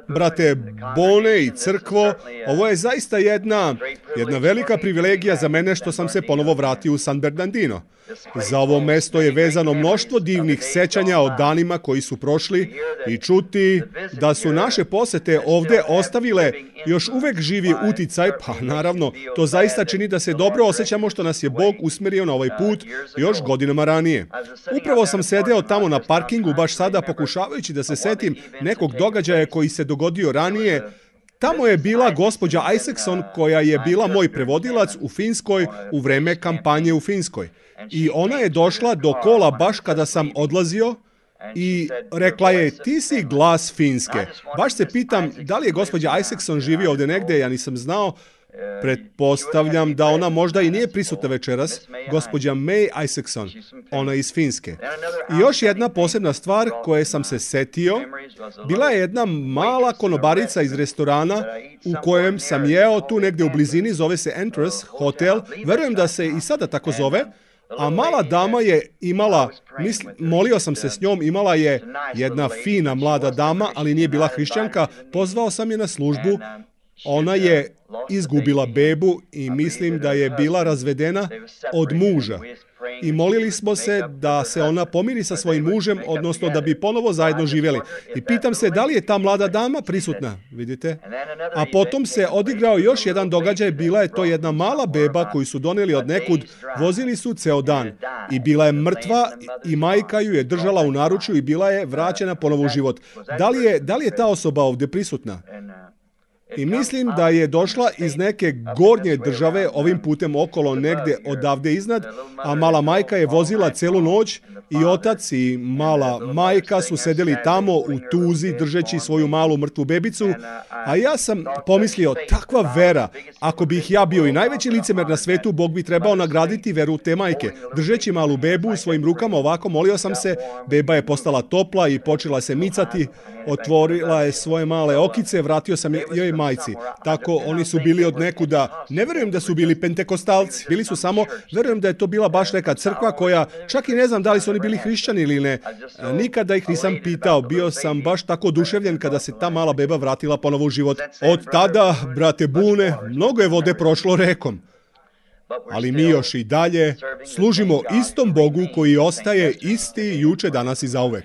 Brate Bone i crkvo, ovo je zaista jedna velika privilegija za mene što sam se ponovo vratio u San Bernardino. Za ovo mesto je vezano mnoštvo divnih sećanja o danima koji su prošli i čuti da su naše posete ovde ostavile još uvek živi uticaj, pa naravno, to zaista čini da se dobro osjećamo što nas je Bog usmerio na ovaj put još godinama ranije. Upravo sam sedeo tamo na parkingu baš sada pokušavajući da se setim nekog događaja koji se dogodio ranije. Tamo je bila gospođa Isaacson koja je bila moj prevodilac u Finskoj u vreme kampanje u Finskoj. I ona je došla do kola baš kada sam odlazio i rekla je, ti si glas Finske. Baš se pitam, da li je gospođa Isaacson živi ovdje negdje, ja nisam znao. Pretpostavljam da ona možda i nije prisutna večeras, gospođa May Isaacson, ona iz Finske. I još jedna posebna stvar koje sam se setio, bila je jedna mala konobarica iz restorana u kojem sam jeo tu negdje u blizini, zove se Entrance Hotel, verujem da se i sada tako zove, a mala dama je imala, molio sam se s njom, imala je jedna fina mlada dama, ali nije bila hrišćanka, pozvao sam je na službu. Ona je izgubila bebu i mislim da je bila razvedena od muža. I molili smo se da se ona pomiri sa svojim mužem, odnosno da bi ponovo zajedno živjeli. I pitam se da li je ta mlada dama prisutna, vidite? A potom se odigrao još jedan događaj, bila je to jedna mala beba koju su doneli od nekud, vozili su ceo dan. I bila je mrtva i majka ju je držala u naručju i bila je vraćena ponovo u život. Da li je ta osoba ovdje prisutna? I mislim da je došla iz neke gornje države ovim putem okolo negdje odavde iznad, a mala majka je vozila celu noć i otac i mala majka su sedeli tamo u tuzi držeći svoju malu mrtvu bebicu, a ja sam pomislio, takva vera, ako bih ja bio i najveći licemer na svetu, Bog bi trebao nagraditi veru te majke. Držeći malu bebu u svojim rukama ovako, molio sam se, beba je postala topla i počela se micati, otvorila je svoje male okice, vratio sam joj majci. Tako, oni su bili od nekuda, ne verujem da su bili pentekostalci, bili su samo, verujem da je to bila baš neka crkva koja, čak i ne znam da li su oni bili hrišćani ili ne, nikada ih nisam pitao, bio sam baš tako oduševljen kada se ta mala beba vratila ponovo u život. Od tada, brate Bune, mnogo je vode prošlo rekom. Ali mi još i dalje služimo istom Bogu koji ostaje isti juče, danas i zauvek.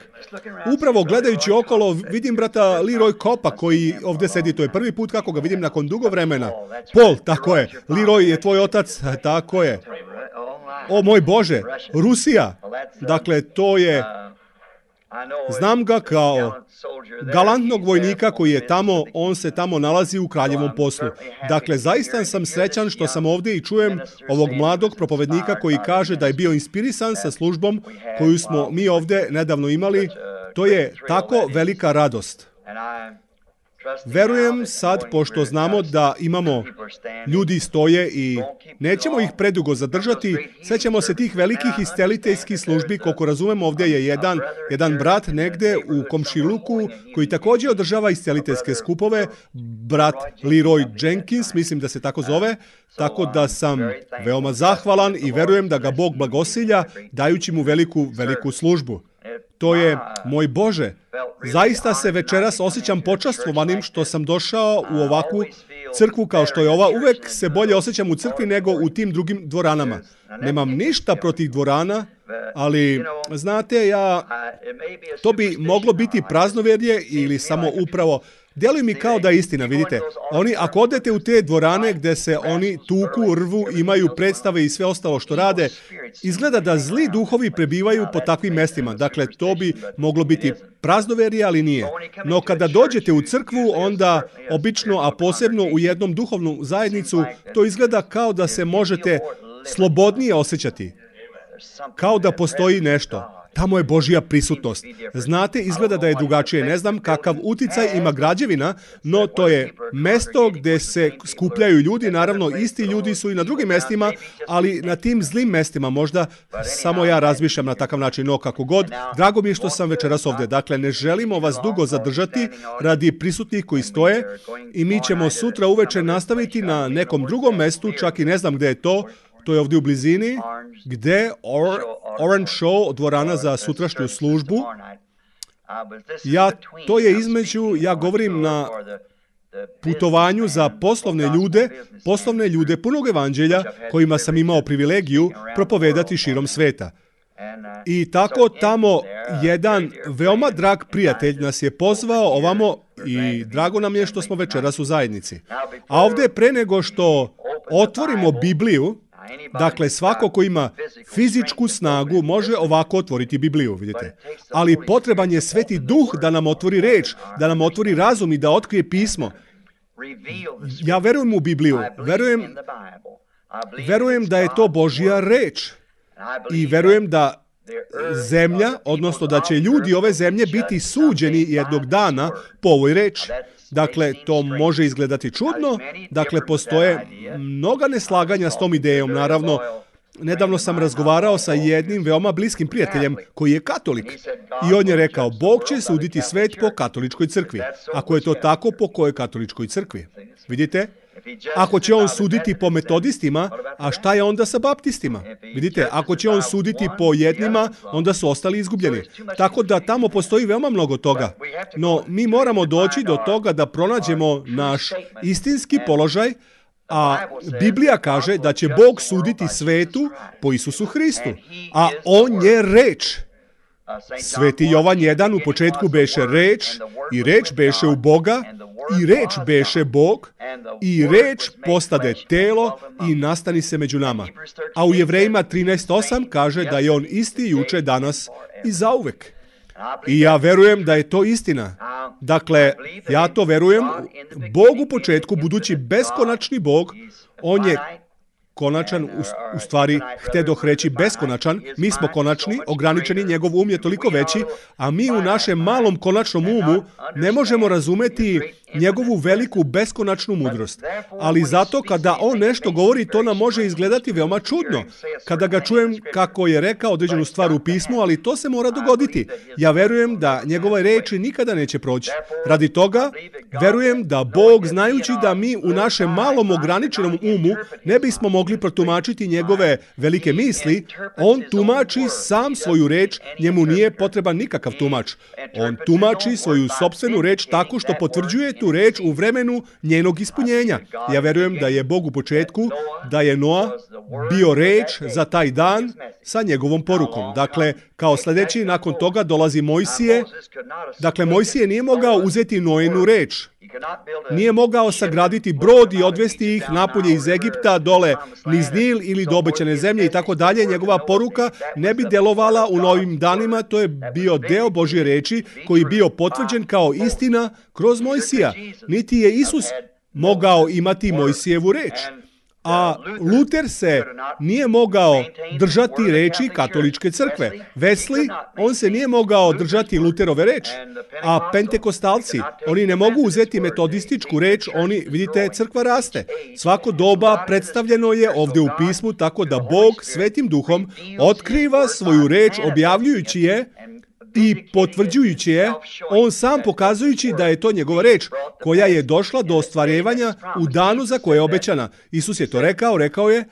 Upravo gledajući okolo vidim brata Leroy Coppa koji ovdje sedi, to je prvi put kako ga vidim nakon dugo vremena. Paul, tako je, Leroy je tvoj otac, tako je. O moj Bože, Rusija, dakle to je... Znam ga kao galantnog vojnika koji je tamo, on se tamo nalazi u kraljevom poslu. Dakle, zaista sam srećan što sam ovdje i čujem ovog mladog propovednika koji kaže da je bio inspirisan sa službom koju smo mi ovdje nedavno imali. To je tako velika radost. Verujem sad, pošto znamo da imamo ljudi stoje i nećemo ih predugo zadržati, sećamo se tih velikih isceliteljskih službi, koliko razumemo ovdje je jedan brat negde u komšiluku koji također održava isceliteljske skupove, brat Leroy Jenkins, mislim da se tako zove, tako da sam veoma zahvalan i verujem da ga Bog blagosilja dajući mu veliku službu. To je, moj Bože, zaista se večeras osjećam počastvovanim što sam došao u ovakvu crkvu kao što je ova. Uvek se bolje osjećam u crkvi nego u tim drugim dvoranama. Nemam ništa protiv dvorana, ali, znate, to bi moglo biti praznovjerje ili samo upravo. Djeluje mi kao da je istina, vidite. Oni, ako odete u te dvorane gdje se oni tuku, rvu, imaju predstave i sve ostalo što rade, izgleda da zli duhovi prebivaju po takvim mestima. Dakle, to bi moglo biti praznoverje, ali nije. No kada dođete u crkvu, onda obično, a posebno u jednom duhovnu zajednicu, to izgleda kao da se možete slobodnije osjećati. Kao da postoji nešto. Tamo je Božja prisutnost. Znate, izgleda da je drugačije. Ne znam kakav uticaj ima građevina, no to je mesto gdje se skupljaju ljudi. Naravno, isti ljudi su i na drugim mestima, ali na tim zlim mestima možda samo ja razmišljam na takav način. No, kako god, drago mi je što sam večeras ovdje. Dakle, ne želimo vas dugo zadržati radi prisutnih koji stoje i mi ćemo sutra uveče nastaviti na nekom drugom mestu, čak i ne znam gdje je to. To je ovdje u blizini, gdje Orange Show, dvorana za sutrašnju službu. To je između, ja govorim na putovanju za poslovne ljude punog evanđelja kojima sam imao privilegiju propovedati širom sveta. I tako tamo jedan veoma drag prijatelj nas je pozvao ovamo i drago nam je što smo večeras u zajednici. A ovdje pre nego što otvorimo Bibliju, dakle svako ko ima fizičku snagu može ovako otvoriti Bibliju, vidite. Ali potreban je Sveti Duh da nam otvori reč, da nam otvori razum i da otkrije pismo. Ja verujem u Bibliju, verujem da je to Božja reč i verujem da zemlja, odnosno da će ljudi ove zemlje biti suđeni jednog dana po ovoj reči. Dakle, to može izgledati čudno, dakle, postoje mnoga neslaganja s tom idejom, naravno. Nedavno sam razgovarao sa jednim veoma bliskim prijateljem koji je katolik i on je rekao, Bog će suditi svet po katoličkoj crkvi. Ako je to tako, po kojoj katoličkoj crkvi? Vidite? Ako će on suditi po metodistima, a šta je onda sa baptistima? Vidite, ako će on suditi po jednima, onda su ostali izgubljeni. Tako da tamo postoji veoma mnogo toga. No, mi moramo doći do toga da pronađemo naš istinski položaj, a Biblija kaže da će Bog suditi svetu po Isusu Hristu, a on je reč. Sveti Jovan 1 u početku beše reč, i reč beše u Boga, i reč beše Bog, i reč postade telo i nastani se među nama. A u Jevrejima 13:8 kaže da je on isti juče, danas i zauvek. I ja verujem da je to istina. Dakle, ja to verujem. Bog u početku, budući beskonačni Bog, on je konačan, u stvari, htedoh reći beskonačan, mi smo konačni, ograničeni, njegov um je toliko veći, a mi u našem malom konačnom umu ne možemo razumeti njegovu veliku beskonačnu mudrost. Ali zato kada on nešto govori, to nam može izgledati veoma čudno. Kada ga čujem kako je rekao određenu stvar u pismu, ali to se mora dogoditi. Ja verujem da njegove reči nikada neće proći. Radi toga, verujem da Bog, znajući da mi u našem malom ograničenom umu ne bismo mogli protumačiti njegove velike misli, on tumači sam svoju reč, njemu nije potreban nikakav tumač. On tumači svoju sopstvenu reč tako što potvrđuje tu reč u vremenu njenog ispunjenja. Ja verujem da je Bog u početku, da je Noa bio reč za taj dan sa njegovom porukom. Dakle, kao sljedeći nakon toga dolazi Mojsije. Dakle, Mojsije nije mogao uzeti Noinu reč. Nije mogao sagraditi brod i odvesti ih napolje iz Egipta, dole niz Nil ili do obećane zemlje i tako dalje. Njegova poruka ne bi djelovala u novim danima. To je bio deo Božje reči koji je bio potvrđen kao istina kroz Mojsija. Niti je Isus mogao imati Mojsijevu reč. A Luter se nije mogao držati reči katoličke crkve. Wesley, on se nije mogao držati Luterove reči. A pentekostalci, oni ne mogu uzeti metodističku reč, oni, vidite, crkva raste. Svako doba predstavljeno je ovdje u pismu, tako da Bog Svetim Duhom otkriva svoju reč, objavljujući je i potvrđujući je, on sam pokazujući da je to njegova reč, koja je došla do ostvarivanja u danu za koje je obećana. Isus je to rekao je,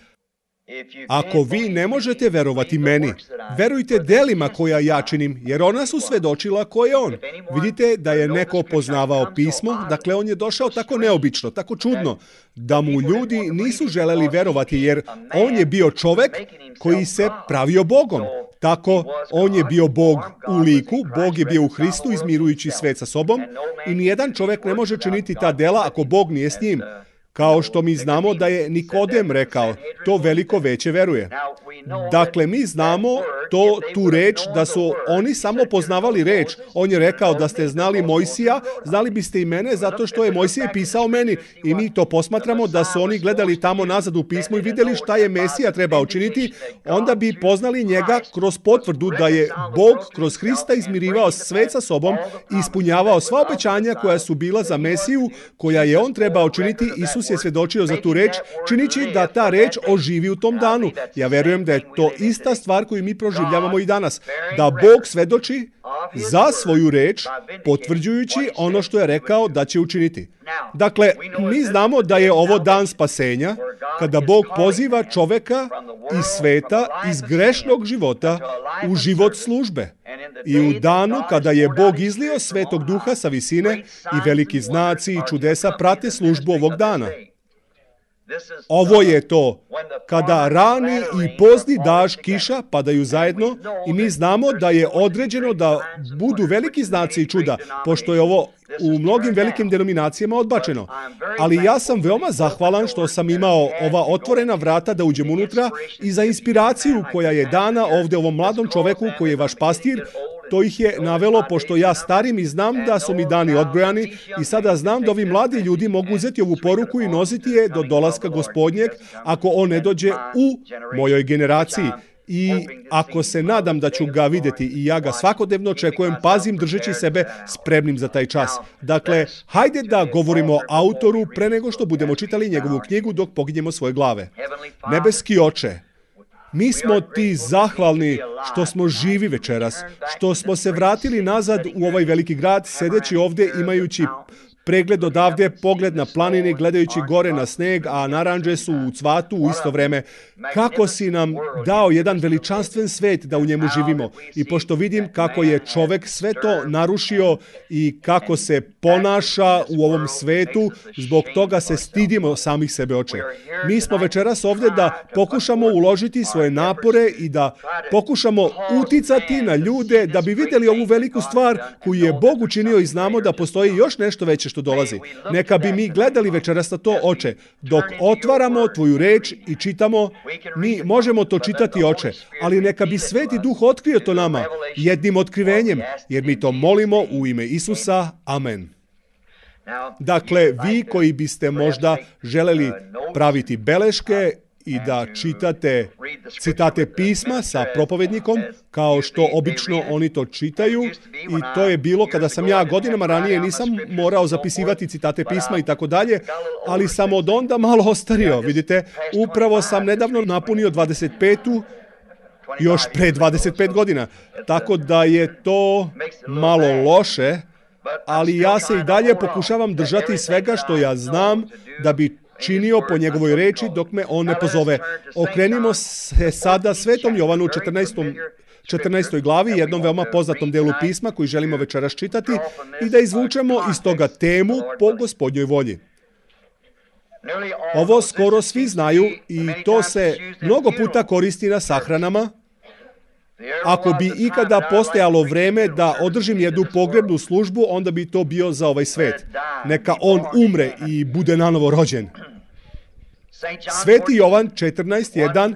ako vi ne možete verovati meni, verujte delima koja ja činim, jer ona su svedočila ko je on. Vidite da je neko poznavao pismo, dakle on je došao tako neobično, tako čudno, da mu ljudi nisu želeli verovati, jer on je bio čovek koji se pravio Bogom. Tako, on je bio Bog u liku, Bog je bio u Hristu izmirujući svet sa sobom i nijedan čovjek ne može činiti ta dela ako Bog nije s njim. Kao što mi znamo da je Nikodem rekao, to veliko veće veruje. Dakle, mi znamo tu reč da su oni samo poznavali reč. On je rekao da ste znali Mojsija, znali biste i mene zato što je Mojsije pisao meni. I mi to posmatramo da su oni gledali tamo nazad u pismu i vidjeli šta je Mesija trebao činiti, onda bi poznali njega kroz potvrdu da je Bog kroz Hrista izmirivao svet sa sobom i ispunjavao sva obećanja koja su bila za Mesiju, koja je on trebao činiti. Isus je svjedočio za tu reč, činići da ta reč oživi u tom danu. Ja verujem da je to ista stvar koju mi proživljavamo i danas. Da Bog svedoči za svoju reč, potvrđujući ono što je rekao da će učiniti. Dakle, mi znamo da je ovo dan spasenja, kada Bog poziva čoveka iz sveta, iz grešnog života, u život službe. I u danu kada je Bog izlio Svetog Duha sa visine i veliki znaci i čudesa prate službu ovog dana. Ovo je to, kada rani i pozni dašt, kiša padaju zajedno i mi znamo da je određeno da budu veliki znaci i čuda, pošto je ovo u mnogim velikim denominacijama odbačeno. Ali ja sam veoma zahvalan što sam imao ova otvorena vrata da uđem unutra i za inspiraciju koja je dana ovde ovom mladom čoveku koji je vaš pastir. To ih je navelo, pošto ja starim i znam da su mi dani odbrojani i sada znam da ovi mladi ljudi mogu uzeti ovu poruku i nositi je do dolaska Gospodnjeg ako on ne dođe u mojoj generaciji. I ako se nadam da ću ga vidjeti i ja ga svakodnevno očekujem, pazim držeći sebe spremnim za taj čas. Dakle, hajde da govorimo autoru pre nego što budemo čitali njegovu knjigu dok poginjemo svoje glave. Nebeski Oče, mi smo ti zahvalni što smo živi večeras, što smo se vratili nazad u ovaj veliki grad, sedeći ovdje imajući pregled odavde, pogled na planine, gledajući gore na sneg, a naranđe su u cvatu u isto vreme. Kako si nam dao jedan veličanstven svet da u njemu živimo. I pošto vidim kako je čovek sve to narušio i kako se ponaša u ovom svetu, zbog toga se stidimo samih sebe, Oče. Mi smo večeras ovdje da pokušamo uložiti svoje napore i da pokušamo uticati na ljude da bi vidjeli ovu veliku stvar koju je Bog učinio i znamo da postoji još nešto veće što dolazi. Neka bi mi gledali večeras na to, Oče. Dok otvaramo tvoju reč i čitamo, mi možemo to čitati, Oče, ali neka bi Sveti Duh otkrio to nama jednim otkrivenjem, jer mi to molimo u ime Isusa. Amen. Dakle, vi koji biste možda želeli praviti beleške i da čitate citate pisma sa propovednikom, kao što obično oni to čitaju. I to je bilo kada sam ja godinama ranije nisam morao zapisivati citate pisma i tako dalje, ali sam od onda malo ostario. Vidite, upravo sam nedavno napunio 25. još pre 25 godina. Tako da je to malo loše, ali ja se i dalje pokušavam držati svega što ja znam da bi činio po njegovoj reči dok me on ne pozove. Okrenimo se sada Svetom Jovanu 14. glavi, jednom veoma poznatom delu pisma koji želimo večeras čitati i da izvučemo iz toga temu po Gospodnjoj volji. Ovo skoro svi znaju i to se mnogo puta koristi na sahranama. Ako bi ikada postojalo vreme da održim jednu pogrebnu službu, onda bi to bio za ovaj svet. Neka on umre i bude nanovo rođen. Sveti Jovan 14:1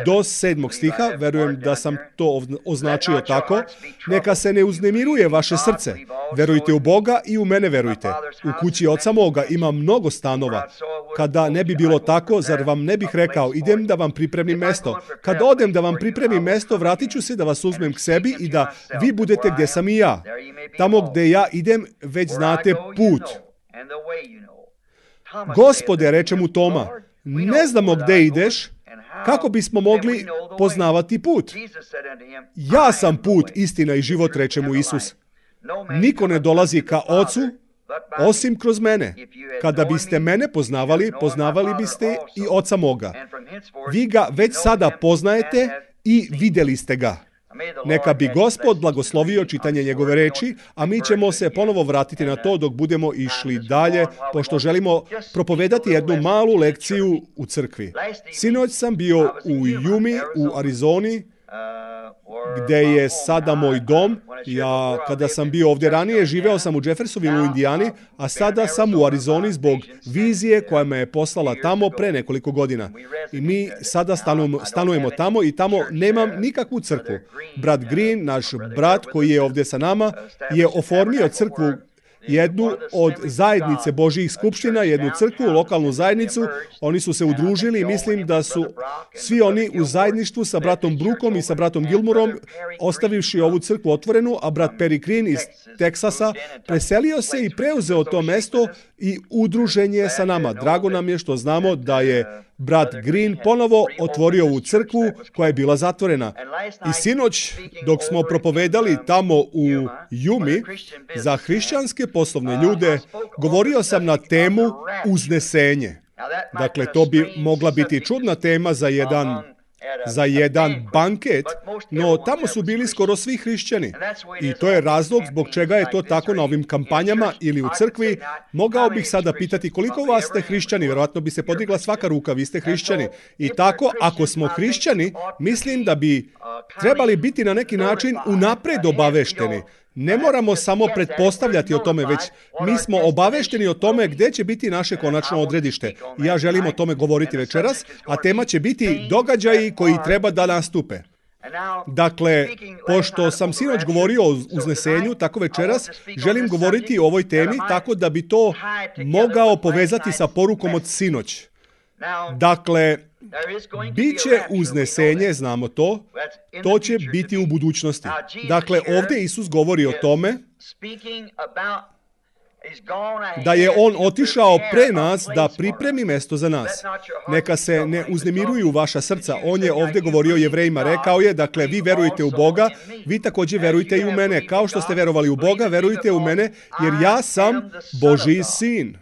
do 7. stiha, verujem da sam to označio tako, neka se ne uznemiruje vaše srce. Verujte u Boga i u mene verujte. U kući oca moga ima mnogo stanova. Kada ne bi bilo tako, zar vam ne bih rekao, idem da vam pripremim mesto. Kad odem da vam pripremim mesto, vratit ću se da vas uzmem k sebi i da vi budete gdje sam i ja. Tamo gdje ja idem, već znate put. Gospode, reče mu Toma, ne znamo gdje ideš, kako bismo mogli poznavati put? Ja sam put, istina i život, reče mu Isus. Niko ne dolazi ka Ocu, osim kroz mene. Kada biste mene poznavali, poznavali biste i Oca moga. Vi ga već sada poznajete i vidjeli ste ga. Neka bi Gospod blagoslovio čitanje njegove reči, a mi ćemo se ponovo vratiti na to dok budemo išli dalje, pošto želimo propovedati jednu malu lekciju u crkvi. Sinoć sam bio u Yumi, u Arizoni, gdje je sada moj dom. Ja, kada sam bio ovdje ranije, živeo sam u Jeffersonville u Indijani, a sada sam u Arizoni zbog vizije koja me je poslala tamo pre nekoliko godina. I mi sada stanujemo tamo i tamo nemam nikakvu crkvu. Brat Green, naš brat koji je ovdje sa nama, je oformio crkvu, jednu od zajednice Božjih skupština, jednu crkvu, lokalnu zajednicu. Oni su se udružili i mislim da su svi oni u zajedništvu sa bratom Brookom i sa bratom Gilmorom, ostavivši ovu crkvu otvorenu, a brat Perry Green iz Teksasa preselio se i preuzeo to mesto i udružen je sa nama. Drago nam je što znamo da je brat Green ponovo otvorio ovu crkvu koja je bila zatvorena. I sinoć, dok smo propovedali tamo u Yumi za hrišćanske poslovne ljude, govorio sam na temu uznesenje. Dakle, to bi mogla biti čudna tema za jedan za jedan banket, no tamo su bili skoro svi hrišćani. I to je razlog zbog čega je to tako na ovim kampanjama ili u crkvi. Mogao bih sada pitati koliko vas ste hrišćani, vjerojatno bi se podigla svaka ruka, vi ste hrišćani. I tako, ako smo hrišćani, mislim da bi trebali biti na neki način unapred obavešteni. Ne moramo samo pretpostavljati o tome, već mi smo obavešteni o tome gdje će biti naše konačno odredište. I ja želim o tome govoriti večeras, a tema će biti događaji koji treba da nastupe. Dakle, pošto sam sinoć govorio o uznesenju, tako večeras želim govoriti o ovoj temi tako da bi to mogao povezati sa porukom od sinoć. Dakle, bit će uznesenje, znamo to će biti u budućnosti. Dakle, ovdje Isus govori o tome da je on otišao pre nas da pripremi mesto za nas. Neka se ne uznemiruju vaša srca. On je ovdje govorio Jevrejima, rekao je, dakle, vi verujete u Boga, vi također verujte i u mene. Kao što ste verovali u Boga, verujte u mene, jer ja sam Božji sin.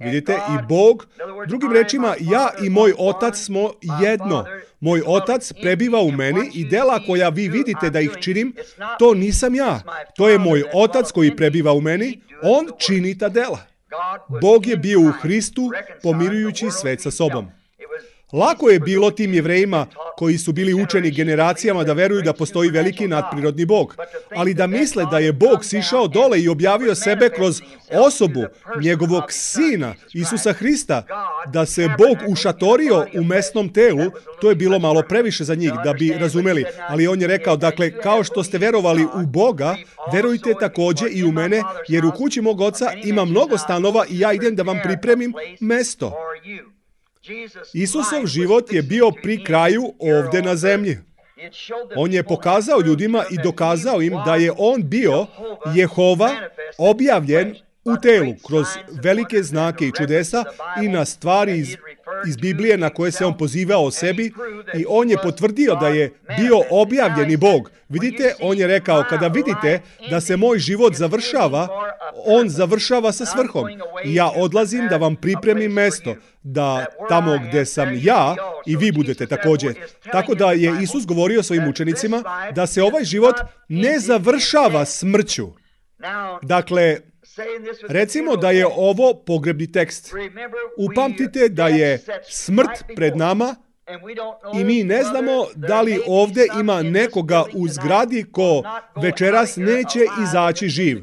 Vidite, i Bog, drugim rečima, ja i moj otac smo jedno. Moj otac prebiva u meni i dela koja vi vidite da ih činim, to nisam ja. To je moj otac koji prebiva u meni, on čini ta dela. Bog je bio u Hristu pomirujući svet sa sobom. Lako je bilo tim Jevrejima koji su bili učeni generacijama da veruju da postoji veliki nadprirodni Bog, ali da misle da je Bog sišao dole i objavio sebe kroz osobu njegovog sina, Isusa Hrista, da se Bog ušatorio u mesnom telu, to je bilo malo previše za njih da bi razumeli, ali on je rekao, dakle, kao što ste verovali u Boga, verujte također i u mene, jer u kući mog oca ima mnogo stanova i ja idem da vam pripremim mesto. Isusov život je bio pri kraju ovdje na zemlji. On je pokazao ljudima i dokazao im da je on bio Jehova objavljen u telu kroz velike znake i čudesa i na stvari iz Biblije na koje se on pozivao o sebi i on je potvrdio da je bio objavljeni Bog. Vidite, on je rekao, kada vidite da se moj život završava, on završava sa svrhom. I ja odlazim da vam pripremim mesto, da tamo gdje sam ja i vi budete također. Tako da je Isus govorio svojim učenicima da se ovaj život ne završava smrću. Dakle, recimo da je ovo pogrebni tekst. Upamtite da je smrt pred nama i mi ne znamo da li ovdje ima nekoga u zgradi ko večeras neće izaći živ.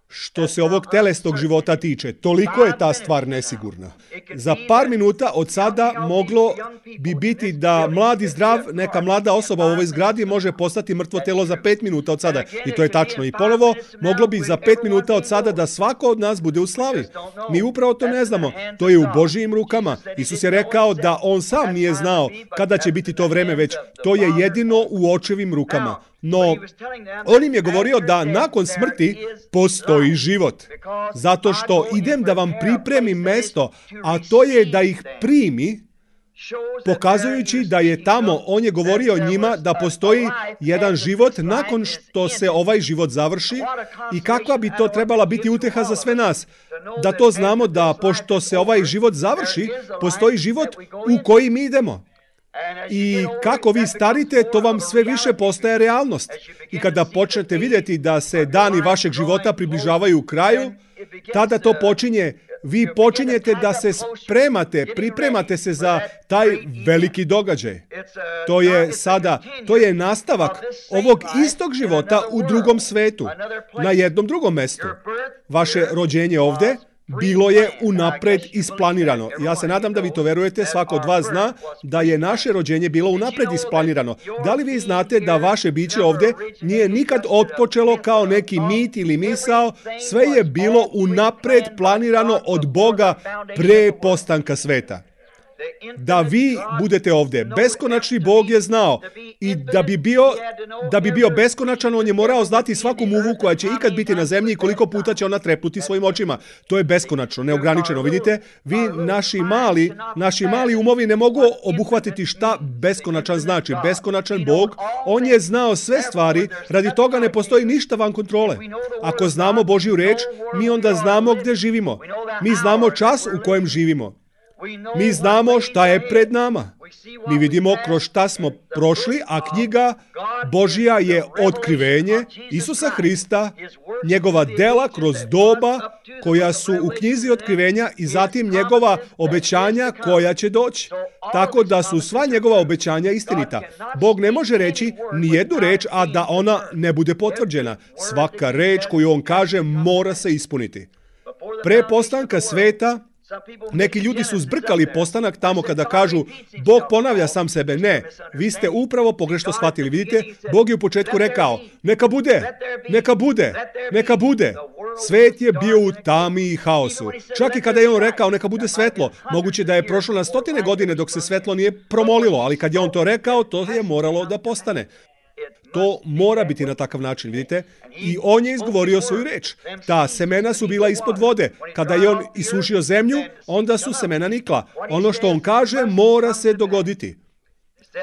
Što se ovog telesnog života tiče, toliko je ta stvar nesigurna. Za par minuta od sada moglo bi biti da mladi zdrav, neka mlada osoba u ovoj zgradi može postati mrtvo telo za 5 minuta od sada. I to je tačno. I ponovo, moglo bi za 5 minuta od sada da svako od nas bude u slavi. Mi upravo to ne znamo. To je u Božijim rukama. Isus je rekao da on sam nije znao kada će biti to vreme, već to je jedino u očevim rukama. No, on im je govorio da nakon smrti postoji život. Zato što idem da vam pripremim mesto, a to je da ih primi, pokazujući da je tamo, on je govorio njima da postoji jedan život nakon što se ovaj život završi i kakva bi to trebala biti uteha za sve nas. Da to znamo da pošto se ovaj život završi, postoji život u koji mi idemo. I kako vi starite, to vam sve više postaje realnost. I kada počnete vidjeti da se dani vašeg života približavaju kraju, tada to počinje. Vi počinjete da se spremate, pripremate se za taj veliki događaj. To je nastavak ovog istog života u drugom svetu, na jednom drugom mjestu. Vaše rođenje ovdje bilo je unapred isplanirano. Ja se nadam da vi to verujete, svako od vas zna da je naše rođenje bilo unapred isplanirano. Da li vi znate da vaše biće ovdje nije nikad otpočelo kao neki mit ili misao, sve je bilo unapred planirano od Boga pre postanka sveta. Da vi budete ovdje. Beskonačni Bog je znao i da bi bio beskonačan, on je morao znati svaku muvu koja će ikad biti na zemlji i koliko puta će ona trepnuti svojim očima. To je beskonačno, neograničeno. Vidite, vi, naši mali umovi ne mogu obuhvatiti šta beskonačan znači. Beskonačan Bog, on je znao sve stvari, radi toga ne postoji ništa van kontrole. Ako znamo Božju reč, mi onda znamo gdje živimo. Mi znamo čas u kojem živimo. Mi znamo šta je pred nama. Mi vidimo kroz šta smo prošli, a knjiga Božja je otkrivenje Isusa Hrista, njegova dela kroz doba koja su u knjizi otkrivenja i zatim njegova obećanja koja će doći. Tako da su sva njegova obećanja istinita. Bog ne može reći ni jednu reč, a da ona ne bude potvrđena. Svaka reč koju on kaže mora se ispuniti. Pre postanka sveta, neki ljudi su zbrkali postanak tamo kada kažu Bog ponavlja sam sebe. Ne, vi ste upravo pogrešno shvatili. Vidite, Bog je u početku rekao neka bude, neka bude, neka bude. Svet je bio u tami i haosu. Čak i kada je on rekao neka bude svetlo, moguće da je prošlo na 100 godine dok se svetlo nije promolilo, ali kad je on to rekao, to je moralo da postane. To mora biti na takav način, vidite? I on je izgovorio svoju reč. Ta semena su bila ispod vode. Kada je on isušio zemlju, onda su semena nikla. Ono što on kaže mora se dogoditi.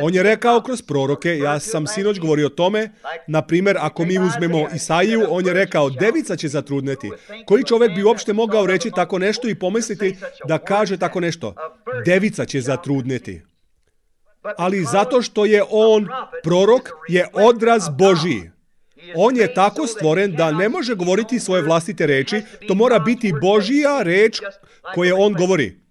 On je rekao kroz proroke, ja sam sinoć govorio o tome, na primjer, ako mi uzmemo Isaiju, on je rekao, devica će zatrudneti. Koji čovjek bi uopšte mogao reći tako nešto i pomisliti da kaže tako nešto? Devica će zatrudneti. Ali zato što je on prorok, je odraz Božiji. On je tako stvoren da ne može govoriti svoje vlastite reči, to mora biti Božija reč koje on govori.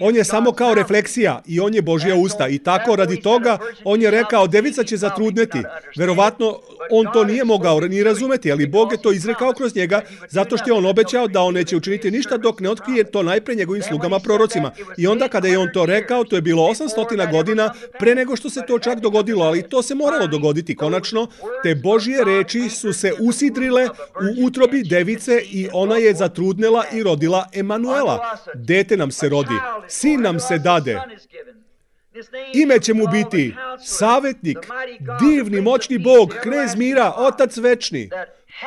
On je samo kao refleksija i on je Božja usta. I tako radi toga on je rekao devica će zatrudneti. Verovatno on to nije mogao ni razumeti, ali Bog je to izrekao kroz njega zato što je on obećao da on neće učiniti ništa dok ne otkrije to najpre njegovim slugama prorocima. I onda kada je on to rekao, to je bilo 800 godina pre nego što se to čak dogodilo, ali to se moralo dogoditi konačno. Te Božje reči su se usidrile u utrobi device i ona je zatrudnela i rodila Emanuela. Dete nam se rodi. Sin nam se dade. Ime će mu biti Savetnik, divni, moćni Bog, Knez mira, Otac večni.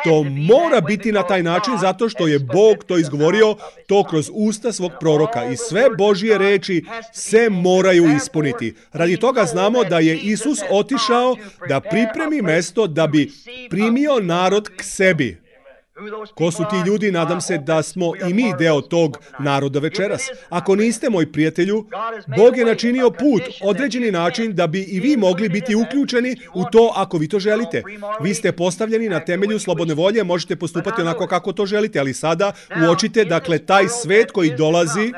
To mora biti na taj način zato što je Bog to izgovorio to kroz usta svog proroka. I sve Božje reči se moraju ispuniti. Radi toga znamo da je Isus otišao da pripremi mesto da bi primio narod k sebi. Ko su ti ljudi? Nadam se da smo i mi deo tog naroda večeras. Ako niste, moj prijatelju, Bog je načinio put, određeni način da bi i vi mogli biti uključeni u to ako vi to želite. Vi ste postavljeni na temelju slobodne volje, možete postupati onako kako to želite, ali sada uočite, dakle, taj svet koji dolazi,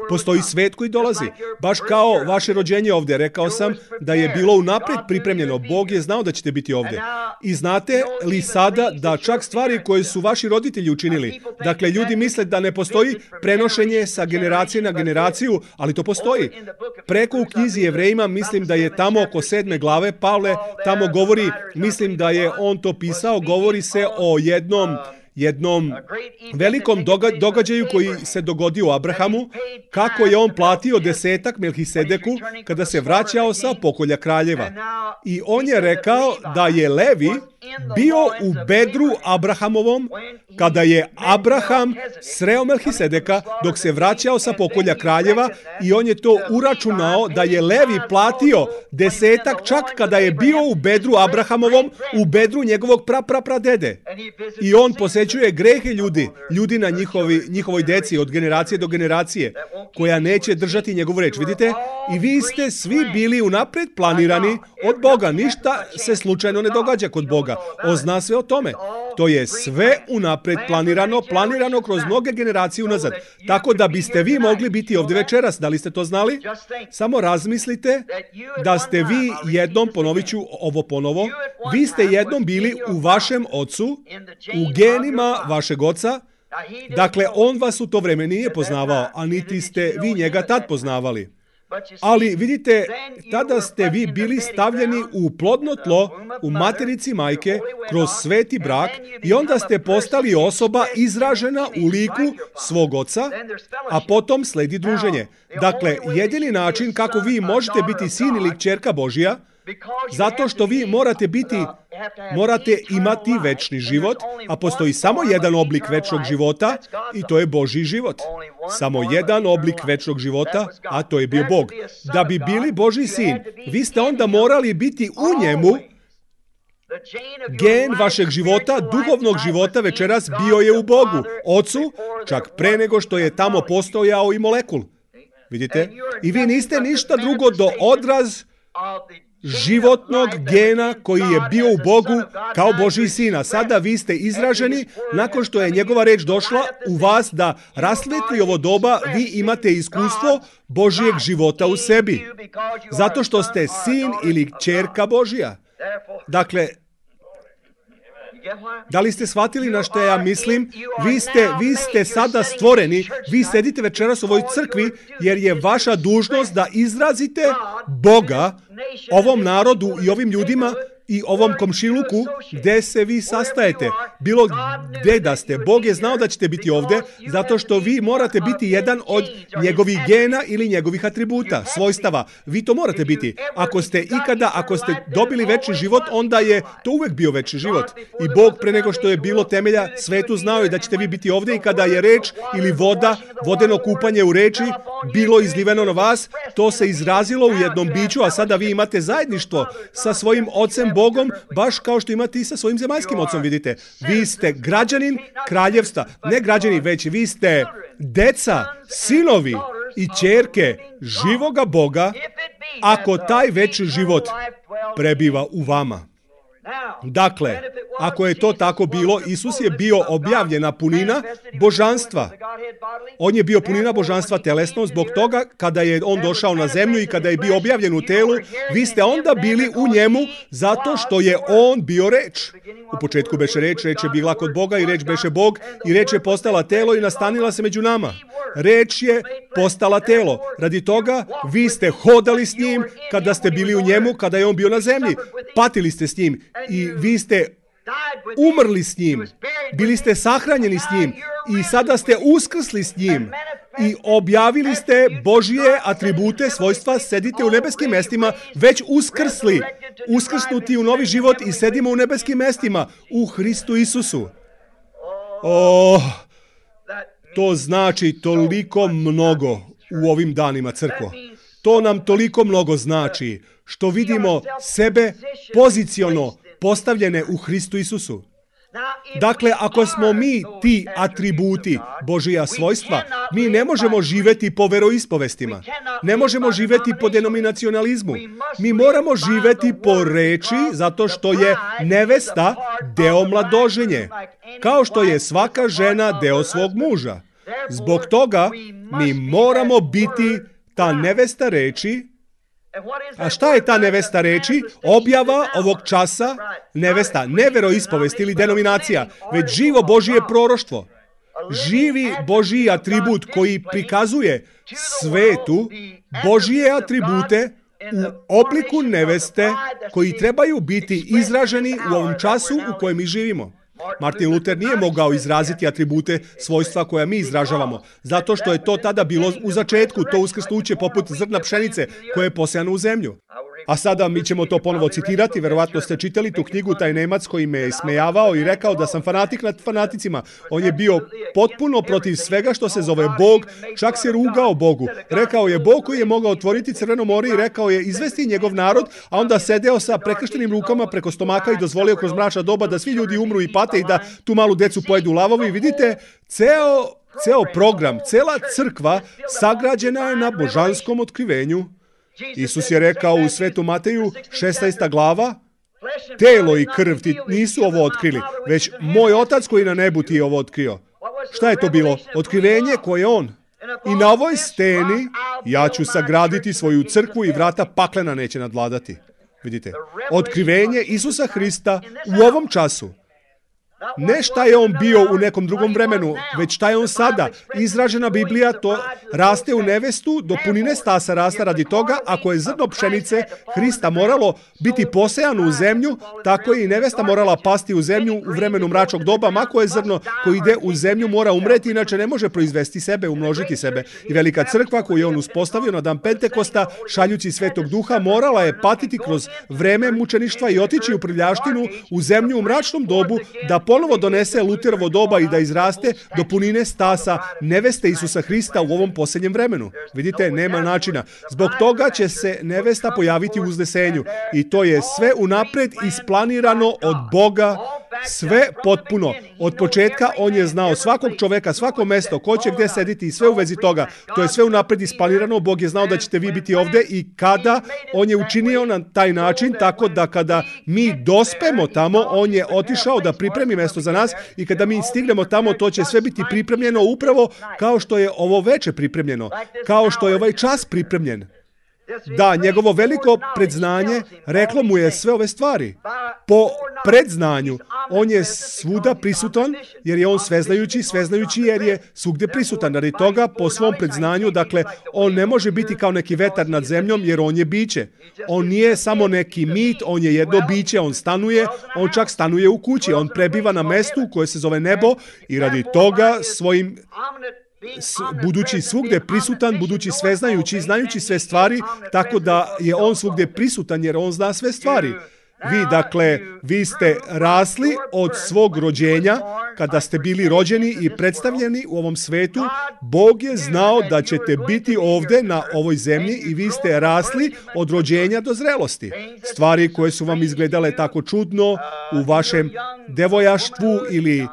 postoji svet koji dolazi. Baš kao vaše rođenje ovdje, rekao sam da je bilo unaprijed pripremljeno. Bog je znao da ćete biti ovdje. I znate li sada da čak stvari koje su vaši roditelji učinili. Dakle, ljudi misle da ne postoji prenošenje sa generacije na generaciju, ali to postoji. Preko u knjizi Jevrejima, mislim da je tamo oko 7. glave, Pavle tamo govori, mislim da je on to pisao, govori se o jednom velikom događaju koji se dogodio Abrahamu, kako je on platio 10 Melhisedeku kada se vraćao sa pokolja kraljeva. I on je rekao da je Levi bio u bedru Abrahamovom kada je Abraham sreo Melhisedeka dok se vraćao sa pokolja kraljeva i on je to uračunao da je Levi platio 10 čak kada je bio u bedru Abrahamovom, u bedru njegovog pradede. I on posećuje grehe ljudi na njihovoj deci od generacije do generacije koja neće držati njegovu reč. Vidite? I vi ste svi bili unapred planirani od Boga. Ništa se slučajno ne događa kod Boga. On zna sve o tome. To je sve unapred planirano kroz mnoge generacije unazad. Tako da biste vi mogli biti ovdje večeras. Da li ste to znali? Samo razmislite da ste vi jednom, ponovit ću ovo ponovo, vi ste jednom bili u vašem ocu, u genima vašeg oca. Dakle, on vas u to vreme nije poznavao, a niti ste vi njega tad poznavali. Ali vidite, tada ste vi bili stavljeni u plodno tlo, u materici majke, kroz sveti brak i onda ste postali osoba izražena u liku svog oca, a potom sledi druženje. Dakle, jedini način kako vi možete biti sin ili kćerka Božja, zato što vi morate imati večni život, a postoji samo jedan oblik večnog života i to je Božji život. Samo jedan oblik večnog života, a to je bio Bog. Da bi bili Božji sin, vi ste onda morali biti u njemu. Gen vašeg života, duhovnog života večeras bio je u Bogu, Ocu, čak pre nego što je tamo postojao i molekul. Vidite? I vi niste ništa drugo do odraz životnog gena koji je bio u Bogu kao Božji sina. Sada vi ste izraženi, nakon što je njegova reč došla u vas da rasvetli ovo doba, vi imate iskustvo Božjeg života u sebi. Zato što ste sin ili kćerka Božja. Dakle, da li ste shvatili na što ja mislim? Vi ste sada stvoreni, vi sedite večeras u ovoj crkvi jer je vaša dužnost da izrazite Boga ovom narodu i ovim ljudima i ovom komšiluku gde se vi sastajete. Bilo gde da ste. Bog je znao da ćete biti ovde zato što vi morate biti jedan od njegovih gena ili njegovih atributa, svojstava. Vi to morate biti. Ako ste dobili večni život, onda je to uvek bio večni život. I Bog pre nego što je bilo temelja svetu znao je da ćete vi biti ovde i kada je reč ili voda, vodeno kupanje u reči bilo izliveno na vas, to se izrazilo u jednom biću, a sada vi imate zajedništvo sa svojim Ocem Bogom, baš kao što imate i sa svojim zemaljskim ocom, vidite. Vi ste građanin kraljevstva. Ne građani, već vi ste deca, sinovi i ćerke živoga Boga, ako taj večni život prebiva u vama. Dakle, ako je to tako bilo, Isus je bio objavljena punina božanstva. On je bio punina božanstva telesno, zbog toga kada je on došao na zemlju i kada je bio objavljen u telu, vi ste onda bili u njemu zato što je on bio reč. U početku beše reč je bila kod Boga i reč beše Bog i reč je postala telo i nastanila se među nama. Reč je postala telo. Radi toga vi ste hodali s njim kada ste bili u njemu, kada je on bio na zemlji. Patili ste s njim i vi ste umrli s njim. Bili ste sahranjeni s njim i sada ste uskrsli s njim. I objavili ste Božje atribute, svojstva, sedite u nebeskim mestima, već uskrsli, uskrsnuti u novi život i sedimo u nebeskim mestima u Hristu Isusu. To znači toliko mnogo u ovim danima, crkvo. To nam toliko mnogo znači što vidimo sebe poziciono postavljene u Hristu Isusu. Dakle, ako smo mi ti atributi Božija svojstva, mi ne možemo živeti po veroispovestima. Ne možemo živeti po denominacionalizmu. Mi moramo živeti po reči zato što je nevesta deo mladoženje. Kao što je svaka žena deo svog muža. Zbog toga mi moramo biti ta nevesta reči. A šta je ta nevesta reči? Objava ovog časa nevesta, ne veroispovest ili denominacija, već živo Božije proroštvo. Živi Božji atribut koji prikazuje svetu Božije atribute u obliku neveste koji trebaju biti izraženi u ovom času u kojem mi živimo. Martin Luther nije mogao izraziti atribute svojstva koja mi izražavamo, zato što je to tada bilo u začetku, to uskrsnuće poput zrna pšenice koje je posejano u zemlju. A sada mi ćemo to ponovo citirati, verovatno ste čitali tu knjigu, taj Nemac koji me je smejavao i rekao da sam fanatik nad fanaticima. On je bio potpuno protiv svega što se zove Bog, čak se rugao Bogu. Rekao je Bog koji je mogao otvoriti Crveno more i rekao je izvesti njegov narod, a onda sedeo sa prekrštenim rukama preko stomaka i dozvolio kroz mračna doba da svi ljudi umru i pate i da tu malu decu pojedu lavovi. Vidite, ceo program, cela crkva sagrađena je na božanskom otkrivenju. Isus je rekao u Svetu Mateju, 16. glava, telo i krv ti nisu ovo otkrili, već moj Otac koji na nebu ti je ovo otkrio. Šta je to bilo? Otkrivenje koje je on. I na ovoj steni ja ću sagraditi svoju crkvu i vrata paklena neće nadvladati. Vidite, otkrivenje Isusa Hrista u ovom času. Ne šta je on bio u nekom drugom vremenu, već šta je on sada. Izražena Biblija to raste u nevestu, do punine stasa rasta radi toga, ako je zrno pšenice Hrista moralo biti posejano u zemlju, tako je i nevesta morala pasti u zemlju u vremenu mračnog doba, mako je zrno koji ide u zemlju mora umreti, inače ne može proizvesti sebe, umnožiti sebe. I velika crkva koju je on uspostavio na dan Pentekosta, šaljući Svetog Duha, morala je patiti kroz vreme mučeništva i otići u prljaštinu, u zemlju u mračnom dobu, da ponovo donese Luterovo doba i da izraste do punine stasa neveste Isusa Hrista u ovom posljednjem vremenu. Vidite, nema načina. Zbog toga će se nevesta pojaviti u uznesenju. I to je sve unapred isplanirano od Boga Sve potpuno. Od početka on je znao svakog čoveka, svako mesto, ko će gdje sediti i sve u vezi toga. To je sve unapred isplanirano. Bog je znao da ćete vi biti ovdje i kada on je učinio na taj način, tako da kada mi dospemo tamo, on je otišao da pripremi mesto za nas i kada mi stignemo tamo, to će sve biti pripremljeno upravo kao što je ovo veče pripremljeno, kao što je ovaj čas pripremljen. Da, njegovo veliko predznanje reklo mu je sve ove stvari. Po predznanju, on je svuda prisutan jer je on sveznajući jer je svugdje prisutan. Radi toga, po svom predznanju, dakle, on ne može biti kao neki vetar nad zemljom jer on je biće. On nije samo neki mit, on je jedno biće, on stanuje, on čak stanuje u kući, on prebiva na mestu koje se zove nebo i radi toga svojim budući svugdje prisutan, budući sveznajući, znajući sve stvari, tako da je on svugdje prisutan jer on zna sve stvari. Vi ste rasli od svog rođenja, kada ste bili rođeni i predstavljeni u ovom svetu, Bog je znao da ćete biti ovdje na ovoj zemlji i vi ste rasli od rođenja do zrelosti. Stvari koje su vam izgledale tako čudno u vašem devojaštvu ili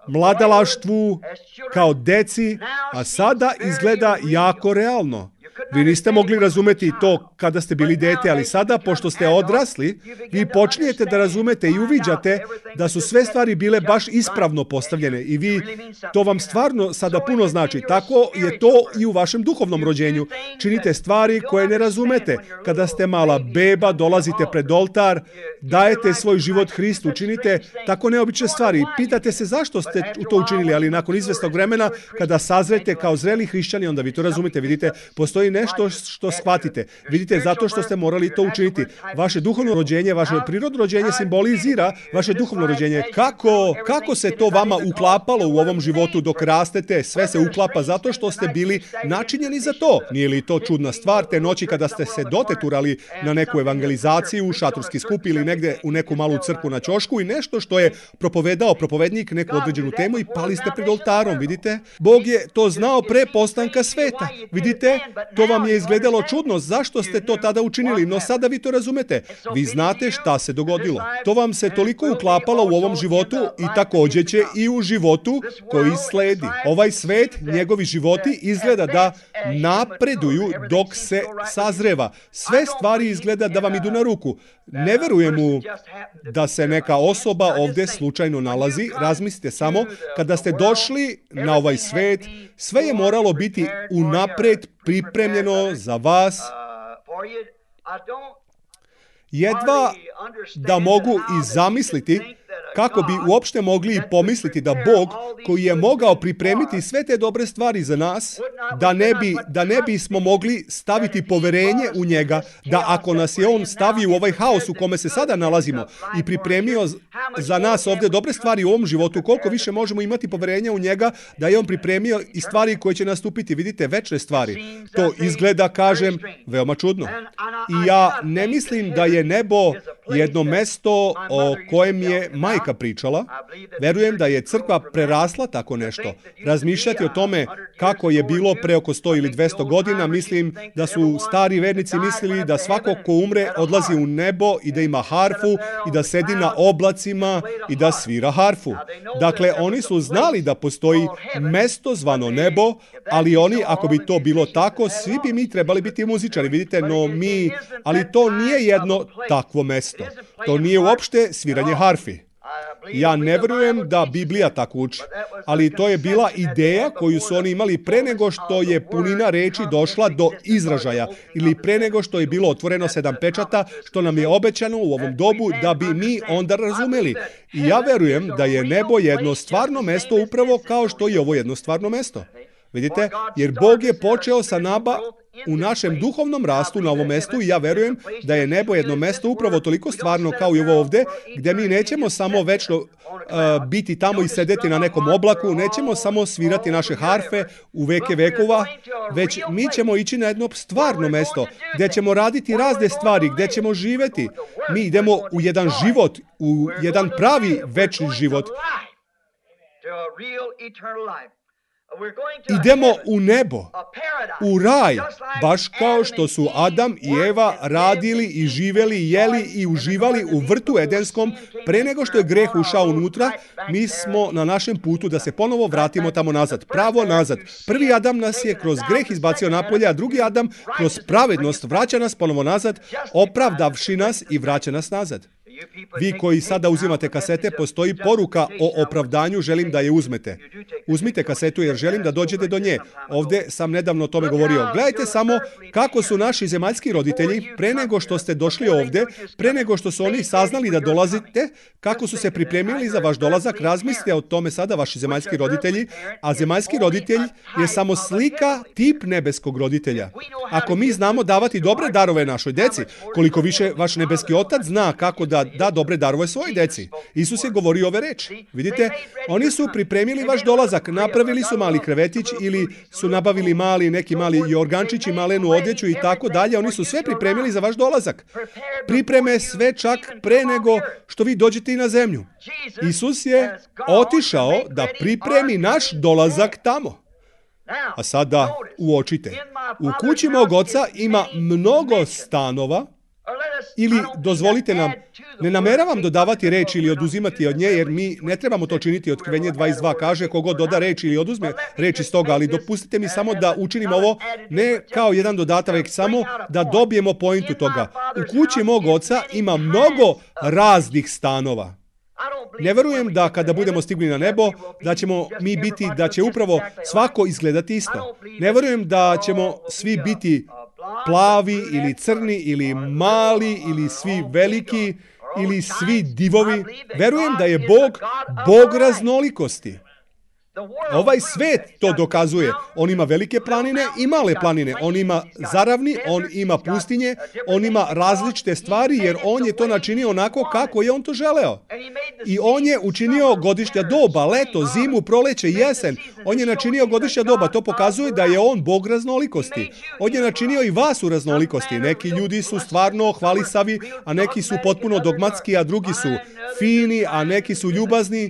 mladalaštvu, kao deci, a sada izgleda jako realno. Vi niste mogli razumeti to kada ste bili dete, ali sada, pošto ste odrasli, vi počinjete da razumete i uviđate da su sve stvari bile baš ispravno postavljene i to vam stvarno sada puno znači. Tako je to i u vašem duhovnom rođenju. Činite stvari koje ne razumete. Kada ste mala beba, dolazite pred oltar, dajete svoj život Hristu, činite tako neobične stvari. Pitate se zašto ste to učinili, ali nakon izvesnog vremena, kada sazrete kao zreli hrišćani, onda vi to razumite. Vidite, postoji nešto što shvatite. Vidite, zato što ste morali to učiniti. Vaše duhovno rođenje, vaše prirodno rođenje simbolizira vaše duhovno rođenje. Kako se to vama uklapalo u ovom životu dok rastete? Sve se uklapa zato što ste bili načinjeni za to. Nije li to čudna stvar te noći kada ste se doteturali na neku evangelizaciju, šatorski skup ili negdje u neku malu crkvu na ćošku i nešto što je propovedao propovednik neku određenu temu i pali ste pred oltarom, vidite? Bog je to znao pre postanka sveta. Vidite, to vam je izgledalo čudno, zašto ste to tada učinili, no sada vi to razumete. Vi znate šta se dogodilo. To vam se toliko uklapalo u ovom životu i također će i u životu koji sledi. Ovaj svet, njegovi životi izgleda da napreduju dok se sazreva. Sve stvari izgleda da vam idu na ruku. Ne verujem mu da se neka osoba ovdje slučajno nalazi. Razmislite samo, kada ste došli na ovaj svet, sve je moralo biti unapred pripremljeno za vas. Jedva da mogu i zamisliti kako bi uopšte mogli i pomisliti da Bog, koji je mogao pripremiti sve te dobre stvari za nas, da ne bismo mogli staviti poverenje u njega, da ako nas je on stavio u ovaj haos u kome se sada nalazimo i pripremio za nas ovdje dobre stvari u ovom životu, koliko više možemo imati poverenja u njega da je on pripremio i stvari koje će nastupiti, vidite, večne stvari. To izgleda, kažem, veoma čudno. I ja ne mislim da je nebo jedno mesto o kojem je majka pričala. Verujem da je crkva prerasla tako nešto. Razmišljati o tome kako je bilo pre oko 100 ili 200 godina, mislim da su stari vernici mislili da svako ko umre odlazi u nebo i da ima harfu i da sedi na oblacima i da svira harfu. Dakle, oni su znali da postoji mesto zvano nebo, ali oni, ako bi to bilo tako, svi bi mi trebali biti muzičari, vidite, ali to nije jedno takvo mesto. To nije uopšte sviranje harfi. Ja ne verujem da Biblija tako uči, ali to je bila ideja koju su oni imali pre nego što je punina reči došla do izražaja ili pre nego što je bilo otvoreno 7 pečata, što nam je obećano u ovom dobu da bi mi onda razumeli. I ja verujem da je nebo jedno stvarno mesto upravo kao što je ovo jedno stvarno mesto. Vidite, jer Bog je počeo sa nama u našem duhovnom rastu na ovom mestu i ja verujem da je nebo jedno mesto upravo toliko stvarno kao i ovo ovdje, gdje mi nećemo samo večno biti tamo i sedeti na nekom oblaku, nećemo samo svirati naše harfe u veke vekova, već mi ćemo ići na jedno stvarno mesto gdje ćemo raditi razne stvari, gdje ćemo živjeti. Mi idemo u jedan život, u jedan pravi večni život. idemo u nebo, u raj, baš kao što su Adam i Eva radili i živeli, jeli i uživali u vrtu edenskom pre nego što je greh ušao unutra. Mi smo na našem putu da se ponovo vratimo tamo nazad, pravo nazad. Prvi Adam nas je kroz greh izbacio napolje, a drugi Adam kroz pravednost vraća nas ponovo nazad, opravdavši nas i vraća nas nazad. Vi koji sada uzimate kasete, postoji poruka o opravdanju, želim da je uzmete. Uzmite kasetu jer želim da dođete do nje. Ovdje sam nedavno o tome govorio. Gledajte samo kako su naši zemaljski roditelji, pre nego što ste došli ovdje, pre nego što su oni saznali da dolazite, kako su se pripremili za vaš dolazak, razmislite o tome sada vaši zemaljski roditelji, a zemaljski roditelj je samo slika, tip nebeskog roditelja. Ako mi znamo davati dobre darove našoj deci, koliko više vaš nebeski otac zna kako da dobre darove svojoj deci. Isus je govorio ove reči. Vidite, oni su pripremili vaš dolazak, napravili su mali krevetić ili su nabavili neki mali jorgančić i malenu odjeću i tako dalje. Oni su sve pripremili za vaš dolazak. Pripreme sve čak pre nego što vi dođete i na zemlju. Isus je otišao da pripremi naš dolazak tamo. A sada uočite. U kući mog oca ima mnogo stanova. Ili, dozvolite nam, ne nameravam dodavati reč ili oduzimati od nje, jer mi ne trebamo to činiti. Otkrivenje 22 kaže, kogod doda reč ili oduzme reč iz toga, ali dopustite mi samo da učinim ovo ne kao jedan dodatak, već samo da dobijemo pointu toga. U kući mog oca ima mnogo raznih stanova. Ne verujem da kada budemo stigli na nebo, da ćemo mi biti, da će upravo svako izgledati isto. Ne verujem da ćemo svi biti plavi ili crni ili mali ili svi veliki ili svi divovi. Verujem da je Bog raznolikosti. Ovaj svet to dokazuje. On ima velike planine i male planine. On ima zaravni, on ima pustinje, on ima različite stvari jer on je to načinio onako kako je on to želeo. I on je učinio godišnja doba, leto, zimu, proleće, jesen. On je načinio godišnja doba. To pokazuje da je on Bog raznolikosti. On je načinio i vas u raznolikosti. Neki ljudi su stvarno hvalisavi, a neki su potpuno dogmatski, a drugi su fini, a neki su ljubazni.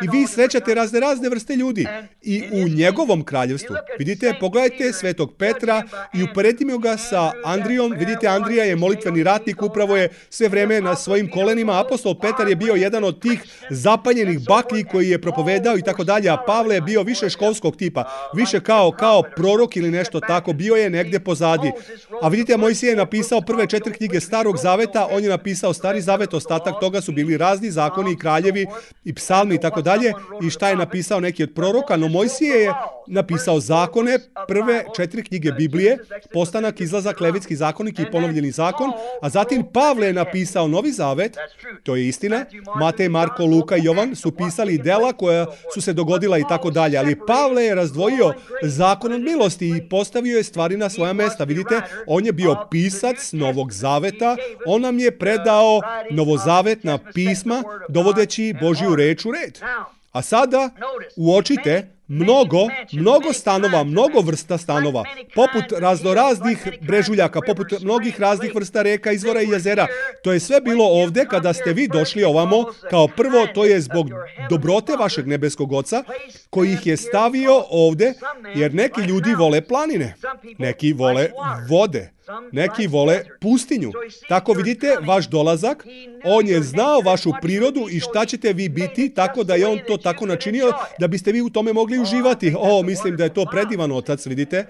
I vi srećate razne vrste ljudi. I u njegovom kraljevstvu. Vidite, pogledajte Svetog Petra i uporedimo ga sa Andrijom. Vidite, Andrija je molitveni ratnik, upravo je sve vreme na svojim kolenima. Apostol Petar je bio jedan od tih zapaljenih baklji koji je propovedao i tako dalje, a Pavle je bio više školskog tipa, više kao prorok ili nešto tako, bio je negdje pozadi. A vidite, Mojsije je napisao prve 4 knjige Starog zaveta, on je napisao Stari zavet, ostatak toga su bili razni zakoni i kraljevi i psalmi i tako dalje. I šta je napisao neki od proroka? No Mojsije je napisao zakone, prve 4 knjige Biblije, Postanak, Izlazak, Levitski zakonik i Ponovljeni zakon, a zatim Pavle je napisao Novi zavet, to je istina, Matej, Marko, Luka i Jovan su pisali dela koja su se dogodila i tako dalje, ali Pavle je razdvojio zakon od milosti i postavio je stvari na svoja mesta. Vidite, on je bio pisac Novog zaveta, on nam je predao novozavetna pisma, dovodeći Božju reč u red. A sada uočite mnogo stanova, mnogo vrsta stanova, poput raznoraznih brežuljaka, poput mnogih raznih vrsta reka, izvora i jezera. To je sve bilo ovdje kada ste vi došli ovamo. Kao prvo, to je zbog dobrote vašeg nebeskog oca koji ih je stavio ovdje, jer neki ljudi vole planine, neki vole vode, neki vole pustinju. Tako vidite, vaš dolazak, on je znao vašu prirodu i šta ćete vi biti, tako da je on to tako načinio da biste vi u tome mogli uživati. Mislim da je to predivan otac, vidite.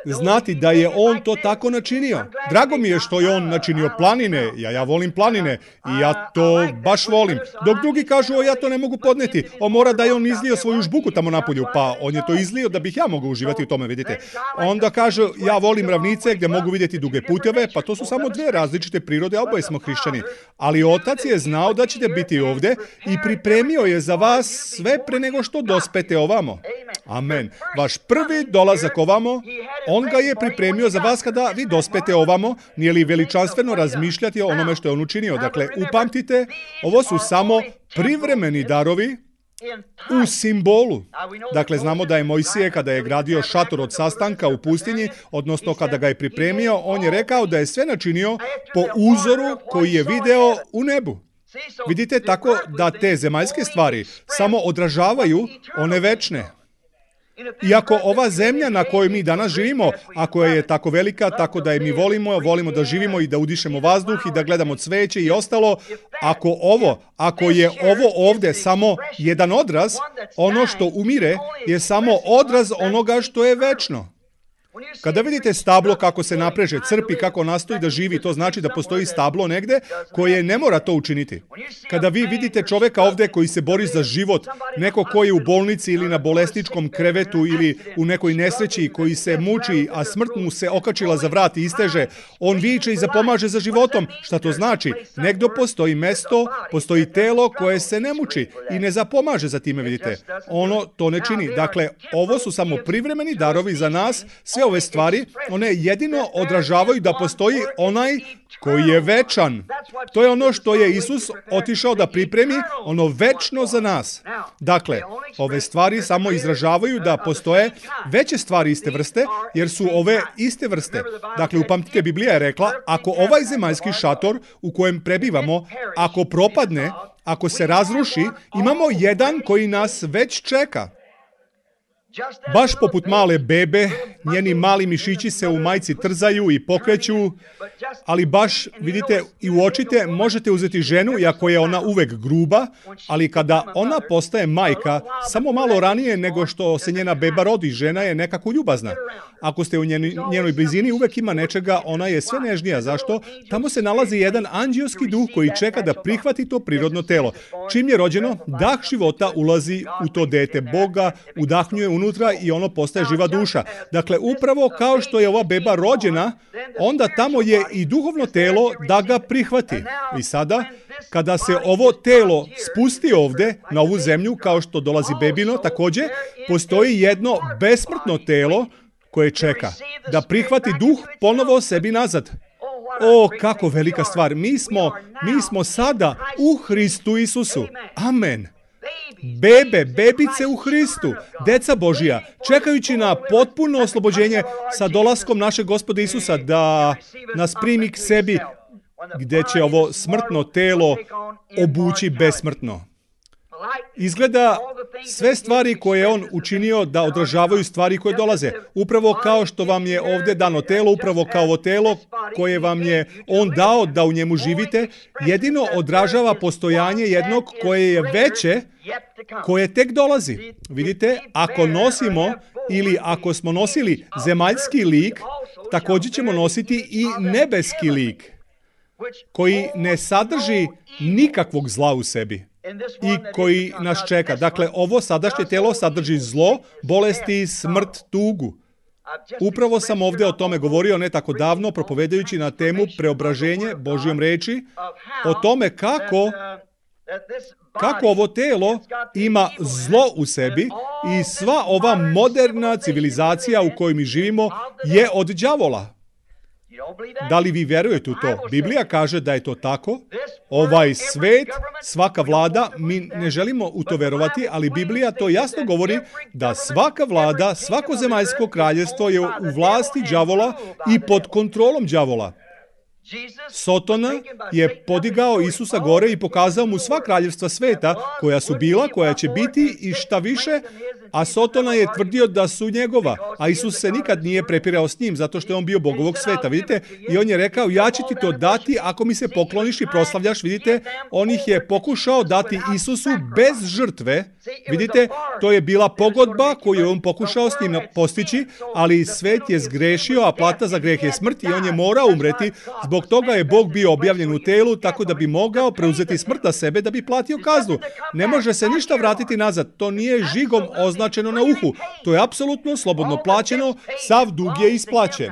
Znati da je on to tako načinio. Drago mi je što je on načinio planine. Ja volim planine i ja to baš volim. Dok drugi kažu, ja to ne mogu podneti. Mora da je on izlio svoju žbuku tamo napolju. Pa on je to izlio da bih ja mogao uživati u tome, vidite. Onda kaže, ja volim ravnice gdje mogu vidjeti duge puteve. Pa to su samo 2 različite prirode, a oboje smo hrišćani. Ali otac je znao da ćete biti ovdje i pripremio je za vas sve pre nego što dospete ovamo. Amen. Vaš prvi dolazak ovamo, on ga je pripremio za vas kada vi dospete ovamo. Nije li veličanstveno razmišljati o onome što je on učinio? Dakle, upamtite, ovo su samo privremeni darovi u simbolu. Dakle, znamo da je Mojsije kada je gradio šator od sastanka u pustinji, odnosno kada ga je pripremio, on je rekao da je sve načinio po uzoru koji je video u nebu. Vidite, tako da te zemaljske stvari samo odražavaju one večne. I ako ova zemlja na kojoj mi danas živimo, ako je tako velika, tako da je mi volimo da živimo i da udišemo vazduh i da gledamo cveće i ostalo, ako je ovo ovde samo jedan odraz, ono što umire je samo odraz onoga što je večno. Kada vidite stablo kako se napreže, crpi, kako nastoji da živi, to znači da postoji stablo negde koje ne mora to učiniti. Kada vi vidite čoveka ovde koji se bori za život, neko koji je u bolnici ili na bolesničkom krevetu ili u nekoj nesreći, koji se muči, a smrt mu se okačila za vrat i isteže, on viče i zapomaže za životom. Šta to znači? Negdje postoji mesto, postoji telo koje se ne muči i ne zapomaže za time, vidite. Ono to ne čini. Dakle, ovo su samo privremeni darovi za nas. Sve ove stvari, one jedino odražavaju da postoji onaj koji je večan. To je ono što je Isus otišao da pripremi, ono večno za nas. Dakle, ove stvari samo izražavaju da postoje veće stvari iste vrste, jer su ove iste vrste. Dakle, upamtite, Biblija je rekla, ako ovaj zemaljski šator u kojem prebivamo, ako propadne, ako se razruši, imamo jedan koji nas već čeka. Baš poput male bebe, njeni mali mišići se u majci trzaju i pokreću, ali baš, vidite, i uočite, možete uzeti ženu, iako je ona uvek gruba, ali kada ona postaje majka, samo malo ranije nego što se njena beba rodi, žena je nekako ljubazna. Ako ste u njenoj blizini, uvek ima nečega, ona je sve nežnija. Zašto? Tamo se nalazi jedan anđelski duh koji čeka da prihvati to prirodno telo. Čim je rođeno, dah života ulazi u to dete Boga, udahnjuje unutra i ono postaje živa duša. Dakle, upravo kao što je ova beba rođena, onda tamo je i duhovno telo da ga prihvati. I sada, kada se ovo telo spusti ovde, na ovu zemlju, kao što dolazi bebino, također, postoji jedno besmrtno telo koje čeka da prihvati duh ponovo sebi nazad. O, kako velika stvar. Mi smo sada u Hristu Isusu. Amen. Bebice u Hristu, deca Božija, čekajući na potpuno oslobođenje sa dolaskom našeg Gospoda Isusa da nas primi k sebi, gde će ovo smrtno telo obući besmrtno. Izgleda sve stvari koje je on učinio da odražavaju stvari koje dolaze. Upravo kao što vam je ovdje dano telo, upravo kao ovo telo koje vam je on dao da u njemu živite, jedino odražava postojanje jednog koje je veće, koje tek dolazi. Vidite, ako nosimo ili ako smo nosili zemaljski lik, također ćemo nositi i nebeski lik, koji ne sadrži nikakvog zla u sebi i koji nas čeka. Dakle, ovo sadašnje telo sadrži zlo, bolesti, smrt, tugu. Upravo sam ovdje o tome govorio ne tako davno, propovedajući na temu preobraženje Božjom reči, o tome kako ovo telo ima zlo u sebi i sva ova moderna civilizacija u kojoj mi živimo je od đavola. Da li vi vjerujete u to? Biblija kaže da je to tako. Ovaj svet, svaka vlada, mi ne želimo u to verovati, ali Biblija to jasno govori da svaka vlada, svako zemaljsko kraljevstvo je u vlasti đavola i pod kontrolom đavola. Sotona je podigao Isusa gore i pokazao mu sva kraljevstva sveta koja su bila, koja će biti i šta više, a Sotona je tvrdio da su njegova, a Isus se nikad nije prepirao s njim zato što je on bio Bog ovog sveta, vidite? I on je rekao, ja ću ti to dati ako mi se pokloniš i proslavljaš, vidite? On ih je pokušao dati Isusu bez žrtve, vidite? To je bila pogodba koju je on pokušao s njim postići, ali svet je zgrešio, a plata za greh je smrt i on je morao umreti. Zbog toga je Bog bio objavljen u telu, tako da bi mogao preuzeti smrt na sebe da bi platio kaznu. Ne može se ništa vratiti nazad. To nije žigom označeno na uhu. To je apsolutno slobodno plaćeno, sav dug je isplaćen.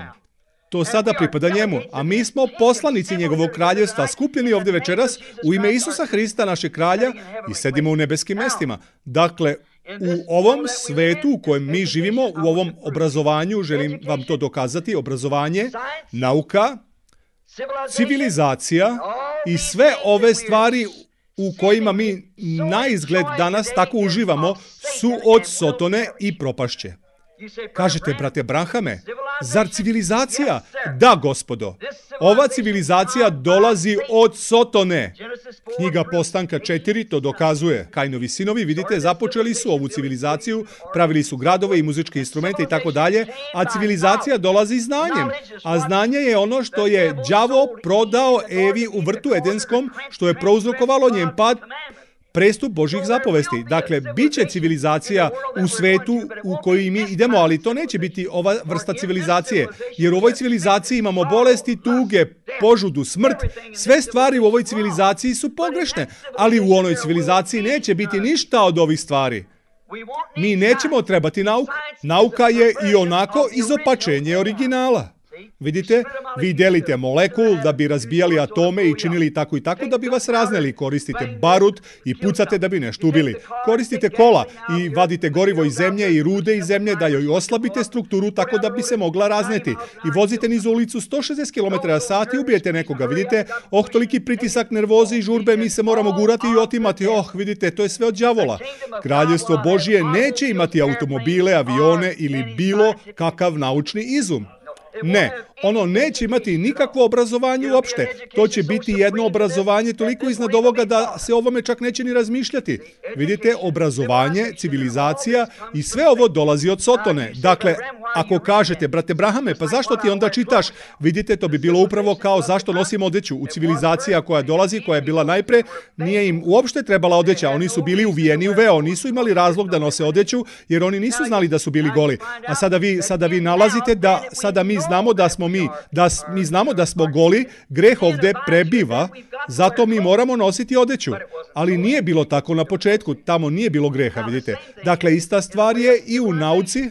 To sada pripada njemu, a mi smo poslanici njegovog kraljevstva, skupljeni ovdje večeras u ime Isusa Hrista, našeg kralja, i sedimo u nebeskim mestima. Dakle, u ovom svetu u kojem mi živimo, u ovom obrazovanju, želim vam to dokazati, obrazovanje, nauka, civilizacija i sve ove stvari u kojima mi na izgled danas tako uživamo su od Sotone i propašće. Kažete, brate Branhame, zar civilizacija? Da, gospodo. Ova civilizacija dolazi od Sotone. Knjiga Postanka 4 to dokazuje. Kainovi sinovi, vidite, započeli su ovu civilizaciju, pravili su gradove i muzičke instrumente i tako dalje, a civilizacija dolazi znanjem. A znanje je ono što je đavo prodao Evi u vrtu Edenskom, što je prouzrokovalo njen pad, prestup Božjih zapovesti. Dakle, bit će civilizacija u svetu u koji mi idemo, ali to neće biti ova vrsta civilizacije. Jer u ovoj civilizaciji imamo bolesti, tuge, požudu, smrt. Sve stvari u ovoj civilizaciji su pogrešne, ali u onoj civilizaciji neće biti ništa od ovih stvari. Mi nećemo trebati nauku. Nauka je i onako izopačenje originala. Vidite, vi delite molekul da bi razbijali atome i činili tako i tako da bi vas razneli. Koristite barut i pucate da bi nešto ubili. Koristite kola i vadite gorivo iz zemlje i rude iz zemlje da joj oslabite strukturu tako da bi se mogla razneti. I vozite niz ulicu 160 km/h i ubijete nekoga. Vidite, toliki pritisak, nervoze i žurbe, mi se moramo gurati i otimati. Vidite, to je sve od đavola. Kraljevstvo Božje neće imati automobile, avione ili bilo kakav naučni izum. Ne, ono neće imati nikakvo obrazovanje uopšte. To će biti jedno obrazovanje toliko iznad ovoga da se ovome čak neće ni razmišljati. Vidite, obrazovanje, civilizacija i sve ovo dolazi od Sotone. Dakle, ako kažete, brate Brahame, pa zašto ti onda čitaš? Vidite, to bi bilo upravo kao zašto nosim odeću. U civilizacija koja dolazi, koja je bila najpre, nije im uopšte trebala odeća. Oni su bili uvijeni u veo, nisu imali razlog da nose odeću, jer oni nisu znali da su bili goli. A sada vi nalazite da sada mi znamo da smo goli, greh ovde prebiva, zato mi moramo nositi odeću. Ali nije bilo tako na početku, tamo nije bilo greha, vidite. Dakle, ista stvar je i u nauci,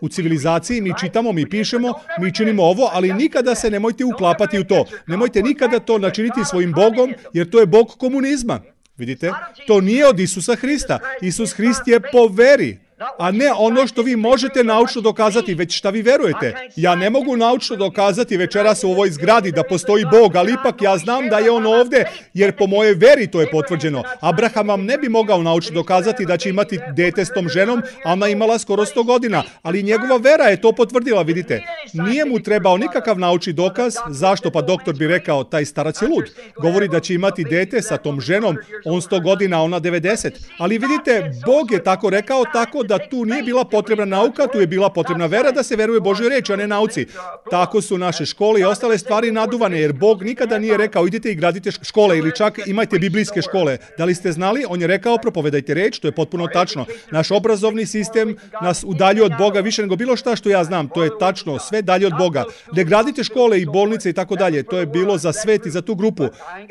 u civilizaciji, mi čitamo, mi pišemo, mi činimo ovo, ali nikada se nemojte uklapati u to. Nemojte nikada to načiniti svojim Bogom, jer to je Bog komunizma. Vidite, to nije od Isusa Hrista. Isus Hrist je po veri, a ne ono što vi možete naučno dokazati, već šta vi verujete. Ja ne mogu naučno dokazati večeras u ovoj zgradi da postoji Bog, ali ipak ja znam da je on ovde, jer po mojoj veri to je potvrđeno. Abraham vam ne bi mogao naučno dokazati da će imati dete s tom ženom, a ona imala skoro 100 godina, ali njegova vera je to potvrdila, vidite. Nije mu trebao nikakav naučni dokaz. Zašto? Pa doktor bi rekao, taj starac je lud. Govori da će imati dete sa tom ženom, on 100 godina, ona 90. Ali vidite, Bog je tako rekao, tako da tu nije bila potrebna nauka, tu je bila potrebna vera da se veruje Božoj reči, a ne nauci. Tako su naše škole i ostale stvari naduvane, jer Bog nikada nije rekao idite i gradite škole ili čak imajte biblijske škole. Da li ste znali? On je rekao propovedajte reč, to je potpuno tačno. Naš obrazovni sistem nas udaljuje od Boga više nego bilo šta što ja znam. To je tačno, sve dalje od Boga. Ne gradite škole i bolnice i tako dalje. To je bilo za svet i za tu grupu.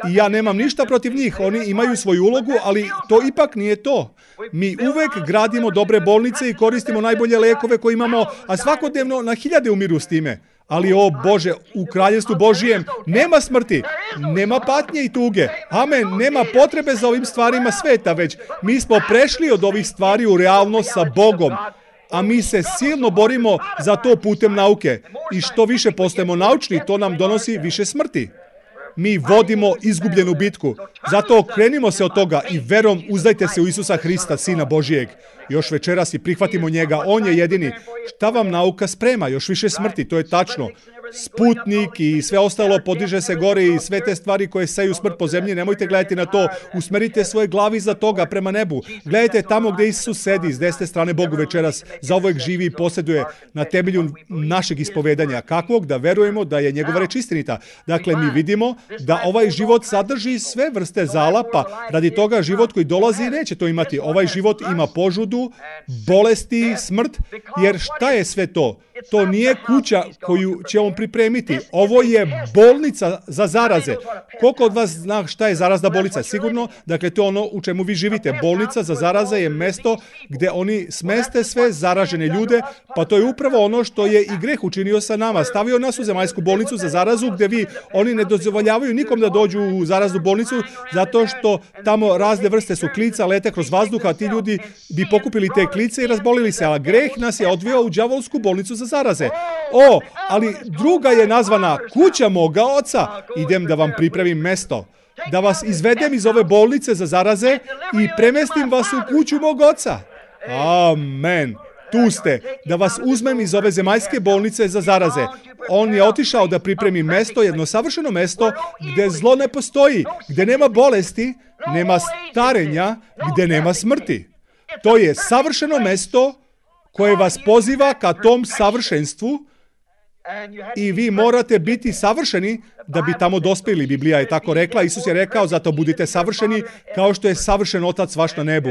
I ja nemam ništa protiv njih. Oni imaju svoju ulogu, ali to ipak nije to. Mi uvek gradimo dobre bolnice i koristimo najbolje lekove koje imamo, a svakodnevno na hiljade umiru s time. Ali, o Bože, u kraljevstvu Božijem nema smrti, nema patnje i tuge. Amen, nema potrebe za ovim stvarima sveta, već mi smo prešli od ovih stvari u realnost sa Bogom. A mi se silno borimo za to putem nauke. I što više postajemo naučni, to nam donosi više smrti. Mi vodimo izgubljenu bitku. Zato okrenimo se od toga i verom uzdajte se u Isusa Hrista, Sina Božijeg. Još večeras i prihvatimo njega, on je jedini. Šta vam nauka sprema? Još više smrti, to je tačno. Sputnik i sve ostalo podiže se gore i sve te stvari koje seju smrt po zemlji, nemojte gledati na to. Usmerite svoje glavi za toga prema nebu. Gledajte tamo gdje Isus sedi, s desne strane Bogu večeras, zauvek živi i posjeduje na temelju našeg ispovedanja. Kakvog? Da verujemo da je njegova reč istinita. Dakle, mi vidimo da ovaj život sadrži sve vrste zala, pa radi toga život koji dolazi neće to imati. Ovaj život ima požudu, bolesti, smrt, jer šta je sve to? To nije kuća koju će on pripremiti. Ovo je bolnica za zaraze. Koliko od vas zna šta je zarazna bolnica? Sigurno, dakle, to je ono u čemu vi živite. Bolnica za zaraze je mesto gde oni smeste sve zaražene ljude, pa to je upravo ono što je i greh učinio sa nama. Stavio nas u zemaljsku bolnicu za zarazu, gde oni ne dozvoljavaju nikom da dođu u zaraznu bolnicu, zato što tamo razne vrste su klica, lete kroz vazduh, a ti ljudi bi pokupili te klice i razbolili se, a greh nas je odveo u đavolsku bolnicu za zaraze. Ali druga je nazvana kuća moga oca. Idem da vam pripremim mesto, da vas izvedem iz ove bolnice za zaraze i premestim vas u kuću mog oca. Amen. Tu ste, da vas uzmem iz ove zemaljske bolnice za zaraze. On je otišao da pripremi mesto, jedno savršeno mesto, gde zlo ne postoji, gde nema bolesti, nema starenja, gde nema smrti. To je savršeno mesto koje vas poziva ka tom savršenstvu i vi morate biti savršeni da bi tamo dospeli. Biblija je tako rekla. Isus je rekao, zato budite savršeni kao što je savršen Otac vaš na nebu.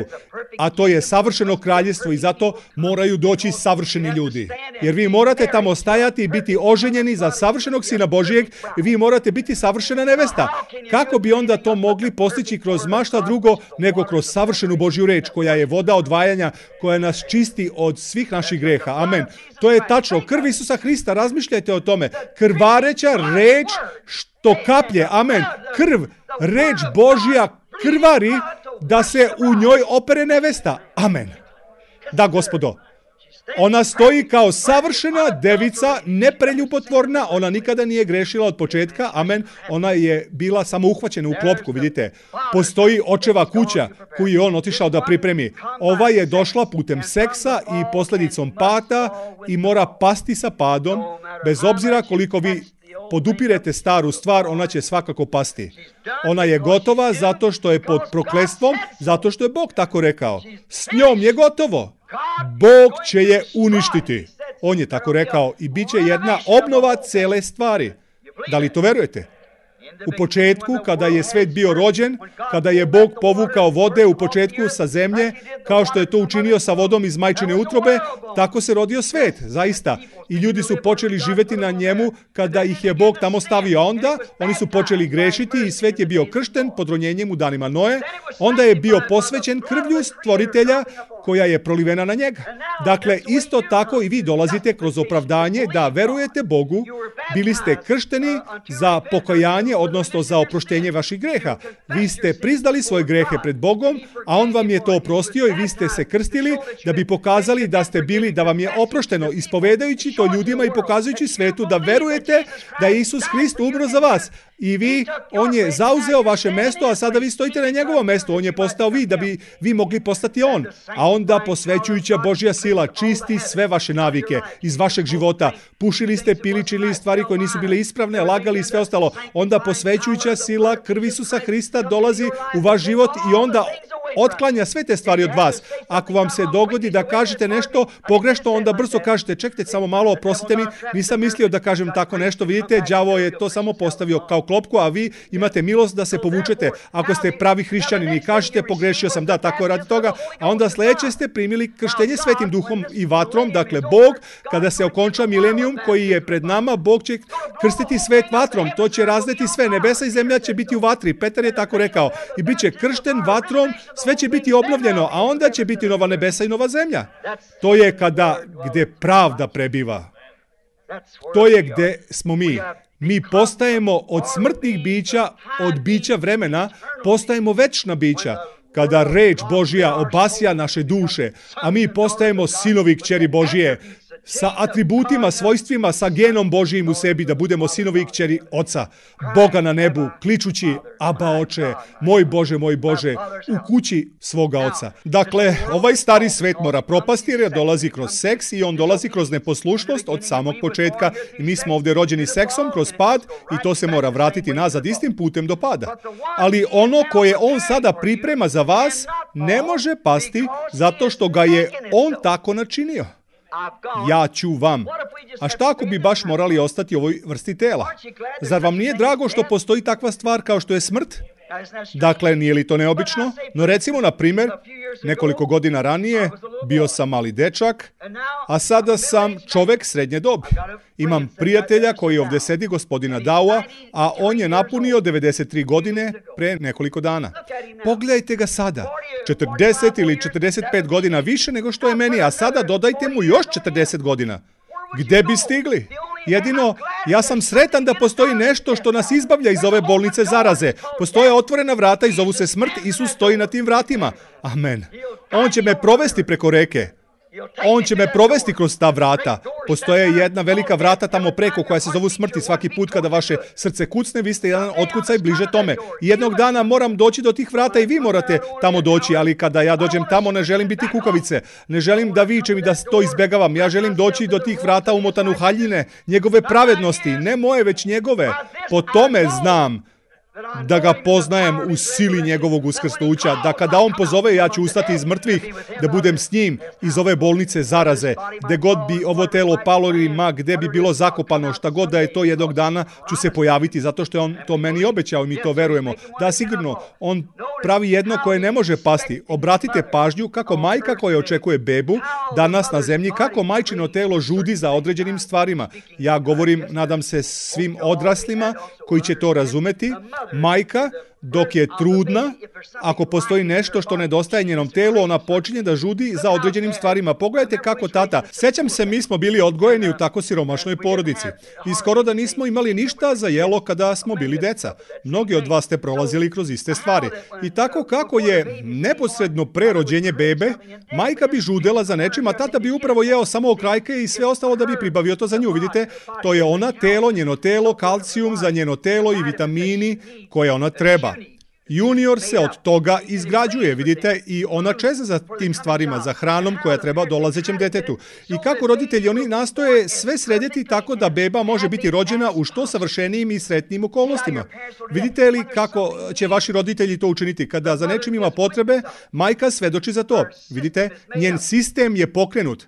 A to je savršeno kraljestvo i zato moraju doći savršeni ljudi. Jer vi morate tamo stajati i biti oženjeni za savršenog Sina Božijeg i vi morate biti savršena nevesta. Kako bi onda to mogli postići kroz mašta drugo nego kroz savršenu Božju reč koja je voda odvajanja, koja nas čisti od svih naših greha. Amen. To je tačno. Krv Isusa Hrista, razmišljajte o tome. Krvareća reč što kaplje. Amen. Krv, reč Božja krvari da se u njoj opere nevesta. Amen. Da, Gospodo. Ona stoji kao savršena devica, nepreljubotvorna, ona nikada nije grešila od početka, amen, ona je bila samo uhvaćena u klopku, vidite. Postoji očeva kuća koju je on otišao da pripremi. Ova je došla putem seksa i posljedicom pada i mora pasti sa padom, bez obzira koliko vi podupirete staru stvar, ona će svakako pasti. Ona je gotova zato što je pod prokletstvom, zato što je Bog tako rekao. S njom je gotovo. Bog će je uništiti. On je tako rekao i bit će jedna obnova cele stvari. Da li to verujete? U početku, kada je svet bio rođen, kada je Bog povukao vode u početku sa zemlje, kao što je to učinio sa vodom iz majčine utrobe, tako se rodio svet, zaista. I ljudi su počeli živjeti na njemu kada ih je Bog tamo stavio. Onda oni su počeli grešiti i svet je bio kršten pod ronjenjem u danima Noe. Onda je bio posvećen krvlju stvoritelja koja je prolivena na njega. Dakle, isto tako i vi dolazite kroz opravdanje da verujete Bogu, bili ste kršteni za pokajanje, odnosno za oproštenje vaših greha. Vi ste priznali svoje grehe pred Bogom, a On vam je to oprostio i vi ste se krstili da bi pokazali da ste bili, da vam je oprošteno, ispovedajući to ljudima i pokazujući svetu da verujete da je Isus Hrist umro za vas. I vi, on je zauzeo vaše mesto, a sada vi stojite na njegovom mestu. On je postao vi, da bi vi mogli postati on. A onda posvećujuća Božja sila čisti sve vaše navike iz vašeg života. Pušili ste, pili, činili stvari koje nisu bile ispravne, lagali i sve ostalo. Onda posvećujuća sila krvi Isusa Hrista dolazi u vaš život i onda otklanja sve te stvari od vas. Ako vam se dogodi da kažete nešto pogrešno, onda brzo kažete, čekajte samo malo, oprostite mi, nisam mislio da kažem tako nešto. Vidite, đavo je to samo postavio kao klopku, a vi imate milost da se povučete. Ako ste pravi hrišćanin i kažete, pogrešio sam, da, tako je radi toga, a onda sljedeće ste primili krštenje Svetim Duhom i vatrom. Dakle, Bog, kada se okonča milenijum koji je pred nama, Bog će krstiti svet vatrom. To će razleti sve. Nebesa i zemlja će biti u vatri. Petar je tako rekao. I bit će kršten vatrom, sve će biti obnovljeno, a onda će biti nova nebesa i nova zemlja. To je gde pravda prebiva. To je gde smo mi. Mi postajemo od smrtnih bića, od bića vremena, postajemo večna bića. Kada reč Božja obasja naše duše, a mi postajemo sinovi kćeri Božije, sa atributima, svojstvima, sa genom Božijim u sebi, da budemo sinovi i kćeri Oca, Boga na nebu, kličući, Aba Oče, moj Bože, u kući svoga Oca. Dakle, ovaj stari svet mora propasti jer dolazi kroz seks i on dolazi kroz neposlušnost od samog početka. I mi smo ovdje rođeni seksom kroz pad i to se mora vratiti nazad istim putem do pada. Ali ono koje on sada priprema za vas ne može pasti zato što ga je on tako načinio. Ja ću vam. A šta ako bi baš morali ostati u ovoj vrsti tela? Zar vam nije drago što postoji takva stvar kao što je smrt? Dakle, nije li to neobično? No recimo, na primjer, nekoliko godina ranije bio sam mali dečak, a sada sam čovek srednje dobi. Imam prijatelja koji ovdje sedi, gospodina Daua, a on je napunio 93 godine pre nekoliko dana. Pogledajte ga sada. 40 ili 45 godina više nego što je meni, a sada dodajte mu još 40 godina. Gde bi stigli? Jedino, ja sam sretan da postoji nešto što nas izbavlja iz ove bolnice zaraze. Postoje otvorena vrata i zovu se smrt. Isus stoji na tim vratima. Amen. On će me provesti preko reke. On će me provesti kroz ta vrata. Postoje jedna velika vrata tamo preko koja se zovu smrti. Svaki put kada vaše srce kucne, vi ste jedan otkucaj bliže tome. I jednog dana moram doći do tih vrata i vi morate tamo doći, ali kada ja dođem tamo ne želim biti kukavice. Ne želim da vičem i da to izbegavam. Ja želim doći do tih vrata umotan u haljine, njegove pravednosti, ne moje već njegove. Po tome znam da ga poznajem u sili njegovog uskrsnuća, da kada on pozove ja ću ustati iz mrtvih, da budem s njim iz ove bolnice zaraze, gde god bi ovo telo palo ili gde bi bilo zakopano, šta god da je to, jednog dana ću se pojaviti, zato što je on to meni obećao i mi to verujemo. Da, sigurno, on pravi jedno koje ne može pasti. Obratite pažnju kako majka koja očekuje bebu danas na zemlji, kako majčino telo žudi za određenim stvarima. Ja govorim, nadam se, svim odraslima koji će to razumeti. Majka, dok je trudna, ako postoji nešto što nedostaje njenom telu, ona počinje da žudi za određenim stvarima. Pogledajte kako tata. Sjećam se, mi smo bili odgojeni u tako siromašnoj porodici. I skoro da nismo imali ništa za jelo kada smo bili deca. Mnogi od vas ste prolazili kroz iste stvari. I tako kako je neposredno pre rođenje bebe, majka bi žudela za nečim, a tata bi upravo jeo samo okrajke i sve ostalo da bi pribavio to za nju. Vidite, to je ona telo, njeno telo, kalcijum za njeno telo i vitamini koje ona treba. Junior se od toga izgrađuje, vidite, i ona čeza za tim stvarima, za hranom koja treba dolazećem detetu. I kako roditelji, oni nastoje sve srediti tako da beba može biti rođena u što savršenijim i sretnijim okolnostima. Vidite li kako će vaši roditelji to učiniti? Kada za nečim ima potrebe, majka svedoči za to. Vidite, njen sistem je pokrenut.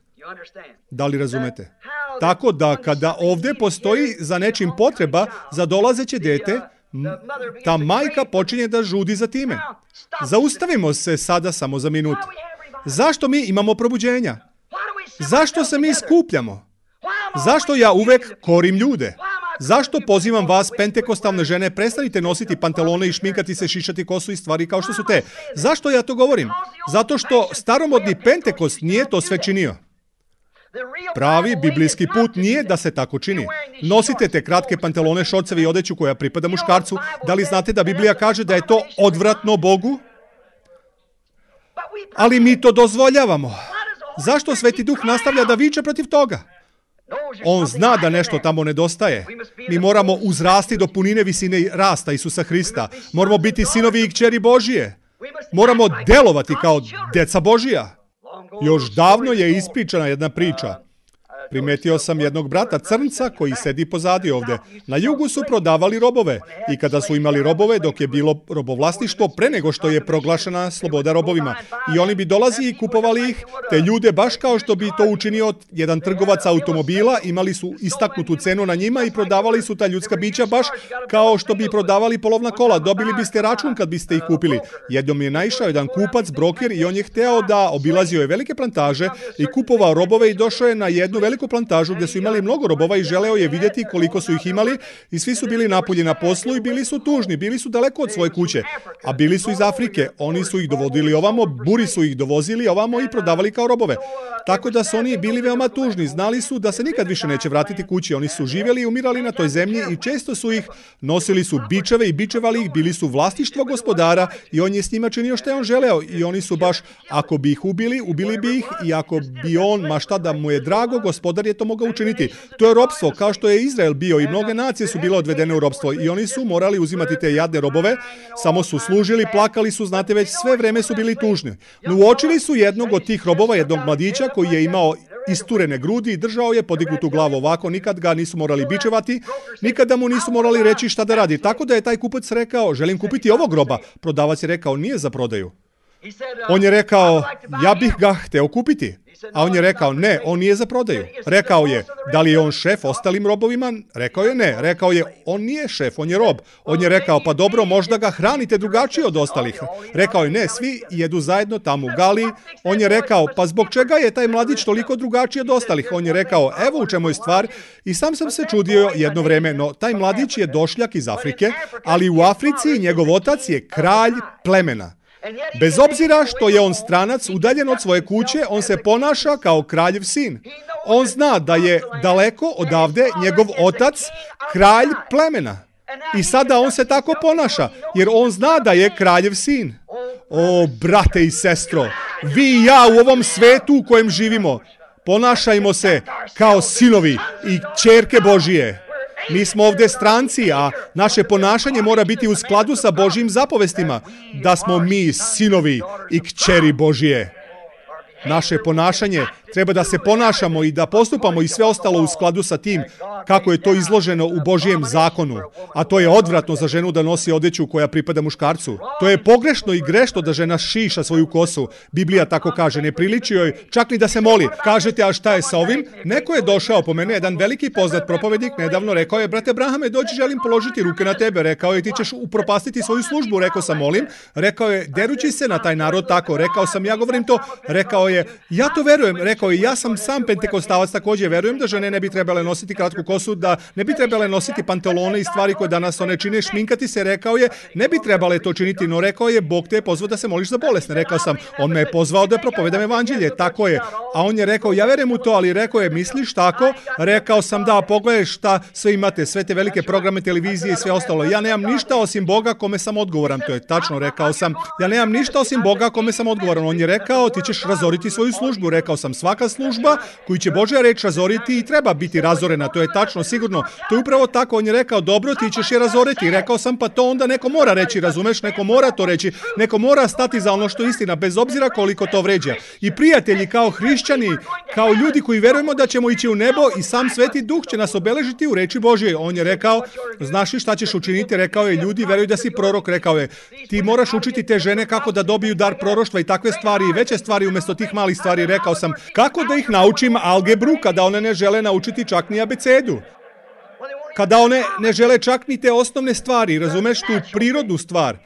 Da li razumete? Tako da kada ovdje postoji za nečim potreba za dolazeće dete, ta majka počinje da žudi za time. Zaustavimo se sada samo za minut. Zašto mi imamo probuđenja? Zašto se mi skupljamo? Zašto ja uvek korim ljude? Zašto pozivam vas, pentekostalne žene, prestanite nositi pantalone i šminkati se, šišati kosu i stvari kao što su te? Zašto ja to govorim? Zato što staromodni Pentekost nije to sve činio. Pravi biblijski put nije da se tako čini. Nosite te kratke pantalone, šorceve i odeću koja pripada muškarcu. Da li znate da Biblija kaže da je to odvratno Bogu? Ali mi to dozvoljavamo. Zašto Sveti Duh nastavlja da viče protiv toga? On zna da nešto tamo nedostaje. Mi moramo uzrasti do punine visine rasta Isusa Hrista. Moramo biti sinovi i kćeri Božije. Moramo delovati kao deca Božija. Još davno je ispričana jedna priča. Primetio sam jednog brata crnca koji sedi pozadi ovde. Na jugu su prodavali robove i kada su imali robove dok je bilo robovlasništvo pre nego što je proglašena sloboda robovima. I oni bi dolazili i kupovali ih, te ljude baš kao što bi to učinio jedan trgovac automobila, imali su istaknutu cenu na njima i prodavali su ta ljudska bića baš kao što bi prodavali polovna kola. Dobili biste račun kad biste ih kupili. Jednom je naišao jedan kupac, broker, i on je hteo da obilazio je velike plantaže i kupovao robove i došao je na jednu veliku plantažu gdje su imali mnogo robova i želeo je vidjeti koliko su ih imali i svi su bili napolje na poslu i bili su tužni, bili su daleko od svoje kuće, a bili su iz Afrike. Oni su ih dovodili ovamo, buri su ih dovozili ovamo i prodavali kao robove. Tako da su oni bili veoma tužni, znali su da se nikad više neće vratiti kući. Oni su živjeli i umirali na toj zemlji i često su ih, nosili su bičeve i bičevali ih, bili su vlasništvo gospodara i on je s njima činio što je on želeo i oni su baš, ako bi ih ubili, ubili bi ih i ako bi on, ma šta da mu je drago, gospodar je to mogao učiniti. To je ropstvo, kao što je Izrael bio i mnoge nacije su bile odvedene u ropstvo i oni su morali uzimati te jadne robove, samo su služili, plakali su, znate već sve vreme su bili tužni. No uočili su jednog od tih robova, jednog mladića koji je imao isturene grudi i držao je podignutu glavu ovako, nikad ga nisu morali bičevati, nikada mu nisu morali reći šta da radi. Tako da je taj kupac rekao, želim kupiti ovog roba. Prodavac je rekao, nije za prodaju. On je rekao, ja bih ga hteo kupiti. A on je rekao, ne, on nije za prodaju. Rekao je, da li je on šef ostalim robovima? Rekao je, ne. Rekao je, on nije šef, on je rob. On je rekao, pa dobro, možda ga hranite drugačije od ostalih. Rekao je, ne, svi jedu zajedno tamo u Galiji. On je rekao, pa zbog čega je taj mladić toliko drugačiji od ostalih? On je rekao, evo u čemu je stvar. I sam se čudio jedno vreme, no taj mladić je došljak iz Afrike, ali u Africi njegov otac je kralj plemena. Bez obzira što je on stranac, udaljen od svoje kuće, on se ponaša kao kraljev sin. On zna da je daleko odavde njegov otac kralj plemena. I sada on se tako ponaša, jer on zna da je kraljev sin. O, brate i sestro, vi i ja u ovom svetu u kojem živimo, ponašajmo se kao sinovi i kćerke Božije. Mi smo ovdje stranci, a naše ponašanje mora biti u skladu sa Božjim zapovestima, da smo mi sinovi i kćeri Božije. Naše ponašanje treba da se ponašamo i da postupamo i sve ostalo u skladu sa tim kako je to izloženo u Božjem zakonu. A to je odvratno za ženu da nosi odeću koja pripada muškarcu. To je pogrešno i grešno da žena šiša svoju kosu. Biblija tako kaže, ne priliči joj čak ni da se moli. Kažete, a šta je sa ovim? Neko je došao po mene, jedan veliki poznat propovednik, nedavno rekao je, brate Brahame, dođi, želim položiti ruke na tebe. Rekao je, ti ćeš upropastiti svoju službu. Rekao sam, molim. Rekao je, derući se na taj narod tako. Rekao sam, ja govorim to. Rekao je, ja to verujem. Rekao je, ja sam sam pentekostalac, također verujem da žene ne bi trebale nositi kratku kosu, da ne bi trebale nositi pantalone i stvari koje danas one čine, šminkati se. Rekao je, ne bi trebale to činiti, no rekao je, Bog te je pozvao da se moliš za bolesne. Rekao sam, on me je pozvao da propovedam evanđelje, tako je. A on je rekao, ja verujem u to, ali rekao je, misliš tako? Rekao sam, da, pogledaj šta sve imate, sve te velike programe televizije i sve ostalo. Ja nemam ništa osim Boga kome sam odgovoran. To je tačno, rekao sam. Ja nemam ništa osim Boga kome sam odgovoran. On je rekao, ti ćeš razoriti svoju službu. Rekao sam, svaka služba koju će Božja reč razoriti i treba biti razorena. To je tačno, sigurno. To je upravo tako. On je rekao, dobro, ti ćeš je razoriti. Rekao sam, pa to onda neko mora reći, razumeš? Neko mora to reći. Neko mora stati za ono što je istina, bez obzira koliko to vređa. I prijatelji, kao hrišćani, kao ljudi koji verujemo da ćemo ići u nebo i sam Sveti Duh će nas obeležiti u reči Božje. On je rekao, znaš li šta ćeš učiniti? Rekao je, ljudi veruju da si prorok. Rekao je, ti moraš učiti te žene kako da dobiju dar proroštva i takve stvari i veće stvari umjesto tih malih stvari. Rekao sam, kako da ih naučim algebru kada one ne žele naučiti čak ni abecedu? Kada one ne žele čak ni te osnovne stvari, razumeš, tu prirodnu stvar.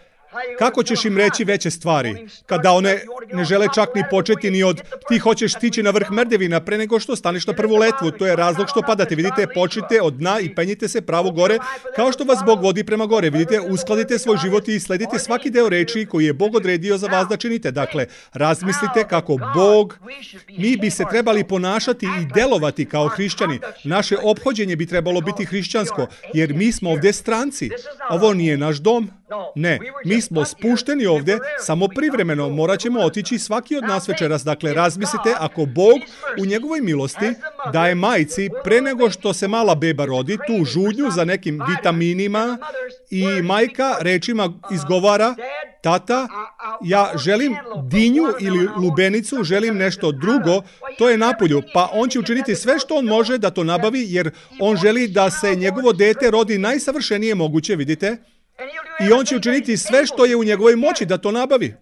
Kako ćeš im reći veće stvari? Kada one ne žele čak ni početi ni od ti hoćeš stići na vrh merdevina pre nego što staneš na prvu letvu. To je razlog što padate. Vidite, počnite od dna i penjite se pravo gore, kao što vas Bog vodi prema gore. Vidite, uskladite svoj život i sledite svaki deo reči koji je Bog odredio za vas da činite. Dakle, razmislite kako Bog, mi bi se trebali ponašati i delovati kao hrišćani. Naše ophođenje bi trebalo biti hrišćansko, jer mi smo ovdje stranci. Ovo nije naš dom. Ne, mi smo spušteni ovdje samo privremeno, morat ćemo otići svaki od nas večeras. Dakle, razmislite, ako Bog u njegovoj milosti daje majci pre nego što se mala beba rodi tu žudnju za nekim vitaminima i majka rečima izgovara, tata, ja želim dinju ili lubenicu, želim nešto drugo, to je napolju, pa on će učiniti sve što on može da to nabavi, jer on želi da se njegovo dete rodi najsavršenije moguće, vidite? I on će učiniti sve što je u njegovoj moći da to nabavi.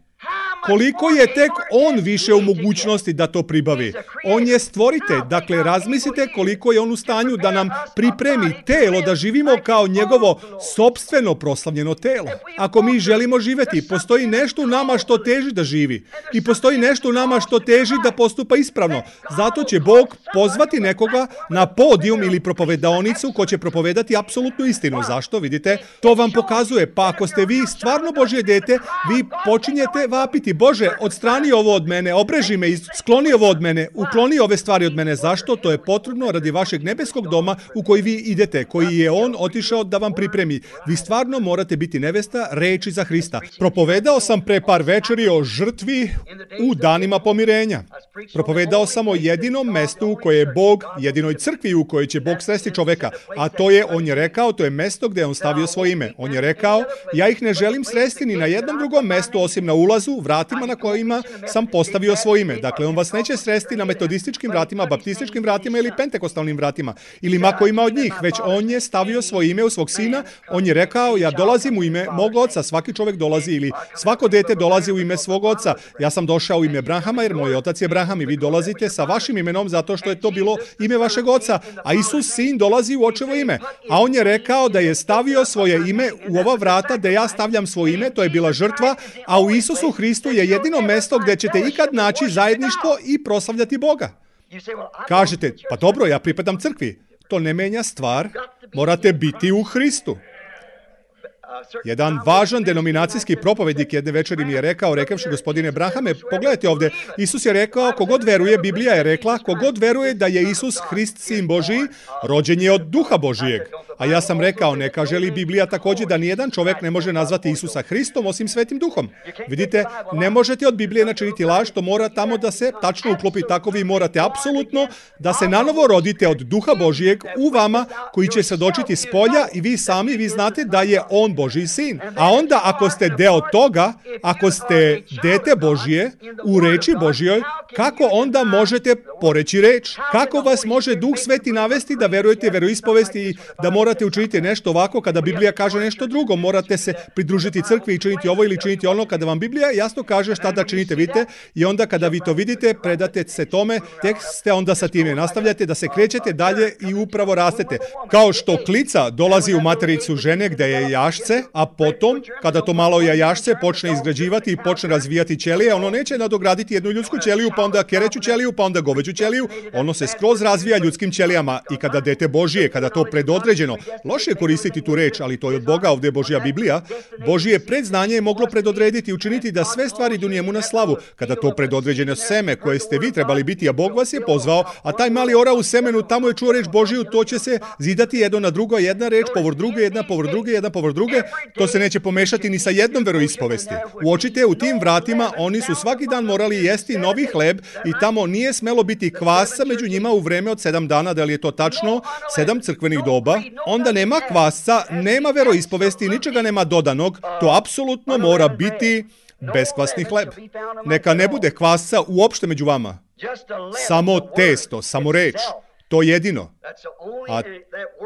Koliko je tek on više u mogućnosti da to pribavi? On je stvoritelj. Dakle, razmislite koliko je on u stanju da nam pripremi telo, da živimo kao njegovo sopstveno proslavljeno telo. Ako mi želimo živjeti, postoji nešto u nama što teži da živi. I postoji nešto u nama što teži da postupa ispravno. Zato će Bog pozvati nekoga na podijum ili propovedaonicu ko će propovedati apsolutnu istinu. Zašto? Vidite, to vam pokazuje. Pa ako ste vi stvarno Božje dete, vi počinjete vapiti, Bože, odstrani ovo od mene, obreži me, skloni ovo od mene, ukloni ove stvari od mene. Zašto? To je potrebno radi vašeg nebeskog doma u koji vi idete, koji je on otišao da vam pripremi. Vi stvarno morate biti nevesta reči za Hrista. Propovedao sam pre par večeri o žrtvi u danima pomirenja. Propovedao sam o jedinom mestu u koje je Bog, jedinoj crkvi u kojoj će Bog sresti čoveka. A to je, on je rekao, to je mesto gdje je on stavio svoje ime. On je rekao, ja ih ne želim sresti ni na jednom drugom mestu osim na ulazu, vratima na kojima sam postavio svoje ime. Dakle, on vas neće sresti na metodističkim vratima, baptističkim vratima ili pentekostalnim vratima, ili ma kojima od njih, već on je stavio svoje ime u svog sina. On je rekao, ja dolazim u ime mog oca, svaki čovjek dolazi ili svako dete dolazi u ime svog oca. Ja sam došao u ime Brahama jer moj otac je Braham i vi dolazite sa vašim imenom zato što je to bilo ime vašeg oca, a Isus sin dolazi u očevo ime. A on je rekao da je stavio svoje ime u ova vrata da ja stavljam svoje ime, to je bila žrtva, a u Isusu Hristu je jedino mesto gdje ćete ikad naći zajedništvo i proslavljati Boga. Kažete, pa dobro, ja pripadam crkvi. To ne menja stvar, morate biti u Hristu. Jedan važan denominacijski propovednik jedne večeri mi je rekao, rekavši, gospodine Brahame, pogledajte ovdje, Isus je rekao, kogod veruje, Biblija je rekla, kogod veruje da je Isus Hrist sin Božiji, rođen je od Duha Božijeg. A ja sam rekao, ne kaže li Biblija također da nijedan čovjek ne može nazvati Isusa Hristom osim Svetim Duhom? Vidite, ne možete od Biblije načiniti laž, to mora tamo da se tačno uklopi, tako vi morate apsolutno da se nanovo rodite od Duha Božijeg u vama, koji će svjedočiti s polja i vi sami, vi znate da je On Božji sin. A onda ako ste deo toga, ako ste dete Božije u reči Božjoj, kako onda možete poreći reč? Kako vas može Duh Sveti navesti da verujete veroispovesti i da morate učiniti nešto ovako kada Biblija kaže nešto drugo? Morate se pridružiti crkvi i činiti ovo ili činiti ono kada vam Biblija jasno kaže šta da činite, vidite, i onda kada vi to vidite, predate se tome, tek ste onda sa time nastavljate da se krećete dalje i upravo rastete. Kao što klica dolazi u matericu žene gdje je jašce, a potom, kada to malo jajašce počne izgrađivati i počne razvijati ćelije, ono neće nadograditi jednu ljudsku ćeliju, pa onda kereću ćeliju, pa onda goveđu ćeliju, ono se skroz razvija ljudskim ćelijama i kada dete Božije, kada to predodređeno, loše je koristiti tu reč, ali to je od Boga, ovdje je Božja Biblija, Božje predznanje je moglo predodrediti i učiniti da sve stvari idu njemu na slavu. Kada to predodređeno seme koje ste vi trebali biti, a Bog vas je pozvao, a taj mali ora u semenu, tamo je čuo reč Božiju, to će se zidati jedno na drugo, jedna reč povr druge, jedna povr druge, jedna povr druge, to se neće pomešati ni sa jednom veroispovesti. Uočite, u tim vratima oni su svaki dan morali jesti novi hleb i tamo nije smelo biti kvasca među njima u vreme od 7 dana, da li je to tačno, 7 crkvenih doba, onda nema kvasca, nema veroispovesti, ničega nema dodanog, to apsolutno mora biti beskvasni hleb. Neka ne bude kvasca uopšte među vama. Samo testo, samo reč. To jedino. A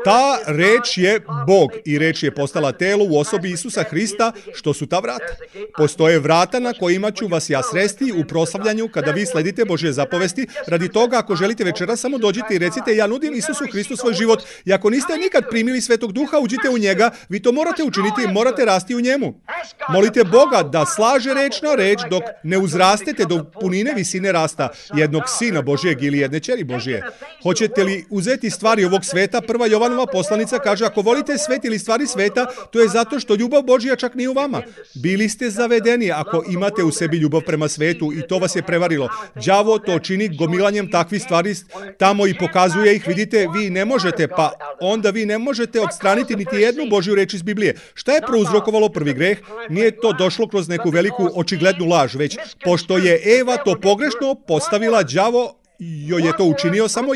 ta reč je Bog i reč je postala telo u osobi Isusa Hrista, što su ta vrata. Postoje vrata na kojima ću vas ja sresti u proslavljanju kada vi sledite Božje zapovesti. Radi toga, ako želite večera, samo dođite i recite, ja nudim Isusu Hristu svoj život. I ako niste nikad primili Svetog Duha, uđite u njega, vi to morate učiniti i morate rasti u njemu. Molite Boga da slaže reč na reč dok ne uzrastete do punine visine rasta jednog sina Božjeg ili jedne ćeri Božje. Hoćete li uzeti stvari ovog sveta? Prva Jovanova poslanica kaže, ako volite svet ili stvari sveta, to je zato što ljubav Božja čak nije u vama. Bili ste zavedeni ako imate u sebi ljubav prema svetu i to vas je prevarilo. Đavo to čini gomilanjem takvih stvari tamo i pokazuje ih, vidite, vi ne možete, pa onda vi ne možete odstraniti niti jednu Božju reč iz Biblije. Šta je prouzrokovalo prvi greh? Nije to došlo kroz neku veliku očiglednu laž, već pošto je Eva to pogrešno postavila, đavo joj je to učinio samo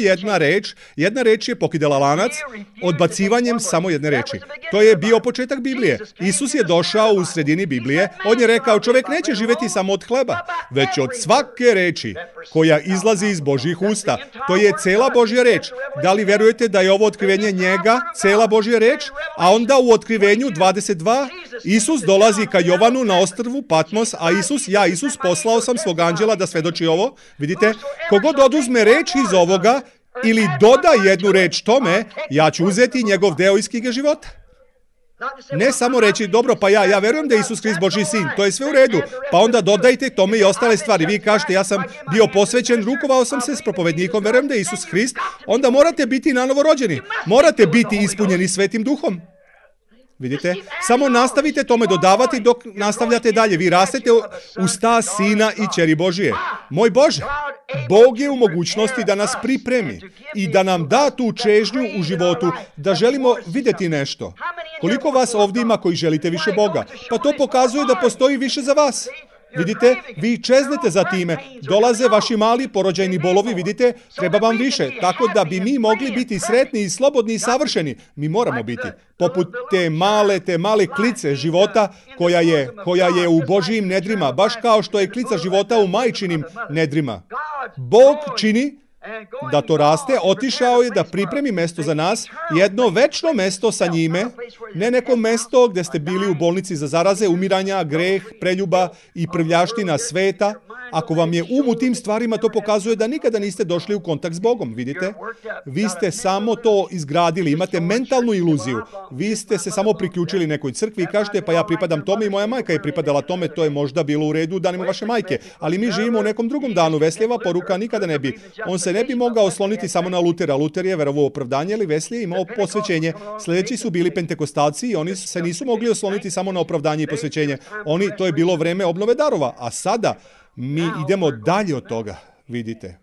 jedna reč je pokidala lanac odbacivanjem samo jedne reči. To je bio početak Biblije. Isus je došao u sredini Biblije, on je rekao, čovjek neće živjeti samo od hleba, već od svake reči koja izlazi iz Božjih usta. To je cela Božja reč. Da li verujete da je ovo otkrivenje njega, cela Božja reč? A onda u otkrivenju 22 Isus dolazi ka Jovanu na ostrvu Patmos, a Isus poslao sam svog anđela da svedoči ovo. Vidite, kogod oduzme reč iz ovoga ili doda jednu reč tome, ja ću uzeti njegov deo iz knjige života. Ne samo reći, dobro, pa ja verujem da je Isus Hrist Božji sin, to je sve u redu, pa onda dodajte tome i ostale stvari. Vi kažete, ja sam bio posvećen, rukovao sam se s propovednikom, verujem da je Isus Hrist, onda morate biti nanovo rođeni, morate biti ispunjeni Svetim Duhom. Vidite, samo nastavite tome dodavati dok nastavljate dalje. Vi rastete u stas Sina i ćeri Božije. Moj Bože, Bog je u mogućnosti da nas pripremi i da nam da tu čežnju u životu, da želimo vidjeti nešto. Koliko vas ovdje ima koji želite više Boga? Pa to pokazuje da postoji više za vas. Vidite, vi čeznete za time, dolaze vaši mali porođajni bolovi, vidite, treba vam više, tako da bi mi mogli biti sretni i slobodni i savršeni. Mi moramo biti, poput te male klice života koja je u Božjim nedrima, baš kao što je klica života u majčinim nedrima. Bog čini da to raste, otišao je da pripremi mesto za nas, jedno večno mesto sa njime, ne neko mesto gdje ste bili u bolnici za zaraze, umiranja, greh, preljuba i prljavština sveta. Ako vam je u tim stvarima, to pokazuje da nikada niste došli u kontakt s Bogom, vidite? Vi ste samo to izgradili, imate mentalnu iluziju. Vi ste se samo priključili nekoj crkvi i kažete, pa ja pripadam tome i moja majka je pripadala tome, to je možda bilo u redu u danima vaše majke. Ali mi živimo u nekom drugom danu, Veslijeva poruka nikada ne bi. On se ne bi mogao osloniti samo na Lutera. Luter je verovao opravdanje, ali Wesley je imao posvećenje. Sljedeći su bili pentekostalci i oni se nisu mogli osloniti samo na opravdanje i posvećenje. To je bilo vreme obnove darova, a sada mi idemo dalje od toga, vidite.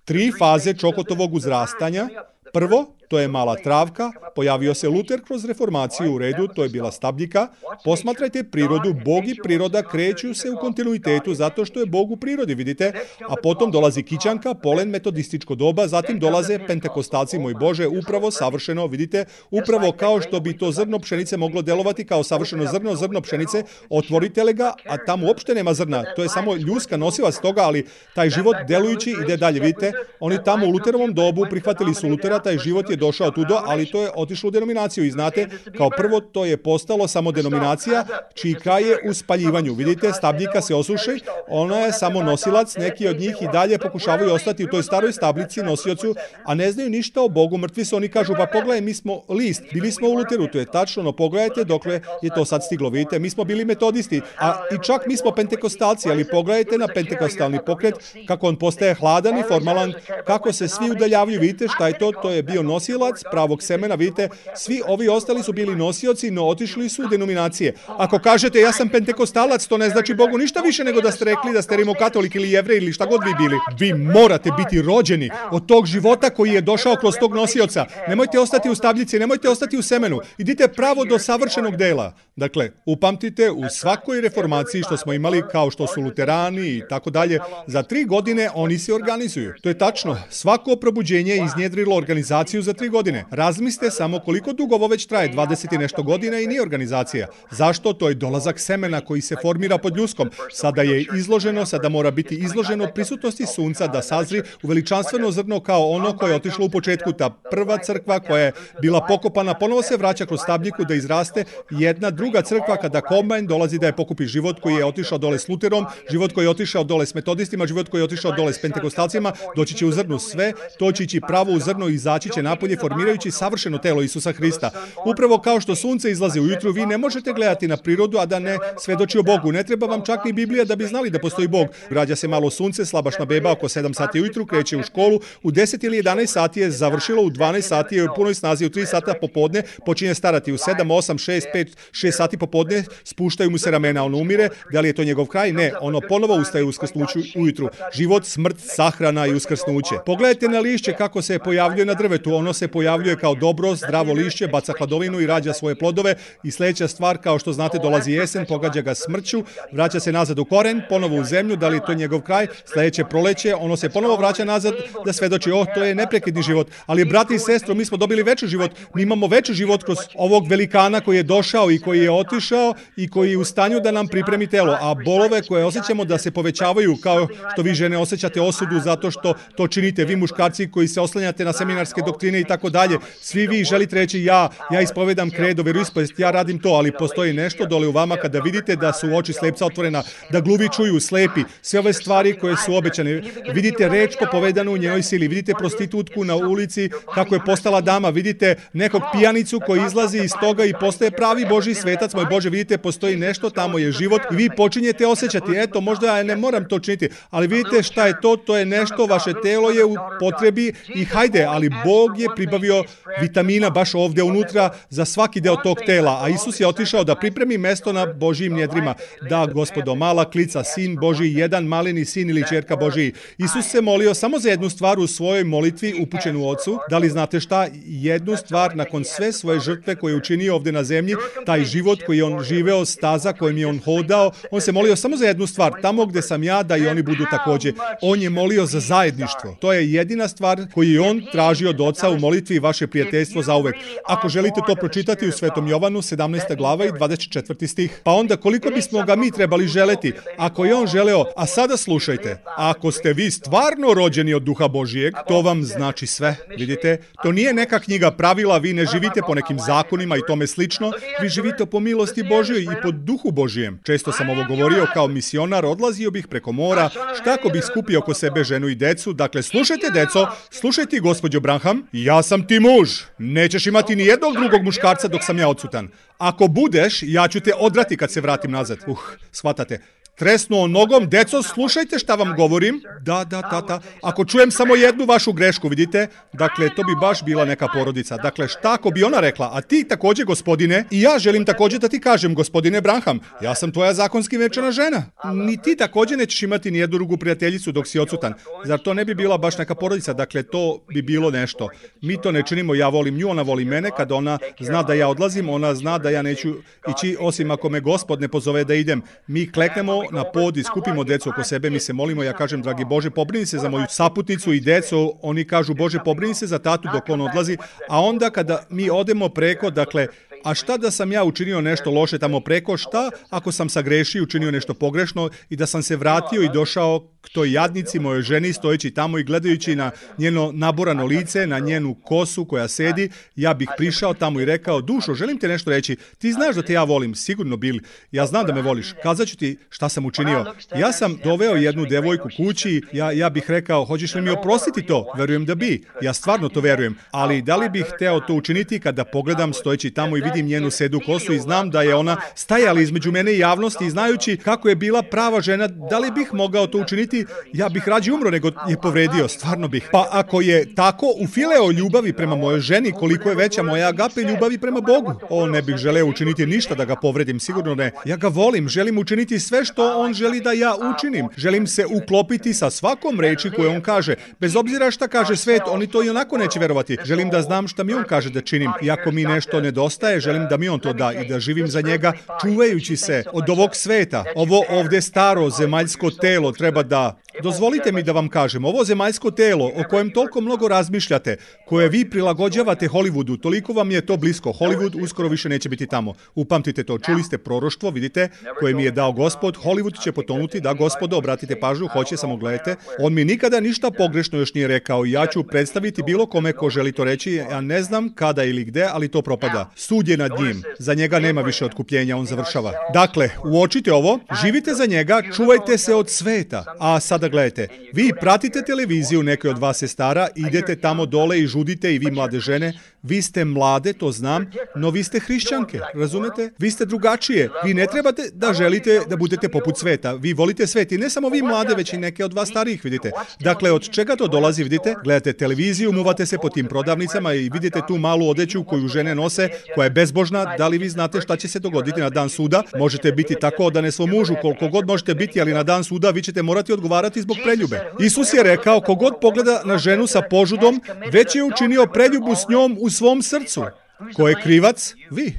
3 faze Čokotovog uzrastanja. Prvo, to je mala travka, pojavio se Luter kroz reformaciju, u redu, to je bila stabljika. Posmatrajte prirodu, Bog i priroda kreću se u kontinuitetu zato što je Bog u prirodi, vidite, a potom dolazi kićanka, polen, metodističko doba, zatim dolaze pentekostalci, moj Bože, upravo savršeno, vidite, upravo kao što bi to zrno pšenice moglo delovati kao savršeno zrno pšenice, otvorite li ga, a tamo uopšte nema zrna, to je samo ljuska nosilac toga, ali taj život delujući ide dalje, vidite, oni tamo u Luterovom dobu prihvatili su Lutera, taj život je došao tudo, ali to je otišlo u denominaciju i znate, kao prvo to je postalo samo denominacija, čiji kraj je u spaljivanju, vidite, stabljika se osuši, ona je samo nosilac, neki od njih i dalje pokušavaju ostati u toj staroj stablici nosiocu, a ne znaju ništa o Bogu, mrtvi su, oni kažu, pa pogledaj, mi smo list, bili smo u Luteru, to je tačno, no pogledajte dokle je to sad stiglo, vidite, mi smo bili metodisti, a i čak mi smo pentekostalci, ali pogledajte na pentekostalni pokret, kako on postaje hladan i formalan, kako se svi udaljavaju, vidite šta je to, to je bio nosilac pravog semena, vidite, svi ovi ostali su bili nosioci, no otišli su u denominacije. Ako kažete ja sam pentekostalac, to ne znači Bogu ništa više nego da ste rekli da ste rimokatolik ili jevrej ili šta god vi bili. Vi morate biti rođeni od tog života koji je došao kroz tog nosioca. Nemojte ostati u stabljici, nemojte ostati u semenu. Idite pravo do savršenog dela. Dakle, upamtite, u svakoj reformaciji što smo imali, kao što su luterani i tako dalje, za 3 godine oni se organizuju. To je tačno. Svako probuđenje je iznjedrilo organizaciju za 3 godine. Razmislite samo koliko dugo ovo već traje, 20 i nešto godina i nije organizacija. Zašto? To je dolazak semena koji se formira pod ljuskom. Sada je izloženo, sada mora biti izloženo prisutnosti sunca da sazri u veličanstveno zrno kao ono koje je otišlo u početku. Ta prva crkva koja je bila pokopana, ponovo se vraća kroz stabljiku da izraste jedna druga crkva kada kombajn dolazi da je pokupi život koji je otišao dole s Luterom, život koji je otišao dole s metodistima, život koji je otišao dole s pentekostalcima, doći će u zrnu sve, to će ići pravo u zrno i izaći će napolje formirajući savršeno telo Isusa Hrista. Upravo kao što sunce izlazi ujutru, vi ne možete gledati na prirodu, a da ne svedoči o Bogu. Ne treba vam čak ni Biblija da bi znali da postoji Bog. Rađa se malo sunce, slabašna beba oko 7 sati ujutru, kreće u školu, u 10 ili 11 sati je završilo, u 12 sati je u punoj snazi, u 3 sata popodne počinje starati, u 7, 8, 6, 5, 6 sati popodne spuštaju mu se ramena, on umire. Da li je to njegov kraj? Ne, ono ponovo ustaje u uskrsnuću ujutru. Život, smrt, sahrana i uskrsnuće. Pogledajte na lišće kako se pojavljuje na drvetu. Ono se pojavljuje kao dobro, zdravo lišće, baca hladovinu i rađa svoje plodove. I sljedeća stvar, kao što znate, dolazi jesen, pogađa ga smrću, vraća se nazad u koren, ponovo u zemlju. Da li je to njegov kraj? Sljedeće proleće, ono se ponovo vraća nazad da svedoči, to je neprekidni život. Ali brati i sestro, mi smo dobili veći život. Mi imamo veći život kroz ovog velikana koji je došao i koji je otišao i koji je u stanju da nam pripremi telo, a bolove koje osjećamo da se povećavaju, kao što vi žene osjećate osudu zato što to činite, vi muškarci koji se oslanjate na seminarske doktrine i tako dalje, svi vi želite reći ja ispovedam kredo, veroispovest, ja radim to, ali postoji nešto dole u vama kada vidite da su oči slepca otvorena, da gluvi čuju, slepi, sve ove stvari koje su obećane, vidite reč povedanu u njenoj sili, vidite prostitutku na ulici kako je postala dama, vidite nekog pijanicu koji izlazi iz toga i postaje pravi Božji svetac, moj Bože, vidite postoji nešto, tamo je život i vi počinjete osjećati, eto, možda ja ne moram to činiti, ali vidite šta je to je nešto, vaše telo je u potrebi i hajde, ali Bog je pribavio vitamina baš ovdje unutra za svaki deo tog tela, a Isus je otišao da pripremi mesto na Božjim njedrima. Da, Gospodo, mala klica, sin Božji, jedan maleni sin ili ćerka Božji. Isus se molio samo za jednu stvar u svojoj molitvi upućenu Ocu. Da li znate šta? Jednu stvar nakon sve svoje žrtve koje je učinio ovdje na zemlji, taj život koji je on živeo, staza kojim je on hodao, on se molio samo za jednu stvar, tamo gdje sam ja, da i oni budu također. On je molio za zajedništvo. To je jedina stvar koju je on tražio od Oca u molitvi, vaše prijateljstvo zauvek. Ako želite to pročitati u Svetom Jovanu, 17. glava i 24. stih. Pa onda koliko bismo ga mi trebali želeti? Ako je on želeo, a sada slušajte, ako ste vi stvarno rođeni od Duha Božijeg, to vam znači sve. Vidite, to nije neka knjiga pravila, vi ne živite po nekim zakonima i tome slično, vi živite po milosti Božjoj i po Duhu Božijem. Često sam ovo govorio kao misionar, odlazio bih preko mora, šta ako bih skupio oko sebe ženu i decu. Dakle, slušajte deco, slušajte gospođo Branham, ja sam ti muž, nećeš imati ni jednog drugog muškarca dok sam ja odsutan. Ako budeš, ja ću te odrati kad se vratim nazad. Shvatate. tresnuo nogom, deco, slušajte šta vam govorim. Da, tata, ako čujem samo jednu vašu grešku, vidite, dakle, to bi baš bila neka porodica. Dakle, šta ako bi ona rekla, a ti takođe, gospodine, i ja želim takođe da ti kažem, gospodine Branham, ja sam tvoja zakonski venčana žena. Ni ti takođe nećeš imati ni jednu drugu prijateljicu dok si odsutan. Zar to ne bi bila baš neka porodica? Dakle, to bi bilo nešto. Mi to ne činimo, ja volim nju, ona voli mene, kada ona zna da ja odlazim, ona zna da ja neću ići, osim ako me Gospod ne pozove da idem. Mi kleknemo na pod i skupimo decu oko sebe, mi se molimo, ja kažem, dragi Bože, pobrini se za moju saputnicu i decu, oni kažu, Bože, pobrini se za tatu dok on odlazi, a onda kada mi odemo preko, dakle, a šta da sam ja učinio nešto loše tamo preko, šta ako sam sagrešio, učinio nešto pogrešno i da sam se vratio i došao k toj jadnici, mojoj ženi, stojeći tamo i gledajući na njeno naborano lice, na njenu kosu koja sedi, ja bih prišao tamo i rekao, dušo, želim te nešto reći, ti znaš da te ja volim, sigurno Bill, ja znam da me voliš, kazat ću ti šta sam učinio. Ja sam doveo jednu devojku kući, ja bih rekao, hoćeš li mi oprostiti to? Verujem da bi, ja stvarno to verujem, ali da li bih hteo to učiniti kada pogledam stojeći tamo i vidim njenu sedu kosu i znam da je ona stajala između mene i javnosti i znajući kako je bila prava žena, da li bih mogao to učiniti? Ja bih rađe umro nego je povredio, stvarno bih. Pa ako je tako u fileo ljubavi prema mojoj ženi, koliko je veća moja agape ljubavi prema Bogu? Ne bih želeo učiniti ništa da ga povredim, sigurno ne. Ja ga volim, želim učiniti sve što on želi da ja učinim. Želim se uklopiti sa svakom reči koju on kaže. Bez obzira šta kaže svet, oni to i onako neće verovati. Želim da znam šta mi on kaže da činim. I ako mi nešto nedostaje, želim da mi on to da i da živim za njega, čuvajući se od ovog sveta. Ovo ovde staro zemaljsko telo treba da... Dozvolite mi da vam kažem, ovo zemaljsko telo o kojem toliko mnogo razmišljate, koje vi prilagođavate Hollywoodu, toliko vam je to blisko. Hollywood uskoro više neće biti tamo. Upamtite to, čuli ste proroštvo, vidite, koje mi je dao Gospod. Hollywood će potonuti, da Gospodo, obratite pažnju, hoće, samo gledajte. On mi nikada ništa pogrešno još nije rekao. Ja ću predstaviti bilo kome ko želi to reći. Ja ne znam kada ili gde, ali to propada. Sud je nad njim. Za njega nema više otkupljenja, on završava. Dakle, uočite ovo, živite za njega, čuvajte se od sveta. A sada gledajte, vi pratite televiziju, neke od vas je stara, idete tamo dole i žudite i vi mlade žene, vi ste mlade, to znam, no vi ste hrišćanke, razumete? Vi ste drugačije, vi ne trebate da želite da budete poput sveta, vi volite svet i ne samo vi mlade, već i neke od vas starijih, vidite. Dakle, od čega to dolazi, vidite? Gledate televiziju, muvate se po tim prodavnicama i vidite tu malu odeću koju žene nose, koja je bezbožna, da li vi znate šta će se dogoditi na dan suda? Možete biti tako odane svom mužu, koliko god možete biti, ali na dan suda vi ćete morati odgovarati zbog preljube. Isus je rekao, kogod pogleda na ženu sa požudom, već je učinio preljubu s njom u svom srcu. Ko je krivac? Vi.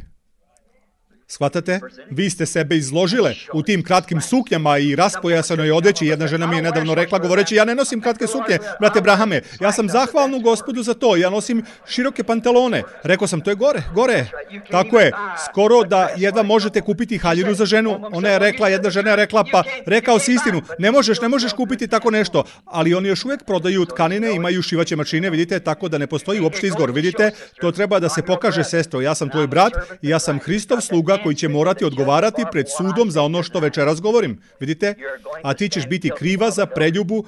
Shvatate? Vi ste sebe izložile u tim kratkim suknjama i raspojasanoj odeći. Jedna žena mi je nedavno rekla, govoreći, ja ne nosim kratke suknje, brate Brahame. Ja sam zahvalna Gospodu za to. Ja nosim široke pantalone. Rekao sam, to je gore. Tako je. Skoro da jedva možete kupiti haljinu za ženu. Ona je rekla, jedna žena je rekla, pa rekao si istinu. Ne možeš kupiti tako nešto. Ali oni još uvijek prodaju tkanine, imaju šivaće mašine, vidite, tako da ne postoji uopšte izgovor. Vidite, to treba da se pokaže, sestro. Ja sam tvoj brat i ja sam Hristov sluga koji će morati odgovarati pred sudom za ono što večeras govorim. Vidite? A ti ćeš biti kriva za preljubu,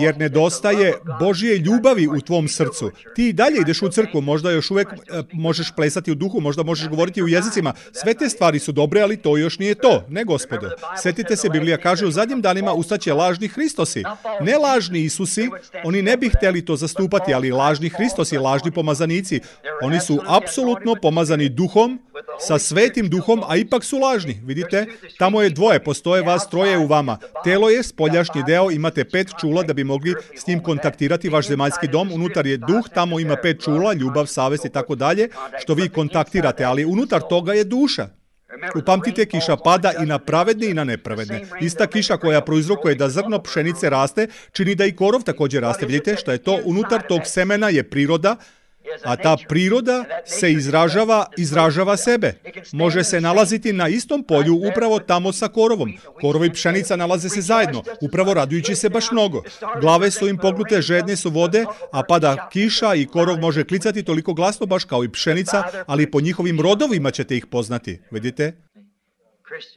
jer nedostaje Božje ljubavi u tvom srcu. Ti dalje ideš u crkvu, možda još uvijek možeš plesati u duhu, možda možeš govoriti u jezicima. Sve te stvari su dobre, ali to još nije to. Ne, Gospodo. Sjetite se, Biblija kaže, u zadnjim danima ustaće lažni Hristosi. Ne lažni Isusi, oni ne bi htjeli to zastupati, ali lažni Hristosi, lažni pomazanici. Oni su apsolutno pomazani duhom, sa svetim duhom, a ipak su lažni. Vidite? Tamo je dvoje, postoje vas troje u vama. Telo je spoljašnji deo, imate 5 čula da bi mogli s njim kontaktirati vaš zemaljski dom. Unutar je duh, tamo ima 5 čula, ljubav, savest i tako dalje, što vi kontaktirate, ali unutar toga je duša. Upamtite, kiša pada i na pravedne i na nepravedne. Ista kiša koja prouzrokuje da zrno pšenice raste, čini da i korov također raste. Vidite šta je to? Unutar tog semena je priroda, a ta priroda se izražava sebe. Može se nalaziti na istom polju upravo tamo sa korovom. Korov i pšenica nalaze se zajedno, upravo radujući se baš mnogo. Glave su im pognute, žedne su vode, a pada kiša i korov može klicati toliko glasno baš kao i pšenica, ali po njihovim rodovima ćete ih poznati. Vidite?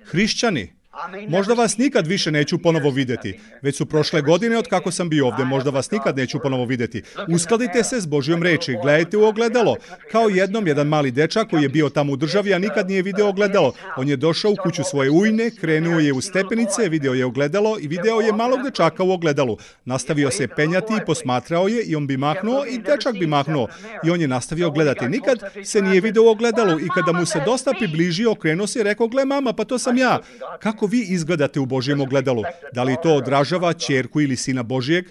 Hrišćani. Možda vas nikad više neću ponovo vidjeti. Već su prošle godine od kako sam bio ovdje, možda vas nikad neću ponovo vidjeti. Uskladite se s Božjom reči, gledajte u ogledalo. Kao jednom jedan mali dečak koji je bio tamo u državi, a nikad nije video ogledalo. On je došao u kuću svoje ujne, krenuo je u stepenice, video je ogledalo i video je malog dečaka u ogledalu. Nastavio se penjati i posmatrao je i on bi mahnuo i dečak bi mahnuo. I on je nastavio gledati. Nikad se nije video u ogledalu i kada mu se dosta približio, okrenuo se i rekao: gle mama, pa to sam ja. Kako vi izgledate u Božjem ogledalu? Da li to odražava ćerku ili sina Božjeg?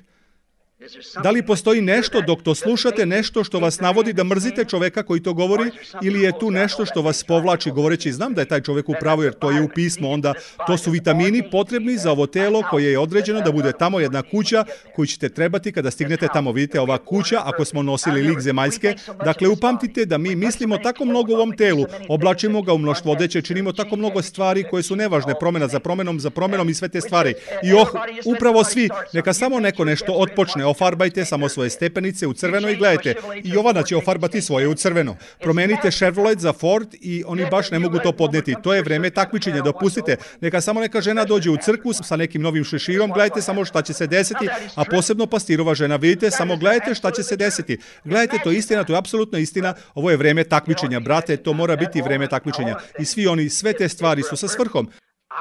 Da li postoji nešto dok to slušate, nešto što vas navodi da mrzite čoveka koji to govori, ili je tu nešto što vas povlači govoreći: znam da je taj čovek u pravu jer to je u pismu, onda to su vitamini potrebni za ovo telo koje je određeno da bude tamo, jedna kuća koju ćete trebati kada stignete tamo. Vidite, ova kuća, ako smo nosili lik zemaljske, dakle upamtite da mi mislimo tako mnogo u ovom telu, oblačimo ga u mnoštvo odeće, činimo tako mnogo stvari koje su nevažne, promena za promenom i sve te stvari. I upravo svi, neka samo neko nešto otpočne. Ofarbajte samo svoje stepenice u crveno i gledajte. I Jovana će ofarbati svoje u crveno. Promenite Chevrolet za Ford i oni baš ne mogu to podneti. To je vreme takmičenja, dopustite. Neka žena dođe u crkvu sa nekim novim šeširom, gledajte samo šta će se desiti, a posebno pastirova žena, vidite, samo gledajte šta će se desiti. Gledajte, to je istina, to je apsolutno istina. Ovo je vreme takmičenja, brate, to mora biti vreme takmičenja. I sve te stvari su sa svrhom.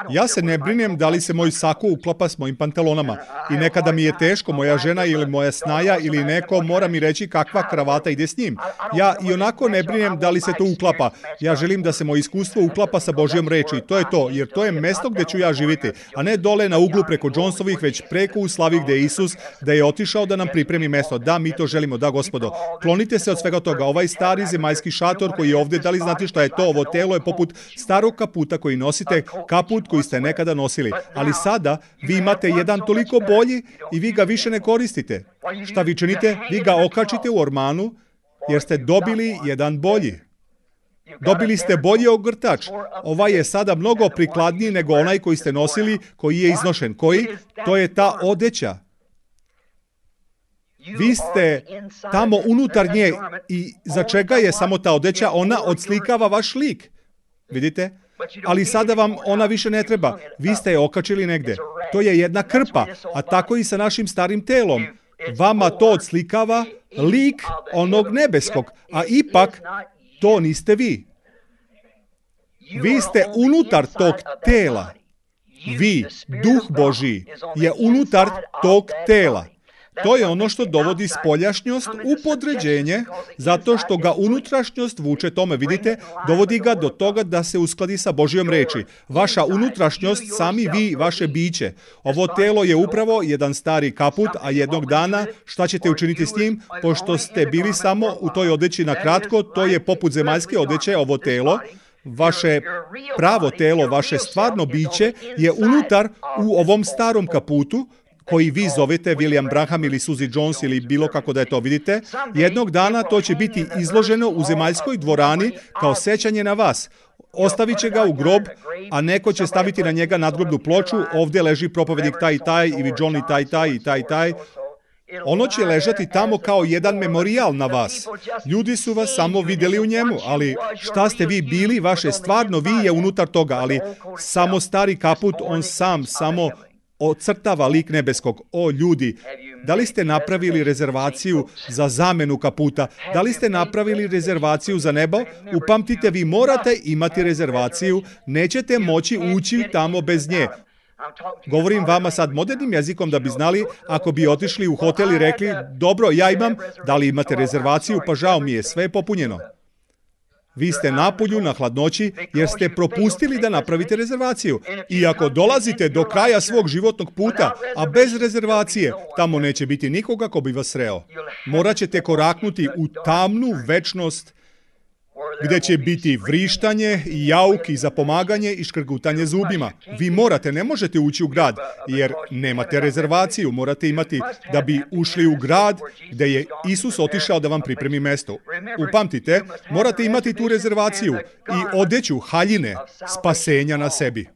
Ja se ne brinem da li se moj sako uklapa s mojim pantalonama. I nekada mi je teško, moja žena ili moja snaja ili neko mora mi reći kakva kravata ide s njim. Ja i onako ne brinem da li se to uklapa. Ja želim da se moje iskustvo uklapa sa Božjom reči. To je to, jer to je mesto gdje ću ja živjeti. A ne dole na uglu preko Jonesovih, već preko u slavi gdje je Isus, da je otišao da nam pripremi mesto. Da, mi to želimo, da gospodo. Klonite se od svega toga. Ovaj stari zemaljski šator koji je ovdje, da li znate šta je to? Ovo telo je poput starog kaputa koji nosite, kaput koji ste nekada nosili. Ali sada vi imate jedan toliko bolji i vi ga više ne koristite. Šta vi činite? Vi ga okačite u ormanu jer ste dobili jedan bolji. Dobili ste bolji ogrtač. Ovaj je sada mnogo prikladniji nego onaj koji ste nosili, koji je iznošen. Koji? To je ta odeća. Vi ste tamo unutar nje i za čega je samo ta odeća? Ona odslikava vaš lik. Vidite? Ali sada vam ona više ne treba. Vi ste je okačili negde. To je jedna krpa, a tako i sa našim starim telom. Vama to odslikava lik onog nebeskog, a ipak to niste vi. Vi ste unutar tog tela. Vi, Duh Božji, je unutar tog tela. To je ono što dovodi spoljašnjost u podređenje, zato što ga unutrašnjost vuče tome, vidite, dovodi ga do toga da se uskladi sa Božjom reči. Vaša unutrašnjost, sami vi, vaše biće. Ovo telo je upravo jedan stari kaput, a jednog dana šta ćete učiniti s njim? Pošto ste bili samo u toj odeći na kratko, to je poput zemaljske odeće, ovo telo. Vaše pravo telo, vaše stvarno biće je unutar u ovom starom kaputu, koji vi zovete William Branham ili Suzy Jones ili bilo kako da je to, vidite. Jednog dana to će biti izloženo u zemaljskoj dvorani kao sećanje na vas. Ostavit će ga u grob, a neko će staviti na njega nadgrobnu ploču. Ovdje leži propovednik taj i taj, ili Johnny taj i taj i taj. Ono će ležati tamo kao jedan memorijal na vas. Ljudi su vas samo vidjeli u njemu, ali šta ste vi bili, vaše stvarno vi je unutar toga, ali samo stari kaput, on samo ocrtava lik nebeskog. O ljudi, da li ste napravili rezervaciju za zamenu kaputa? Da li ste napravili rezervaciju za nebo? Upamtite, vi morate imati rezervaciju, nećete moći ući tamo bez nje. Govorim vama sad modernim jezikom da bi znali, ako bi otišli u hotel i rekli: dobro, ja imam, da li imate rezervaciju? Pa žao mi je, sve je popunjeno. Vi ste napolju na hladnoći jer ste propustili da napravite rezervaciju. I ako dolazite do kraja svog životnog puta, a bez rezervacije, tamo neće biti nikoga ko bi vas sreo. Morat ćete koraknuti u tamnu večnost gdje će biti vrištanje, jauk i zapomaganje i škrgutanje zubima. Vi ne možete ući u grad jer nemate rezervaciju. Morate imati da bi ušli u grad gdje je Isus otišao da vam pripremi mesto. Upamtite, morate imati tu rezervaciju i odeću haljine spasenja na sebi.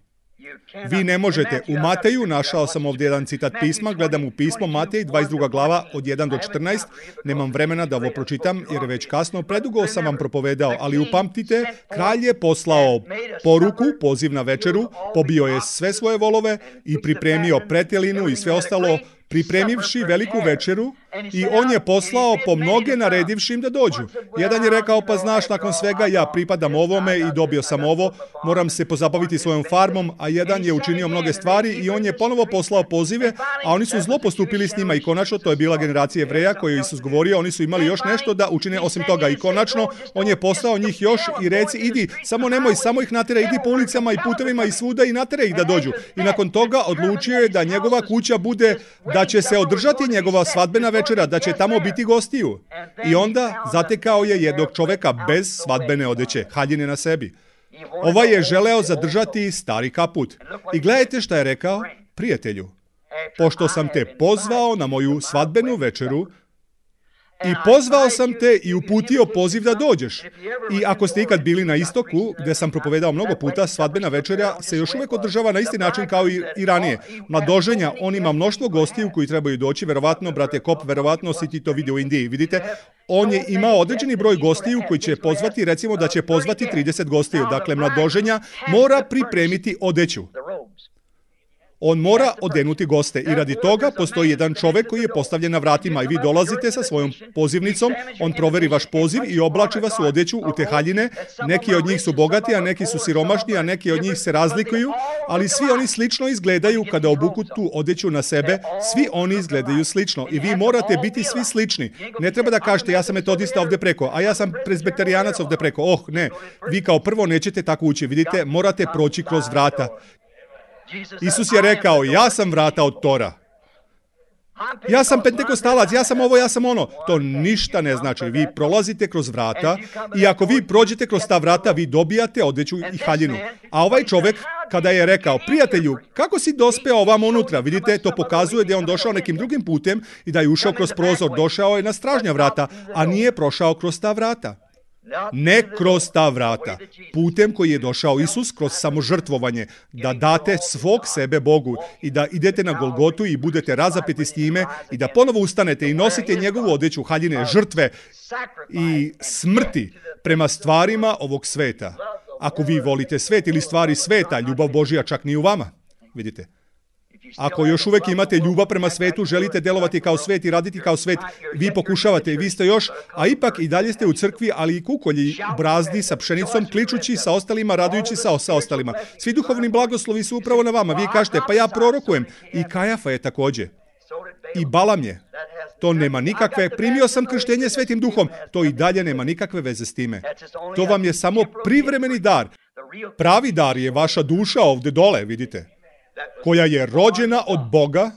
Vi ne možete. U Mateju, našao sam ovdje jedan citat pisma, gledam u pismo, Matej, 22. glava, od 1 do 14. Nemam vremena da ovo pročitam, jer je već kasno, predugo sam vam propovedao, ali upamtite, kralj je poslao poruku, poziv na večeru, pobio je sve svoje volove i pripremio pretjelinu i sve ostalo, pripremivši veliku večeru, i on je poslao po mnoge naredivši im da dođu. Jedan je rekao, pa znaš, nakon svega ja pripadam ovome i dobio sam ovo, moram se pozabaviti svojom farmom, a jedan je učinio mnoge stvari i on je ponovo poslao pozive, a oni su zlo postupili s njima i konačno, to je bila generacija Jevreja koju je Isus govorio, oni su imali još nešto da učine osim toga i konačno, on je poslao njih još i reci, idi, samo nemoj, samo ih natjeraj, idi po ulicama i putevima i svuda i natjeraj ih da dođu. I nakon toga odlučio je da njegova kuća bude, da će se održati njegova svadbena večera, da će tamo biti gostiju. I onda zatekao je jednog čoveka bez svadbene odeće, haljine na sebi. Ovaj je želeo zadržati stari kaput. I gledajte šta je rekao, prijatelju, pošto sam te pozvao na moju svadbenu večeru, i pozvao sam te i uputio poziv da dođeš. I ako ste ikad bili na istoku, gdje sam propovedao mnogo puta, svadbena večera se još uvijek održava na isti način kao i ranije. Mladoženja, on ima mnoštvo gostiju koji trebaju doći, verovatno, brate Kop, verovatno si ti to vidio u Indiji, vidite. On je imao određeni broj gostiju koji će pozvati, recimo da će pozvati 30 gostiju. Dakle, mladoženja mora pripremiti odeću. On mora odenuti goste i radi toga postoji jedan čovjek koji je postavljen na vratima i vi dolazite sa svojom pozivnicom, on proveri vaš poziv i oblači vas u odeću, u te haljine. Neki od njih su bogati, a neki su siromašni, a neki od njih se razlikuju, ali svi oni slično izgledaju kada obuku tu odeću na sebe, svi oni izgledaju slično i vi morate biti svi slični. Ne treba da kažete ja sam metodista ovdje preko, a ja sam prezbeterijanac ovdje preko. Ne, vi kao prvo nećete tako ući, vidite, morate proći kroz vrata. Isus je rekao, ja sam vrata od tora. Ja sam pentekostalac, ja sam ovo, ja sam ono. To ništa ne znači. Vi prolazite kroz vrata i ako vi prođete kroz ta vrata, vi dobijate odeću i haljinu. A ovaj čovjek, kada je rekao, prijatelju, kako si dospeo ovamo unutra? Vidite, to pokazuje da je on došao nekim drugim putem i da je ušao kroz prozor. Došao je na stražnja vrata, a nije prošao kroz ta vrata. Ne kroz ta vrata, putem koji je došao Isus kroz samožrtvovanje, da date svog sebe Bogu i da idete na Golgotu i budete razapeti s njime i da ponovo ustanete i nosite njegovu odeću haljine žrtve i smrti prema stvarima ovog sveta. Ako vi volite svet ili stvari sveta, ljubav Božja čak ni u vama, vidite. Ako još uvijek imate ljubav prema svetu, želite delovati kao svet i raditi kao svet, vi pokušavate i vi ste još, a ipak i dalje ste u crkvi, ali i kukolji brazdi sa pšenicom, kličući sa ostalima, radujući sa ostalima. Svi duhovni blagoslovi su upravo na vama. Vi kažete, pa ja prorokujem. I Kajafa je također. I Balam je. To nema nikakve, primio sam krštenje Svetim Duhom. To i dalje nema nikakve veze s time. To vam je samo privremeni dar. Pravi dar je vaša duša ovdje dole, vidite, koja je rođena od Boga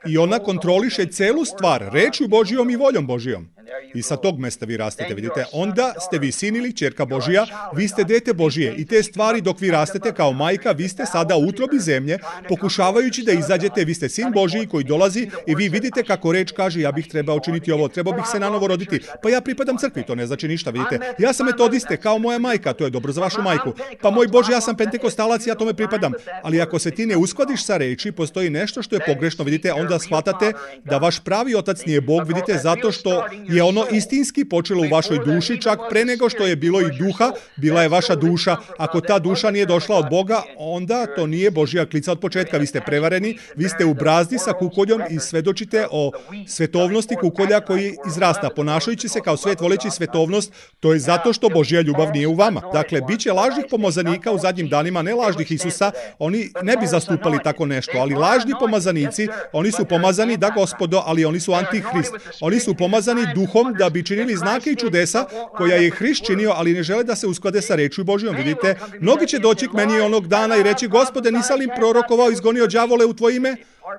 i ona kontroliše celu stvar, rečju Božijom i voljom Božijom. I sa tog mesta vi rastete, vidite. Onda ste vi sin ili ćerka Božija, vi ste dete Božije i te stvari dok vi rastete kao majka, vi ste sada u utrobi zemlje, pokušavajući da izađete, vi ste sin Božiji koji dolazi i vi vidite kako reč kaže, ja bih trebao učiniti ovo, trebao bih se nanovo roditi, pa ja pripadam crkvi, to ne znači ništa, vidite. Ja sam metodiste, kao moja majka, to je dobro za vašu majku. Pa moj Bože, ja sam pentekostalac, ja tome pripadam. Ali ako se ti ne uskladiš sa reči, postoji nešto što je pogrešno, vidite, onda shvatate da vaš pravi otac nije Bog, vidite, zato što je ono istinski počelo u vašoj duši, čak pre nego što je bilo i duha, bila je vaša duša. Ako ta duša nije došla od Boga, onda to nije Božja klica od početka. Vi ste prevareni, vi ste u brazdi sa kukoljom i svedočite o svetovnosti kukolja koji izrasta. Ponašajući se kao svet voleći svetovnost, to je zato što Božja ljubav nije u vama. Dakle, bit će lažnih pomazanika u zadnjim danima, ne lažnih Isusa, oni ne bi zastupali tako nešto, ali lažni pomazanici, oni su pomazani da Gospodo, ali oni su antihrist. Oni su pomazani duhom da bi činili znake i čudesa koja je Hrist činio, ali ne žele da se usklade sa rečju Božjom. Vidite, mnogi će doći k meni onog dana i reći, Gospode, nisam li prorokovao, izgonio đavole u tvoje ime?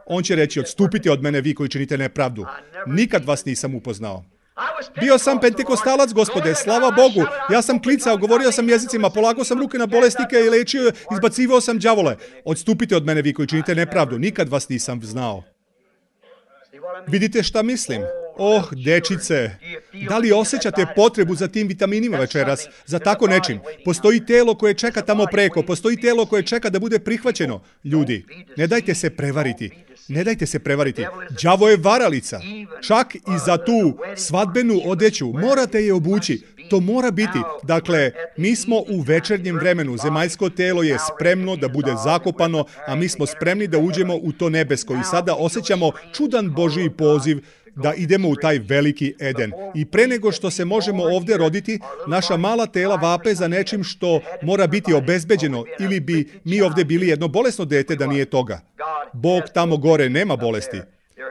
On će reći, odstupite od mene vi koji činite nepravdu. Nikad vas nisam upoznao. Bio sam pentekostalac, Gospode, slava Bogu. Ja sam klicao, govorio sam jezicima, polagao sam ruke na bolesnike i lečio, izbacivao sam đavole. Odstupite od mene vi koji činite nepravdu. Nikad vas nisam znao. Vidite šta mislim? Oh, dečice, da li osjećate potrebu za tim vitaminima večeras, za tako nečim? Postoji telo koje čeka tamo preko, postoji telo koje čeka da bude prihvaćeno. Ljudi, ne dajte se prevariti. Ne dajte se prevariti. Đavo je varalica. Čak i za tu svadbenu odeću morate je obući. To mora biti. Dakle, mi smo u večernjem vremenu. Zemaljsko telo je spremno da bude zakopano, a mi smo spremni da uđemo u to nebesko. I sada osjećamo čudan Božji poziv da idemo u taj veliki Eden. I pre nego što se možemo ovdje roditi, naša mala tela vape za nečim što mora biti obezbeđeno, ili bi mi ovdje bili jedno bolesno dete da nije toga. Bog tamo gore nema bolesti.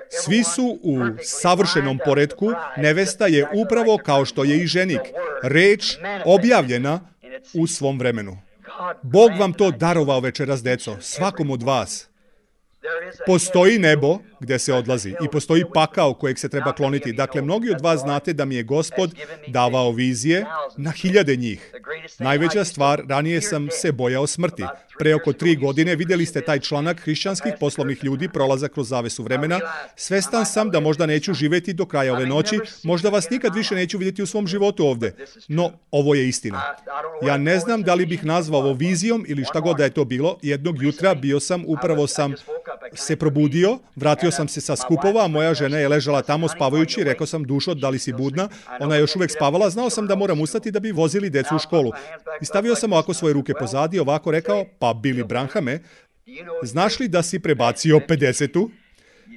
Svi su u savršenom poretku, nevesta je upravo kao što je i ženik. Reč objavljena u svom vremenu. Bog vam to darovao večeras, deco, svakom od vas. Postoji nebo gdje se odlazi i postoji pakao kojeg se treba kloniti. Dakle, mnogi od vas znate da mi je Gospod davao vizije na 1000 njih. Najveća stvar, ranije sam se bojao smrti. Pre oko 3 godine vidjeli ste taj članak hrišćanskih poslovnih ljudi prolazak kroz zavesu vremena. Svestan sam da možda neću živjeti do kraja ove noći, možda vas nikad više neću vidjeti u svom životu ovdje. No, ovo je istina. Ja ne znam da li bih nazvao ovo vizijom ili šta god da je to bilo. Jednog jutra upravo sam se probudio, vratio sam se sa skupova, a moja žena je ležala tamo spavajući, rekao sam: dušo, da li si budna? Ona je još uvijek spavala, znao sam da moram ustati da bi vozili decu u školu. I stavio sam ovako svoje ruke pozadi, ovako rekao: pa Billy Branhame, znaš li da si prebacio 50-tu?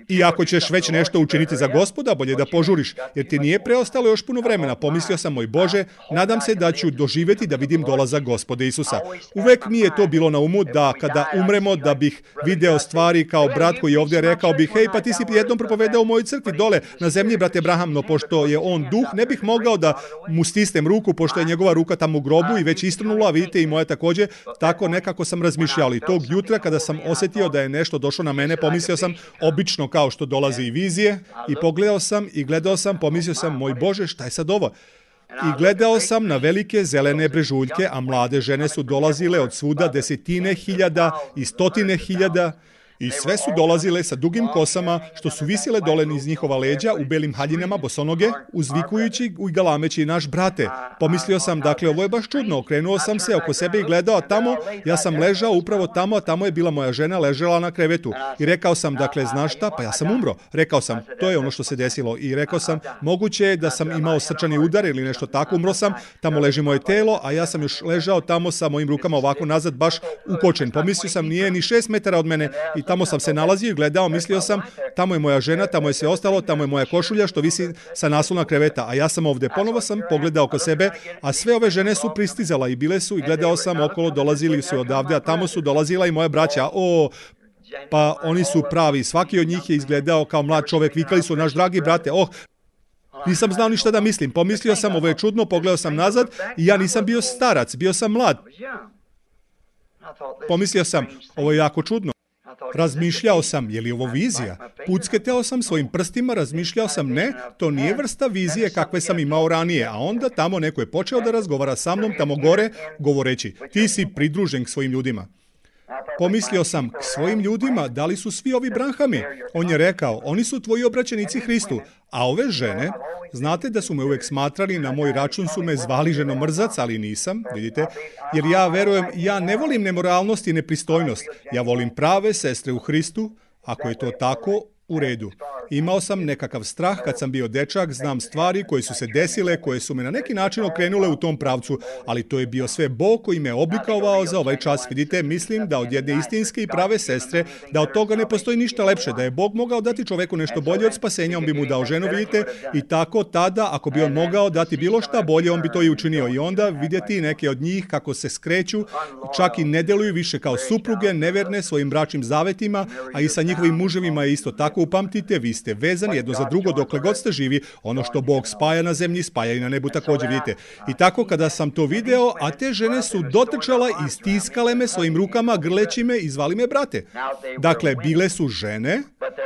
I ako ćeš već nešto učiniti za Gospoda, bolje da požuriš, jer ti nije preostalo još puno vremena. Pomislio sam: moj Bože, nadam se da ću doživjeti da vidim dolazak Gospoda Isusa. Uvek mi je to bilo na umu da kada umremo, da bih video stvari kao brat koji je ovdje rekao bih: hej, pa ti si jednom propovedao u mojoj crkvi dole na zemlji, brate Branham, no pošto je on duh, ne bih mogao da mu stisnem ruku, pošto je njegova ruka tamo u grobu i već istrnula, a vidite i moja također. Tako nekako sam razmišljao. I tog jutra kada sam osjetio da je nešto došlo na mene, pomislio sam, obično kao što dolazi i vizije, i gledao sam, pomislio sam: moj Bože, šta je sad ovo? I gledao sam na velike zelene brežuljke, a mlade žene su dolazile od svuda, 10.000 i 100.000, i sve su dolazile sa dugim kosama, što su visile dole niz njihova leđa, u belim haljinama, bosonoge, uzvikujući i galameći: naš brate. Pomislio sam, dakle, ovo je baš čudno. Okrenuo sam se oko sebe i gledao, a tamo, ja sam ležao upravo tamo, a tamo je bila moja žena, ležela na krevetu. I rekao sam: dakle, znaš šta, pa ja sam umro. Rekao sam, to je ono što se desilo. I rekao sam: moguće je da sam imao srčani udar ili nešto tako, umro sam, tamo leži moje telo, a ja sam još ležao tamo sa mojim rukama ovako nazad, baš ukočen. Pomislio sam, nije ni 6 metara od mene, i tamo sam se nalazio i gledao, mislio sam: tamo je moja žena, tamo je sve ostalo, tamo je moja košulja što visi sa naslona kreveta, a ja sam ovdje. Ponovo sam pogledao oko sebe, a sve ove žene su pristizala i bile su, i gledao sam okolo, dolazili su odavde, a tamo su dolazila i moja braća. Pa oni su pravi, svaki od njih je izgledao kao mlad čovjek, vikali su: naš dragi brate. Nisam znao ništa da mislim, pomislio sam: ovo je čudno, pogledao sam nazad i ja nisam bio starac, bio sam mlad. Pomislio sam: ovo je jako čudno. Razmišljao sam, je li ovo vizija? Pucketao sam svojim prstima, razmišljao sam: ne, to nije vrsta vizije kakve sam imao ranije. A onda tamo neko je počeo da razgovara sa mnom tamo gore, govoreći: ti si pridružen k svojim ljudima. Pomislio sam: k svojim ljudima, da li su svi ovi Branhami? On je rekao: oni su tvoji obraćenici Hristu. A ove žene, znate da su me uvijek smatrali, na moj račun su me zvali ženomrzac, ali nisam, vidite, jer ja verujem, ja ne volim nemoralnost i nepristojnost. Ja volim prave sestre u Hristu. Ako je to tako, u redu. Imao sam nekakav strah kad sam bio dečak, znam stvari koje su se desile, koje su me na neki način okrenule u tom pravcu, ali to je bio sve Bog koji me oblikovao za ovaj čas. Vidite, mislim da od jedne istinske i prave sestre, da od toga ne postoji ništa lepše, da je Bog mogao dati čoveku nešto bolje od spasenja, on bi mu dao ženu, vidite, i tako tada, ako bi on mogao dati bilo šta bolje, on bi to i učinio. I onda vidjeti neke od njih kako se skreću, čak i ne deluju više kao supruge, neverne svojim bračnim zavetima, a i sa njihovim muževima je isto tako. Upamtite, vi ste vezani jedno za drugo dokle god ste živi. Ono što Bog spaja na zemlji, spaja i na nebu također, vidite. I tako kada sam to video, a te žene su dotrčala i stiskale me svojim rukama, grleći me i zvali me brate. Dakle, bile su žene,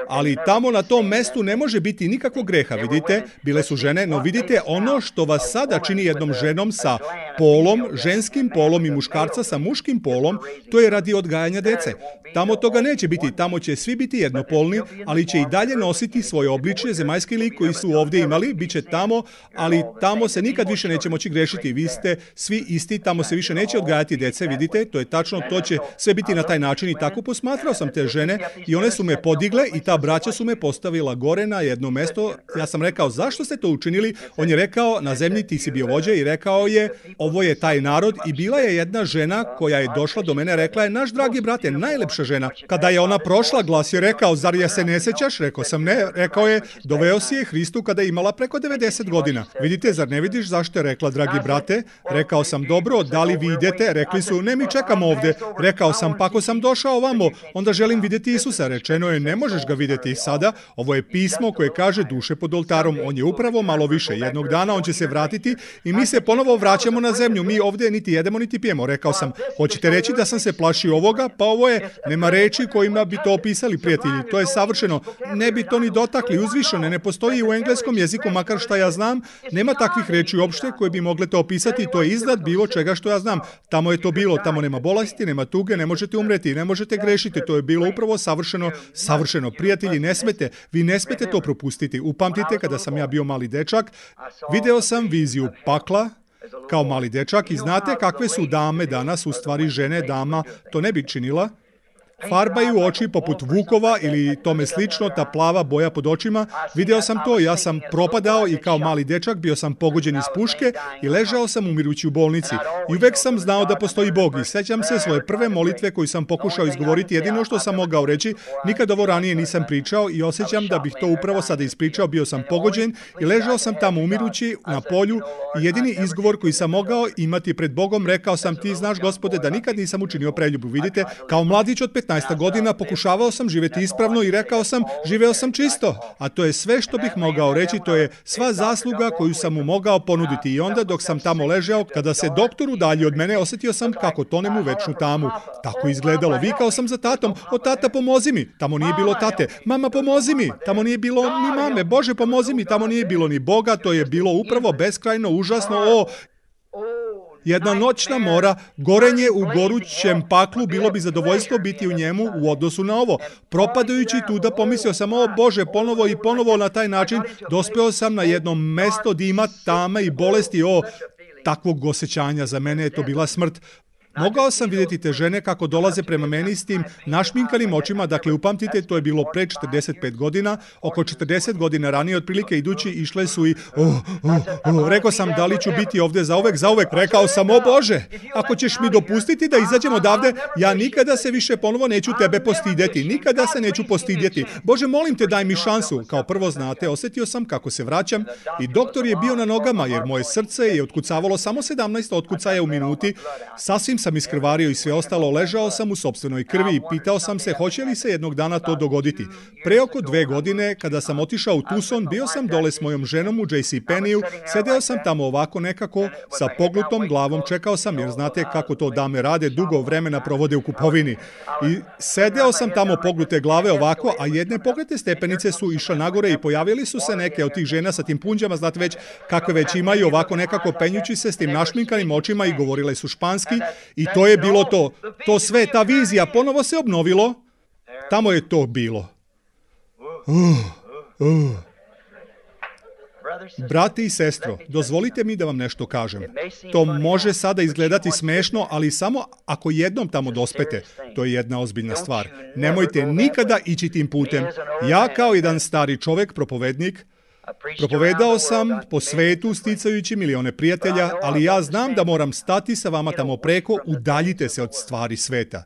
ali tamo na tom mestu ne može biti nikakvog greha, vidite. Bile su žene, no vidite, ono što vas sada čini jednom ženom sa polom, ženskim polom i muškarca sa muškim polom, to je radi odgajanja dece. Tamo toga neće biti, tamo će svi biti jednopolni, ali će i dalje nositi svoje obličje, zemaljski lik koji su ovdje imali, bit će tamo, ali tamo se nikad više neće moći grešiti. Vi ste svi isti, tamo se više neće odgajati dece, vidite, to je tačno, to će sve biti na taj način i tako posmatrao sam te žene i one su me podigle i ta braća su me postavila gore na jedno mesto. Ja sam rekao, zašto ste to učinili? On je rekao, na zemlji ti si bio vođa i rekao je, ovo je taj narod i bila je jedna žena koja je došla do mene, rekla je, naš dragi brate, najlepša žena. Kada je ona prošla, glas je rekao, zar je se ne sećaš? Rekao sam ne, rekao je, doveo si je Hristu kada je imala preko 90 godina. Vidite, zar ne vidiš zašto je rekla, dragi brate? Rekao sam, dobro, da li vi idete? Rekli su, ne, mi čekamo ovdje. Rekao sam, pa ako sam došao ovamo, onda želim vidjeti Isusa. Rečeno je, ne možeš ga vidjeti sada. Ovo je pismo koje kaže duše pod oltarom. On je upravo malo više. Jednog dana on će se vratiti i mi se ponovo vraćamo na zemlju. Mi ovdje niti jedemo, niti pijemo. Rekao sam, hoćete reći da sam se plašio ovoga? Pa ovo je, nema reči kojima bi to opisali, prijatelji. To je savršeno. Ne bi to ni dotakli, uzvišene. Ne postoji u engleskom jeziku, makar šta ja znam. Nema takvih reči uopšte koje bi mogle to opisati. To je iznad bilo čega što ja znam. Tamo je to bilo. Tamo nema bolesti, nema tuge, ne možete umreti, ne možete grešiti. To je bilo upravo savršeno, savršeno. Prijatelji, ne smete, vi ne smete to propustiti. Upamtite, kada sam ja bio mali dečak, video sam viziju pakla kao mali dečak i znate kakve su dame danas, u stvari žene, dama, to ne bi činila. Farbaju oči poput vukova ili tome slično, ta plava boja pod očima. Video sam to, ja sam propadao i kao mali dečak bio sam pogođen iz puške i ležao sam umirući u bolnici. I uvek sam znao da postoji Bog i sećam se svoje prve molitve koju sam pokušao izgovoriti, jedino što sam mogao reći, nikad ovo ranije nisam pričao i osjećam da bih to upravo sada ispričao, bio sam pogođen i ležao sam tamo umirući na polju i jedini izgovor koji sam mogao imati pred Bogom, rekao sam, ti znaš, Gospode, da nikad nisam učinio preljubu. Vidite, kao mladić od 15 godina pokušavao sam živjeti ispravno i rekao sam, živeo sam čisto. A to je sve što bih mogao reći, to je sva zasluga koju sam mu mogao ponuditi. I onda dok sam tamo ležao, kada se doktor udalji od mene, osjetio sam kako tonem u večnu tamu. Tako izgledalo. Vikao sam za tatom, o tata pomozi mi. Tamo nije bilo tate. Mama pomozi mi. Tamo nije bilo ni mame. Bože pomozi mi. Tamo nije bilo ni Boga. To je bilo upravo beskrajno, užasno. Jedna noćna mora, gorenje u gorućem paklu, bilo bi zadovoljstvo biti u njemu u odnosu na ovo. Propadajući tuda pomislio sam, o Bože, ponovo i ponovo na taj način dospeo sam na jedno mesto dima, tame i bolesti, takvog osjećanja. Za mene je to bila smrt. Mogao sam vidjeti te žene kako dolaze prema meni s tim našminkanim očima, dakle upamtite, to je bilo pre 45 godina, oko 40 godina ranije otprilike idući išle su i rekao sam, da li ću biti ovdje zauvek, rekao sam, o Bože, ako ćeš mi dopustiti da izađem odavde, ja nikada se više ponovo neću tebe postidjeti, nikada se neću postidjeti. Bože, molim te, daj mi šansu. Kao prvo, znate, osjetio sam kako se vraćam i doktor je bio na nogama jer moje srce je otkucavalo samo 17 otkucaja u minuti, sasvim sam iskrvario i sve ostalo, ležao sam u sopstvenoj krvi i pitao sam se hoće li se jednog dana to dogoditi. Pre oko 2 godine, kada sam otišao u Tucson, bio sam dole s mojom ženom u JCPenney-u, sedeo sam tamo ovako nekako, sa pognutom glavom, čekao sam, jer znate kako to dame rade, dugo vremena provode u kupovini. I sedeo sam tamo pognute glave ovako, a jedne pognute stepenice su išle nagore i pojavili su se neke od tih žena sa tim punđama, znate već kakve već imaju, ovako nekako penjući se s tim našminkanim očima i govorile su španski. I to je bilo to. To sve, ta vizija, ponovo se obnovilo. Tamo je to bilo. Brati i sestro, dozvolite mi da vam nešto kažem. To može sada izgledati smešno, ali samo ako jednom tamo dospete, to je jedna ozbiljna stvar. Nemojte nikada ići tim putem. Ja kao jedan stari čovjek, propovednik, propovedao sam po svetu sticajući milione prijatelja, ali ja znam da moram stati sa vama tamo preko, udaljite se od stvari sveta.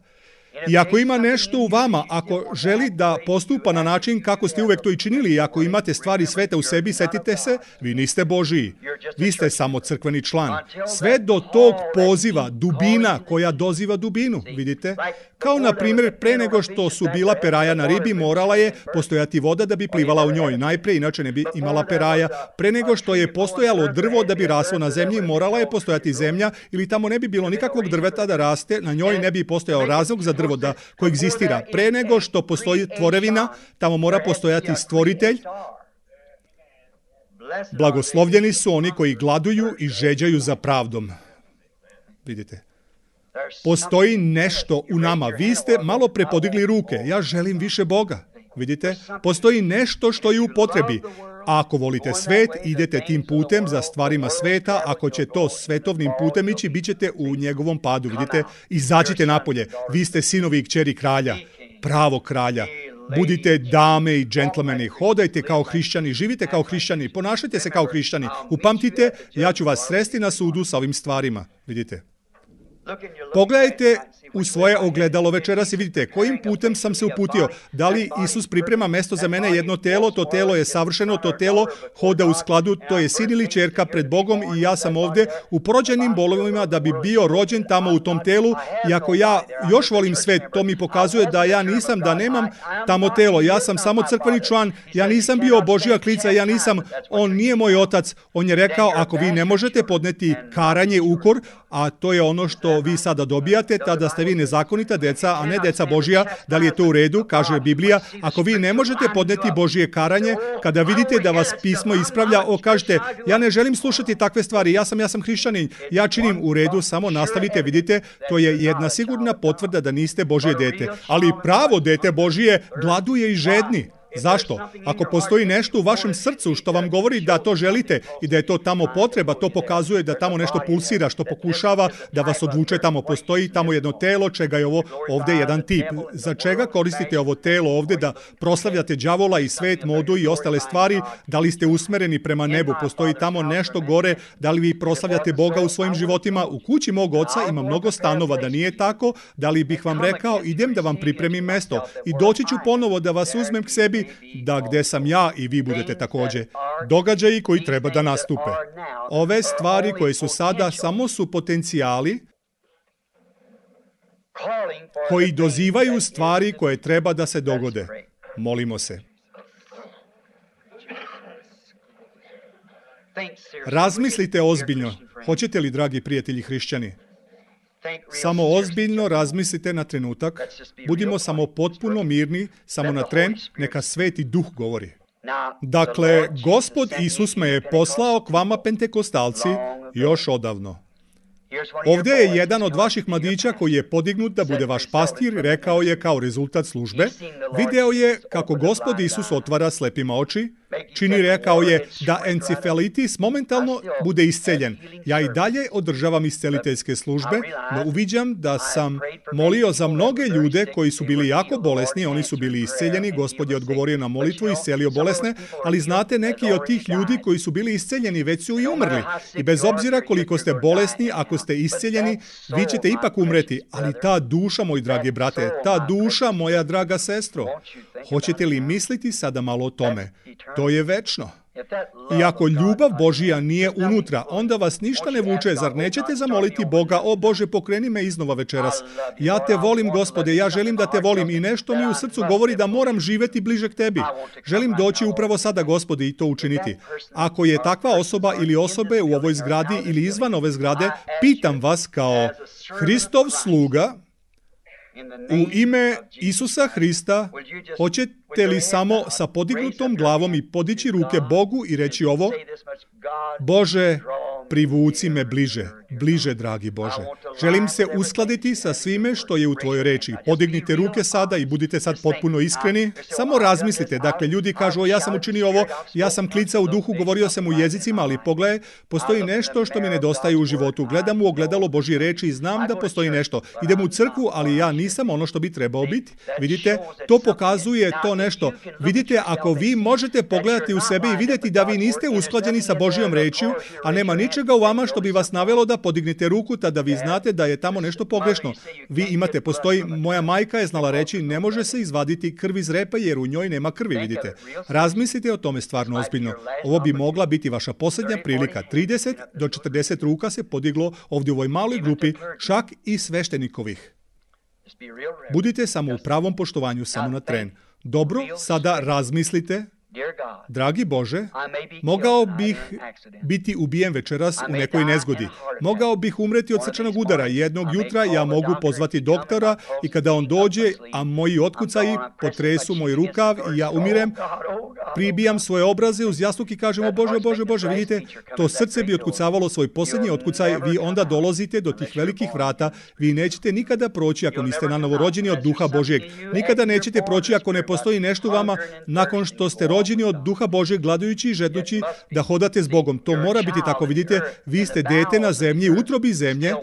I ako ima nešto u vama, ako želi da postupa na način kako ste uvek to i činili, i ako imate stvari sveta u sebi, setite se, vi niste Božiji. Vi ste samo crkveni član. Sve do tog poziva, dubina koja doziva dubinu, vidite? Kao na primjer, pre nego što su bila peraja na ribi, morala je postojati voda da bi plivala u njoj. Najprije, inače ne bi imala peraja. Pre nego što je postojalo drvo da bi raslo na zemlji, morala je postojati zemlja ili tamo ne bi bilo nikakvog drveta da raste, na njoj ne bi postojao razlog za drvo da koegzistira. Pre nego što postoji tvorevina, tamo mora postojati stvoritelj. Blagoslovljeni su oni koji gladuju i žeđaju za pravdom. vidite. Postoji nešto u nama. Vi ste malo prepodigli ruke. Ja želim više Boga. Vidite? Postoji nešto što je u potrebi. A ako volite svet, idete tim putem za stvarima sveta. Ako će to svetovnim putem ići, bit ćete u njegovom padu. Vidite? Izađite napolje. Vi ste sinovi i kćeri kralja. Pravog kralja. Budite dame i džentlmeni, hodajte kao hrišćani, živite kao hrišćani, ponašajte se kao hrišćani. Upamtite, ja ću vas sresti na sudu sa ovim stvarima. Vidite? Pogledajte u svoje ogledalo večeras i vidite kojim putem sam se uputio. Da li Isus priprema mesto za mene, jedno telo, to telo je savršeno, to telo hoda u skladu, to je sin ili ćerka pred Bogom i ja sam ovdje u porođenim bolovima da bi bio rođen tamo u tom telu. I ako ja još volim svet, to mi pokazuje da ja nisam, da nemam tamo telo. Ja sam samo crkveni član, ja nisam bio Božja klica, ja nisam, on nije moj otac. On je rekao, ako vi ne možete podneti karanje, ukor, a to je ono što vi sada dobijate, tada ste vi nezakonita deca, a ne deca Božja. Da li je to u redu? Kaže Biblija. Ako vi ne možete podneti Božje karanje, kada vidite da vas pismo ispravlja, kažete, ja ne želim slušati takve stvari, ja sam hrišćanin, ja činim u redu, samo nastavite, vidite, to je jedna sigurna potvrda da niste Božje dete. Ali pravo dete Božje gladuje i žedni. Zašto? Ako postoji nešto u vašem srcu što vam govori da to želite i da je to tamo potreba, to pokazuje da tamo nešto pulsira, što pokušava da vas odvuče tamo. Postoji tamo jedno telo, čega je ovo ovdje jedan tip. Za čega koristite ovo telo ovdje da proslavljate đavola i svet, modu i ostale stvari? Da li ste usmereni prema nebu? Postoji tamo nešto gore? Da li vi proslavljate Boga u svojim životima? U kući mog oca ima mnogo stanova, da nije tako? Da li bih vam rekao, idem da vam pripremim mesto i doći ću ponovo da vas uzmem k sebi, da gdje sam ja i vi budete također. Događaji koji treba da nastupe. Ove stvari koje su sada samo su potencijali koji dozivaju stvari koje treba da se dogode. Molimo se. Razmislite ozbiljno. Hoćete li, dragi prijatelji hrišćani? Samo ozbiljno razmislite na trenutak, budimo samo potpuno mirni, samo na tren, neka Sveti Duh govori. Dakle, Gospod Isus me je poslao k vama pentekostalci još odavno. Ovdje je jedan od vaših mladića koji je podignut da bude vaš pastir, rekao je kao rezultat službe, video je kako Gospod Isus otvara slepima oči, čini, rekao je, da encefalitis momentalno bude isceljen. Ja i dalje održavam isceliteljske službe, no uviđam da sam molio za mnoge ljude koji su bili jako bolesni, oni su bili isceljeni, Gospod je odgovorio na molitvu i iscelio bolesne, ali znate, neki od tih ljudi koji su bili isceljeni već su i umrli. I bez obzira koliko ste bolesni, ako ste isceljeni, vi ćete ipak umreti. Ali ta duša, moj dragi brate, ta duša, moja draga sestro, hoćete li misliti sada malo o tome? To je večno. I ako ljubav Božija nije unutra, onda vas ništa ne vuče. Zar nećete zamoliti Boga, o Bože, pokreni me iznova večeras. Ja te volim, Gospode, ja želim da te volim i nešto mi u srcu govori da moram živjeti bliže k tebi. Želim doći upravo sada, Gospode, i to učiniti. Ako je takva osoba ili osobe u ovoj zgradi ili izvan ove zgrade, pitam vas kao Hristov sluga, u ime Isusa Hrista, hoćete li samo sa podignutom glavom i podići ruke Bogu i reći ovo? Bože, privuci me bliže, bliže, dragi Bože. Želim se uskladiti sa svime što je u tvojoj reči. Podignite ruke sada i budite sad potpuno iskreni. Samo razmislite. Dakle, ljudi kažu, ja sam učinio ovo, ja sam klicao u duhu, govorio sam u jezicima, ali pogledaj, postoji nešto što mi nedostaje u životu. Gledam u ogledalo Božje reči i znam da postoji nešto. Idem u crkvu, ali ja nisam ono što bi trebao biti. Vidite, to pokazuje to nešto. Vidite, ako vi možete pogledati u sebe i vidjeti da vi niste usklađeni sa Božjom rečju, a nema ničega u vama što bi vas navelo da podignete ruku, tada vi znate da je tamo nešto pogrešno. Vi imate, postoji, moja majka je znala reći, ne može se izvaditi krv iz repa jer u njoj nema krvi, vidite. Razmislite o tome stvarno ozbiljno. Ovo bi mogla biti vaša posljednja prilika. 30 do 40 ruka se podiglo ovdje u ovoj maloj grupi, čak i sveštenikovih. Budite samo u pravom poštovanju, samo na tren. Dobro, sada razmislite. Dragi Bože, mogao bih biti ubijen večeras u nekoj nezgodi. Mogao bih umreti od srčanog udara. Jednog jutra ja mogu pozvati doktora i kada on dođe, a moji otkucaji potresu moj rukav i ja umirem, pribijam svoje obraze uz jastuk i kažem: o Bože, Bože, Bože, vidite, to srce bi otkucavalo svoj posljednji otkucaj, vi onda dolazite do tih velikih vrata, vi nećete nikada proći ako niste nanovo rođeni od Duha Božjeg. Nikada nećete proći ako ne postoji nešto u vama nakon što ste rođeni od Duha Božjeg, gladujući i žedujući da hodate s Bogom. To mora biti tako, vidite, vi ste dete na zemlji, utrobi zemlje,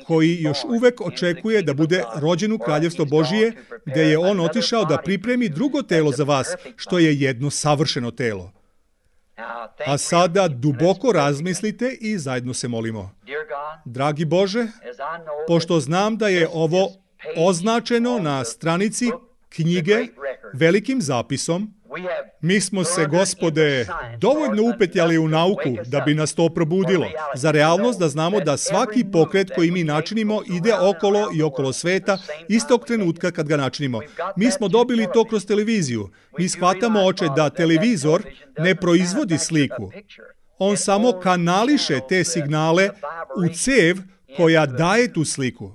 koji još uvek očekuje da bude rođen u kraljevstvo Božije, gde je on otišao da pripremi drugo telo za vas, što je jedno savršeno telo. A sada duboko razmislite i zajedno se molimo. Dragi Bože, pošto znam da je ovo označeno na stranici knjige velikim zapisom, mi smo se, Gospode, dovoljno upetljali u nauku da bi nas to probudilo. Za realnost da znamo da svaki pokret koji mi načinimo ide okolo i okolo sveta istog trenutka kad ga načinimo. Mi smo dobili to kroz televiziju. Mi shvatamo, Oče, da televizor ne proizvodi sliku. On samo kanališe te signale u cev koja daje tu sliku.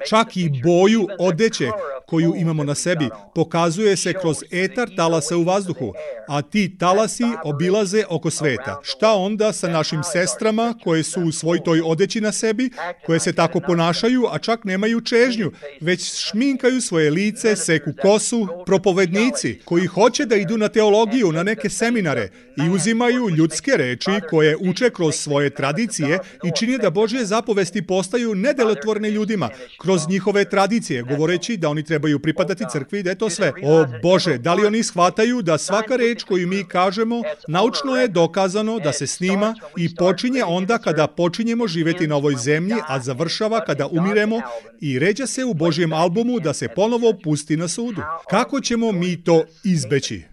Čak i boju odeće koju imamo na sebi pokazuje se kroz etar talasa u vazduhu, a ti talasi obilaze oko sveta. Šta onda sa našim sestrama koje su u svoj toj odeći na sebi, koje se tako ponašaju, a čak nemaju čežnju, već šminkaju svoje lice, seku kosu, propovednici koji hoće da idu na teologiju, na neke seminare i uzimaju ljudske reči koje uče kroz svoje tradicije i čini da Božje zapovesti postaju nedelotvorne ljudima kroz njihove tradicije, govoreći da oni trebaju pripadati crkvi i da je to sve. O Bože, da li oni shvataju da svaka reč koju mi kažemo naučno je dokazano da se snima i počinje onda kada počinjemo živjeti na ovoj zemlji, a završava kada umiremo i ređa se u Božjem albumu da se ponovo pusti na sudu. Kako ćemo mi to izbeći?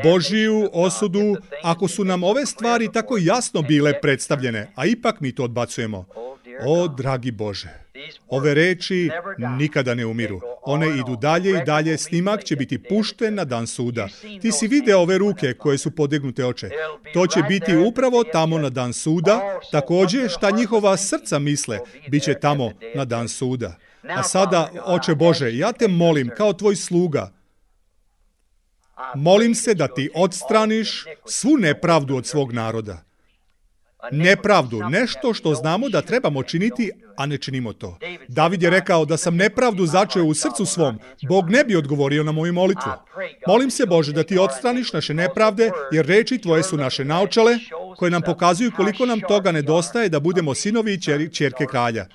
Božiju osudu, ako su nam ove stvari tako jasno bile predstavljene, a ipak mi to odbacujemo. O, dragi Bože, ove reči nikada ne umiru. One idu dalje i dalje, snimak će biti pušten na dan suda. Ti si video ove ruke koje su podignute, Oče. To će biti upravo tamo na dan suda, također šta njihova srca misle, bit će tamo na dan suda. A sada, Oče Bože, ja te molim kao tvoj sluga, molim se da ti odstraniš svu nepravdu od svog naroda. Nepravdu, nešto što znamo da trebamo činiti, a ne činimo to. David je rekao da sam nepravdu začeo u srcu svom, Bog ne bi odgovorio na moju molitvu. Molim se, Bože, da ti odstraniš naše nepravde, jer reči tvoje su naše naočale, koje nam pokazuju koliko nam toga nedostaje da budemo sinovi i ćerke kralja.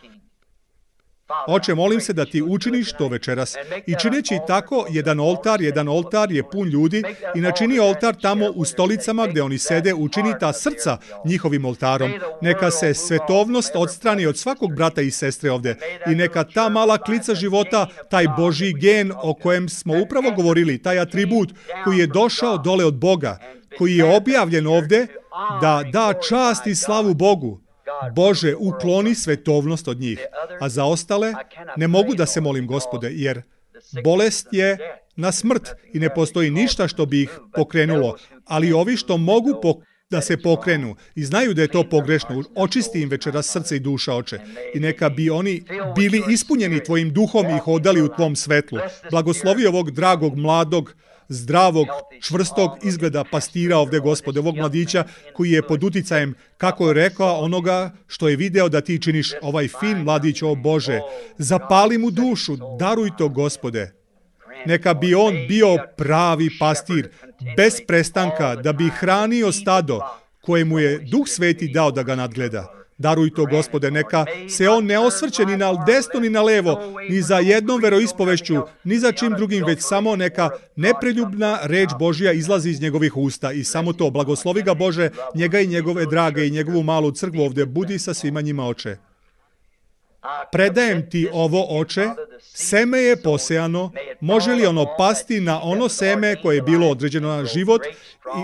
Oče, molim se da ti učiniš to večeras. I čineći tako, jedan oltar je pun ljudi i načini oltar tamo u stolicama gdje oni sede, učini ta srca njihovim oltarom. Neka se svetovnost odstrani od svakog brata i sestre ovdje i neka ta mala klica života, taj Božji gen o kojem smo upravo govorili, taj atribut koji je došao dole od Boga, koji je objavljen ovdje, da da čast i slavu Bogu. Bože, ukloni svetovnost od njih. A za ostale ne mogu da se molim, Gospode, jer bolest je na smrt i ne postoji ništa što bi ih pokrenulo. Ali ovi što mogu da se pokrenu i znaju da je to pogrešno, očisti im večeras srce i duša, Oče. I neka bi oni bili ispunjeni tvojim duhom i hodali u tvom svetlu. Blagoslovi ovog dragog, mladog, zdravog, čvrstog izgleda pastira ovdje, Gospode, ovog mladića koji je pod uticajem, kako je rekao, onoga što je video da ti činiš, ovaj fin mladić, o Bože. Zapali mu dušu, daruj to, Gospode. Neka bi on bio pravi pastir, bez prestanka, da bi hranio stado kojemu je Duh Sveti dao da ga nadgleda. Daruj to, Gospode, neka se on ne osvrće ni na desno ni na levo, ni za jednom veroispovešću, ni za čim drugim, već samo neka nepreljubna reč Božja izlazi iz njegovih usta i samo to. Blagoslovi ga, Bože, njega i njegove drage i njegovu malu crkvu ovdje. Budi sa svima njima, Oče. Predajem ti ovo, Oče, seme je posejano, može li ono pasti na ono seme koje je bilo određeno na život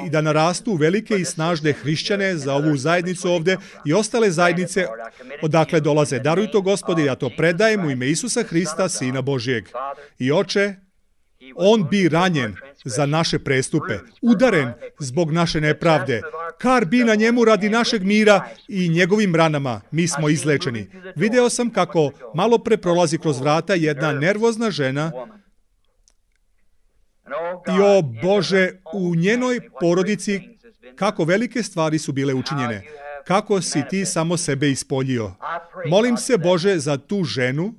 i da narastu velike i snažne hrišćane za ovu zajednicu ovdje i ostale zajednice odakle dolaze. Daruj to, Gospode, ja to predajem u ime Isusa Hrista, Sina Božijeg. I Oče, On bi ranjen za naše prestupe, udaren zbog naše nepravde. Kar bi na njemu radi našeg mira i njegovim ranama mi smo izlečeni. Video sam kako malo pre prolazi kroz vrata jedna nervozna žena i o Bože, u njenoj porodici kako velike stvari su bile učinjene. Kako si ti samo sebe ispoljio. Molim se, Bože, za tu ženu,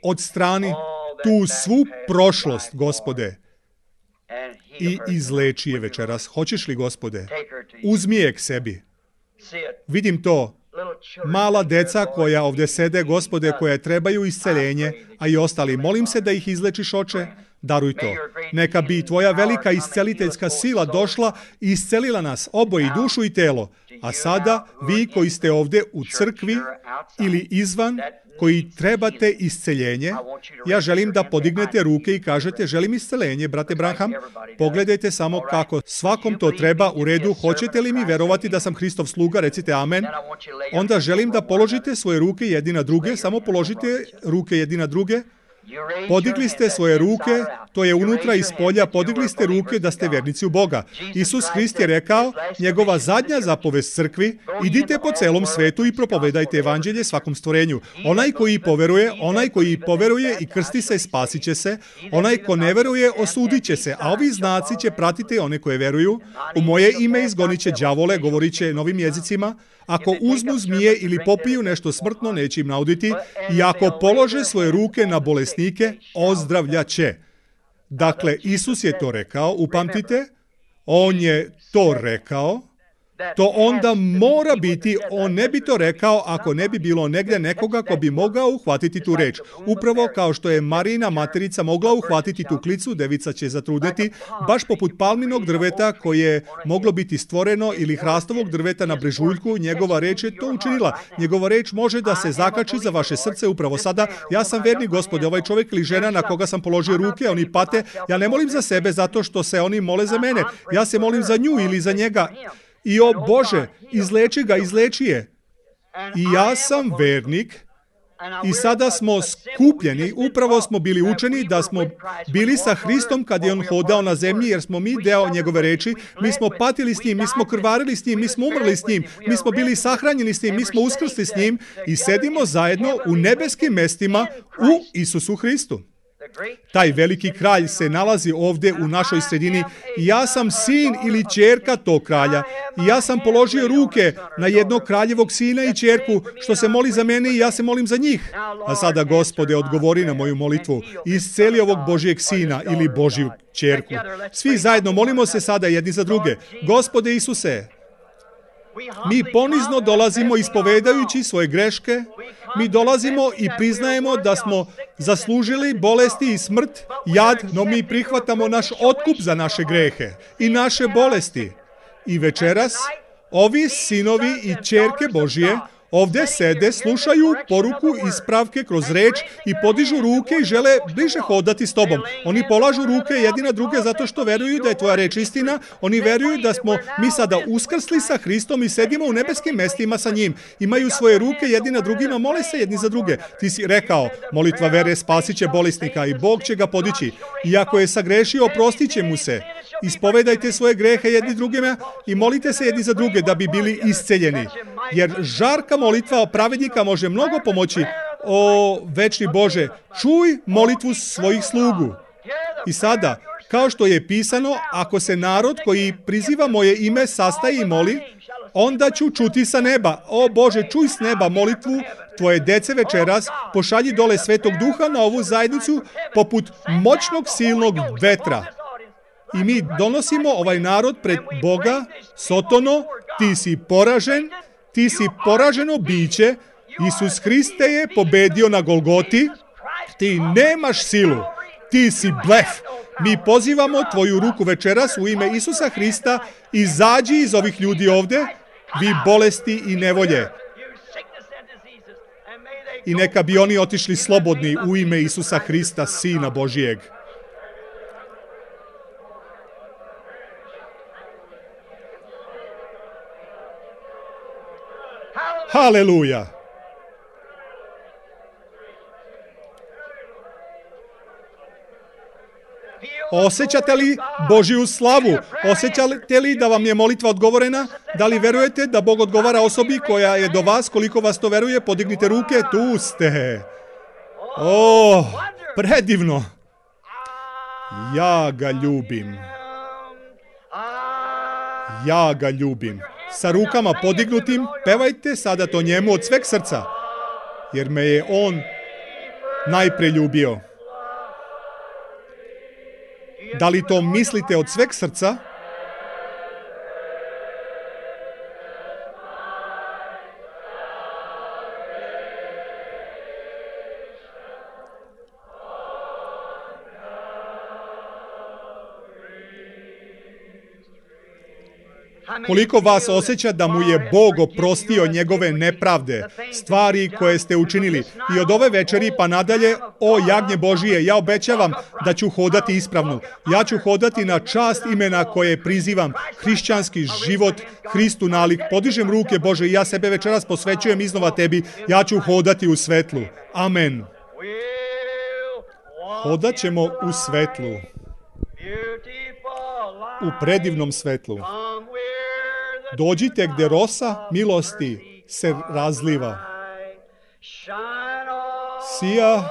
odstrani tu svu prošlost, Gospode, i izleči je večeras. Hoćeš li, Gospode? Uzmi je k sebi. Vidim to. Mala deca koja ovdje sede, Gospode, koja trebaju isceljenje, a i ostali. Molim se da ih izlečiš, Oče. Daruj to. Neka bi tvoja velika isceliteljska sila došla i iscelila nas, oboje, dušu i telo. A sada, vi koji ste ovdje u crkvi ili izvan, koji trebate isceljenje, ja želim da podignete ruke i kažete, želim isceljenje, brate Branham. Pogledajte samo kako svakom to treba. U redu, hoćete li mi verovati da sam Hristov sluga? Recite amen. Onda želim da položite svoje ruke jedni na druge, samo položite ruke jedni na druge. Podigli ste svoje ruke, to je unutra i spolja, podigli ste ruke da ste vernici u Boga. Isus Hrist je rekao, njegova zadnja zapovest crkvi, idite po celom svetu i propovedajte evanđelje svakom stvorenju. Onaj koji poveruje i krsti se, spasit će se. Onaj ko ne veruje, osudit će se. A ovi znaci će pratiti one koje veruju. U moje ime izgonit će đavole, govorit će novim jezicima. Ako uzmu zmije ili popiju nešto smrtno, neće im nauditi. I ako polože svoje ruke na bolesnike, ozdravljaće. Dakle, Isus je to rekao, upamtite, on je to rekao, to onda mora biti, on ne bi to rekao ako ne bi bilo negdje nekoga ko bi mogao uhvatiti tu reč. Upravo kao što je Marijina materica mogla uhvatiti tu klicu, devica će zatrudneti, baš poput palminog drveta koje je moglo biti stvoreno ili hrastovog drveta na brežuljku, njegova reč je to učinila. Njegova reč može da se zakači za vaše srce upravo sada. Ja sam verni, Gospode, ovaj čovjek ili žena na koga sam položio ruke, oni pate. Ja ne molim za sebe zato što se oni mole za mene. Ja se molim za nju ili za njega. I o Bože, izleči je. I ja sam vernik i sada smo skupljeni, upravo smo bili učeni da smo bili sa Hristom kad je on hodao na zemlji, jer smo mi deo njegove reči, mi smo patili s njim, mi smo krvarili s njim, mi smo umrli s njim, mi smo bili sahranjeni s njim, mi smo uskrsli s njim i sedimo zajedno u nebeskim mestima u Isusu Hristu. Taj veliki kralj se nalazi ovdje u našoj sredini i ja sam sin ili ćerka tog kralja i ja sam položio ruke na jednog kraljevog sina i ćerku što se moli za mene i ja se molim za njih. A sada, Gospode, odgovori na moju molitvu i isceli ovog Božijeg sina ili Božju ćerku. Svi zajedno molimo se sada jedni za druge. Gospode Isuse, mi ponizno dolazimo ispovedajući svoje greške, mi dolazimo i priznajemo da smo zaslužili bolesti i smrt, jad, no mi prihvatamo naš otkup za naše grehe i naše bolesti. I večeras, ovi sinovi i ćerke Božije ovdje sede, slušaju poruku ispravke kroz reč i podižu ruke i žele bliže hodati s tobom. Oni polažu ruke jedni na druge zato što veruju da je tvoja reč istina. Oni veruju da smo mi sada uskrsli sa Hristom i sedimo u nebeskim mestima sa njim. Imaju svoje ruke jedni na drugima, mole se jedni za druge. Ti si rekao, molitva vere spasit će bolesnika i Bog će ga podići. I ako je sagrešio, oprostit će mu se. Ispovedajte svoje grehe jedni drugima i molite se jedni za druge da bi bili isceljeni. Jer žarka molitva pravednika može mnogo pomoći. O, večni Bože, čuj molitvu svojih slugu. I sada, kao što je pisano, ako se narod koji priziva moje ime sastaje i moli, onda ću čuti sa neba. O Bože, čuj s neba molitvu tvoje dece večeras, pošalji dole Svetog Duha na ovu zajednicu poput moćnog silnog vetra. I mi donosimo ovaj narod pred Boga. Sotono, ti si poražen, ti si poraženo biće. Isus Hriste je pobedio na Golgoti. Ti nemaš silu, ti si blef. Mi pozivamo tvoju ruku večeras u ime Isusa Hrista. Izađi iz ovih ljudi ovdje, vi bolesti i nevolje. I neka bi oni otišli slobodni u ime Isusa Hrista, Sina Božijeg. Haleluja! Osjećate li Božju slavu? Osjećate li da vam je molitva odgovorena? Da li verujete da Bog odgovara osobi koja je do vas? Koliko vas to veruje? Podignite ruke, tu ste. O, predivno. Ja ga ljubim. Ja ga ljubim. Sa rukama podignutim, pevajte sada to njemu od sveg srca, jer me je on najpre ljubio. Da li to mislite od sveg srca? Koliko vas osjeća da mu je Bog oprostio njegove nepravde, stvari koje ste učinili? I od ove večeri pa nadalje, o jagnje Božije, ja obećavam da ću hodati ispravno. Ja ću hodati na čast imena koje prizivam, hrišćanski život, Hristu nalik. Podižem ruke, Bože, i ja sebe večeras posvećujem iznova tebi. Ja ću hodati u svetlu. Amen. Hodat ćemo u svetlu. U predivnom svetlu. Dođite gdje rosa milosti se razliva. Sija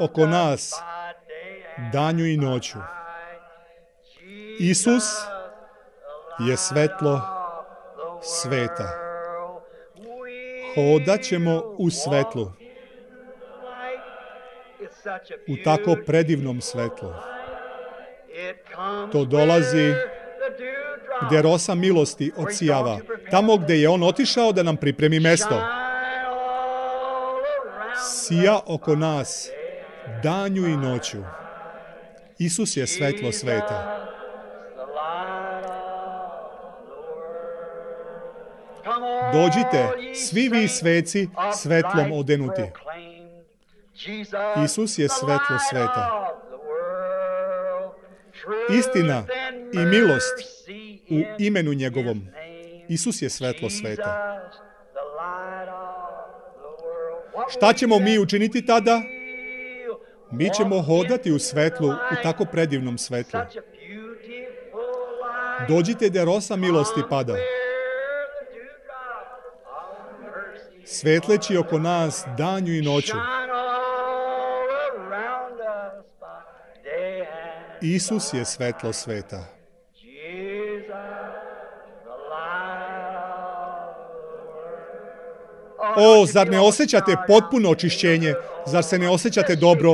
oko nas danju i noću. Isus je svetlo sveta. Hodat ćemo u svetlu. U tako predivnom svetlu. To dolazi gdje rosa milosti odsijava. Tamo gdje je on otišao da nam pripremi mesto. Sija oko nas danju i noću. Isus je svetlo sveta. Dođite, svi vi sveci, svetlom odenuti. Isus je svetlo sveta. Istina i milost u imenu njegovom. Isus je svetlo sveta. Šta ćemo mi učiniti tada? Mi ćemo hodati u svetlu, u tako predivnom svetlu. Dođite gdje rosa milosti pada. Svetleći oko nas danju i noću. Isus je svetlo sveta. O, zar ne osjećate potpuno očišćenje? Zar se ne osjećate dobro?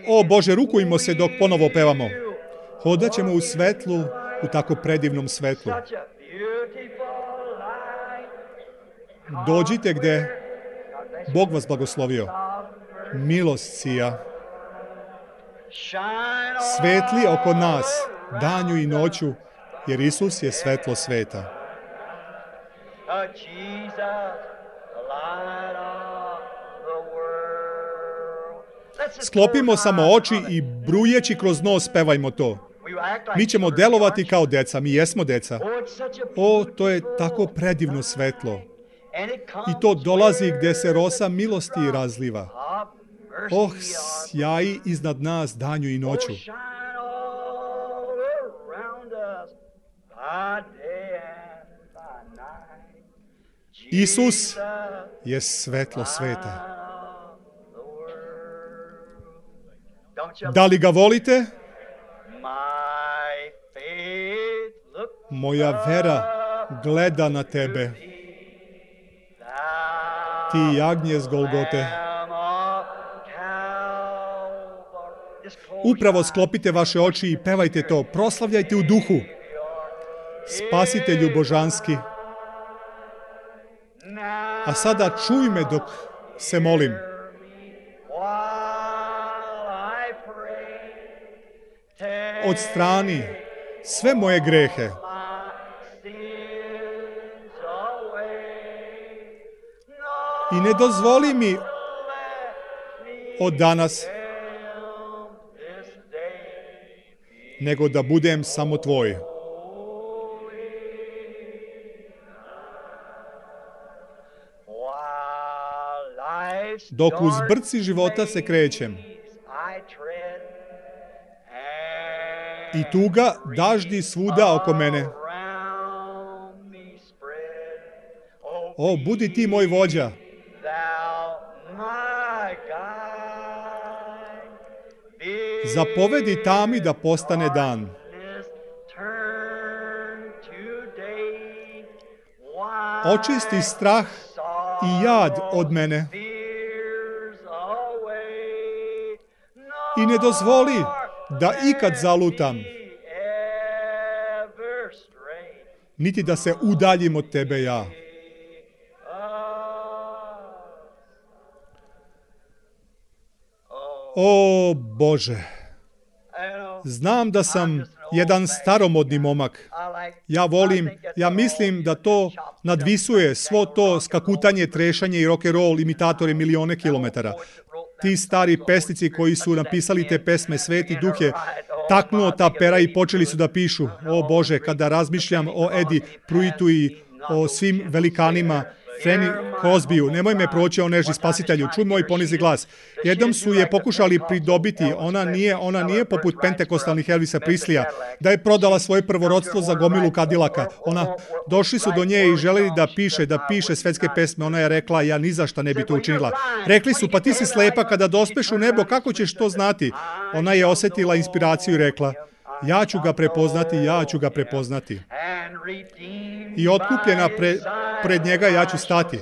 O, Bože, rukujmo se dok ponovo pevamo. Hodat ćemo u svetlu, u tako predivnom svetlu. Dođite gdje Bog vas blagoslovio. Milost sija. Svetli oko nas, danju i noću, jer Isus je svetlo sveta. Sklopimo samo oči i brujeći kroz nos pevajmo to. Mi ćemo delovati kao deca, mi jesmo deca. O, to je tako predivno svetlo. I to dolazi gdje se rosa milosti razliva. Oh, sjaji iznad nas danju i noću. Isus je svetlo sveta. Da li ga volite? Moja vera gleda na tebe. Ti jagnje s Golgote. Upravo sklopite vaše oči i pevajte to. Proslavljajte u duhu. Spasitelju božanski. A sada čuj me dok se molim. Odstrani sve moje grehe. I ne dozvoli mi od danas nego da budem samo tvoj. Dok uz brci života se krećem, i tuga daždi svuda oko mene. O, budi ti moj vođa. Zapovedi tami da postane dan. Očisti strah i jad od mene. I ne dozvoli da ikad zalutam, niti da se udaljim od tebe ja. O Bože, znam da sam jedan staromodni momak. Ja mislim da to nadvisuje svo to skakutanje, trešanje i rock'n'roll imitatori milione kilometara. Ti stari pesnici koji su napisali te pesme, Sveti Duh je taknuo ta pera i počeli su da pišu. O Bože, kada razmišljam o Eddie Pruittu i o svim velikanima, Fanny Crosbyu, nemoj me proći o nežni spasitelju, čuj moj ponizni glas. Jednom su je pokušali pridobiti, ona nije poput pentekostalnih Elvisa Preslija, da je prodala svoje prvorodstvo za gomilu kadilaka. Došli su do nje i želeli da piše svetske pesme. Ona je rekla, ja ni za šta ne bi to učinila. Rekli su, pa ti si slepa, kada dospeš u nebo, kako ćeš to znati? Ona je osjetila inspiraciju i rekla, ja ću ga prepoznati. I otkupljena pred njega ja ću stati.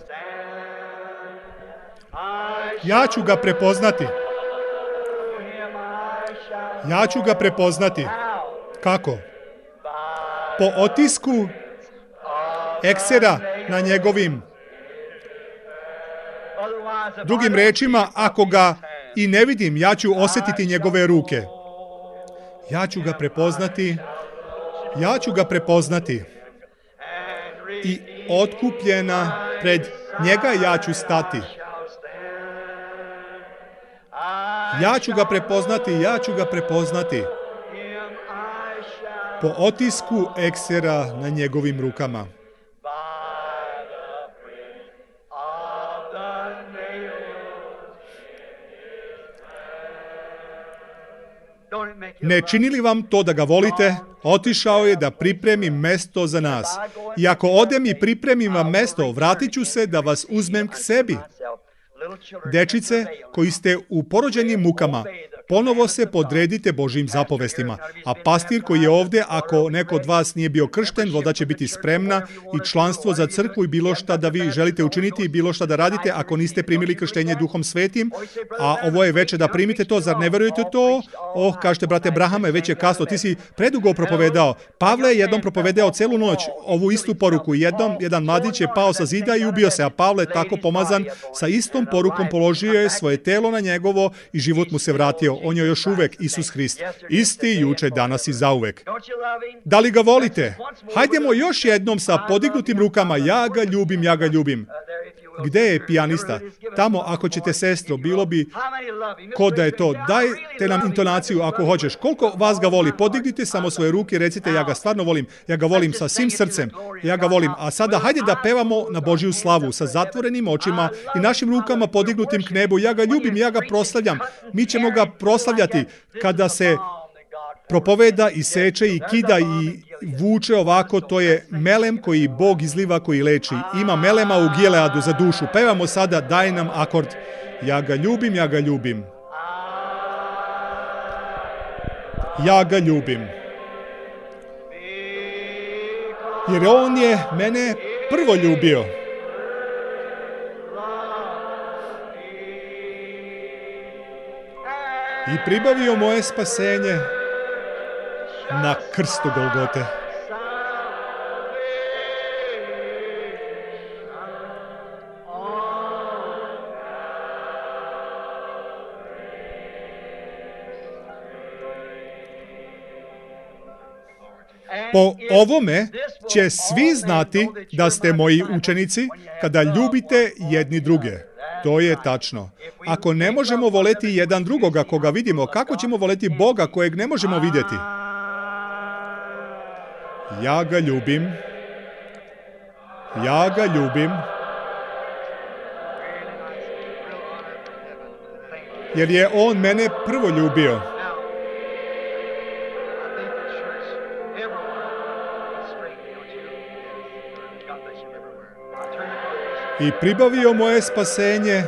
Ja ću ga prepoznati. Kako? Po otisku eksera na njegovim. Drugim rečima, ako ga i ne vidim, ja ću osjetiti njegove ruke. Ja ću ga prepoznati. I otkupljena pred njega ja ću stati. Ja ću ga prepoznati. Po otisku eksera na njegovim rukama. Ne čini li vam to da ga volite? Otišao je da pripremi mesto za nas. I ako odem i pripremim vam mesto, vratit ću se da vas uzmem k sebi. Dečice koji ste u porođenim mukama, ponovo se podredite Božjim zapovestima. A pastir koji je ovdje, ako neko od vas nije bio kršten, voda će biti spremna i članstvo za crkvu i bilo šta da vi želite učiniti i bilo šta da radite ako niste primili krštenje Duhom Svetim. A ovo je veče da primite to, zar ne verujete to? Kažete, brate Brahame, već je kasno, ti si predugo propovedao. Pavle je jednom propovedao celu noć ovu istu poruku. Jedan mladić je pao sa zida i ubio se, a Pavle, tako pomazan, sa istom porukom položio je svoje telo na njegovo i život mu se vratio. On je još uvek Isus Hrist. Isti juče, danas i zauvek. Da li ga volite? Hajdemo još jednom sa podignutim rukama. Ja ga ljubim. Gde je pijanista? Tamo, ako ćete, sestro, bilo bi ko da je to. Dajte nam intonaciju ako hoćeš. Koliko vas ga voli? Podignite samo svoje ruke i recite, ja ga stvarno volim. Ja ga volim sa svim srcem. Ja ga volim. A sada hajde da pevamo na Božju slavu sa zatvorenim očima i našim rukama podignutim k nebu. Ja ga ljubim, ja ga proslavljam. Mi ćemo ga proslavljati kada se propoveda i seče i kida i vuče ovako, to je melem koji Bog izliva, koji leči. Ima melema u Gileadu za dušu. Pevamo sada, daj nam akord. Ja ga ljubim. Ja ga ljubim. Jer on je mene prvo ljubio. I pribavio moje spasenje na krstu Golgote. Po ovome će svi znati da ste moji učenici kada ljubite jedni druge. To je tačno. Ako ne možemo voleti jedan drugoga koga vidimo, kako ćemo voleti Boga kojeg ne možemo vidjeti? Ja ga ljubim. Jer je on mene prvo ljubio. i pribavio moje spasenje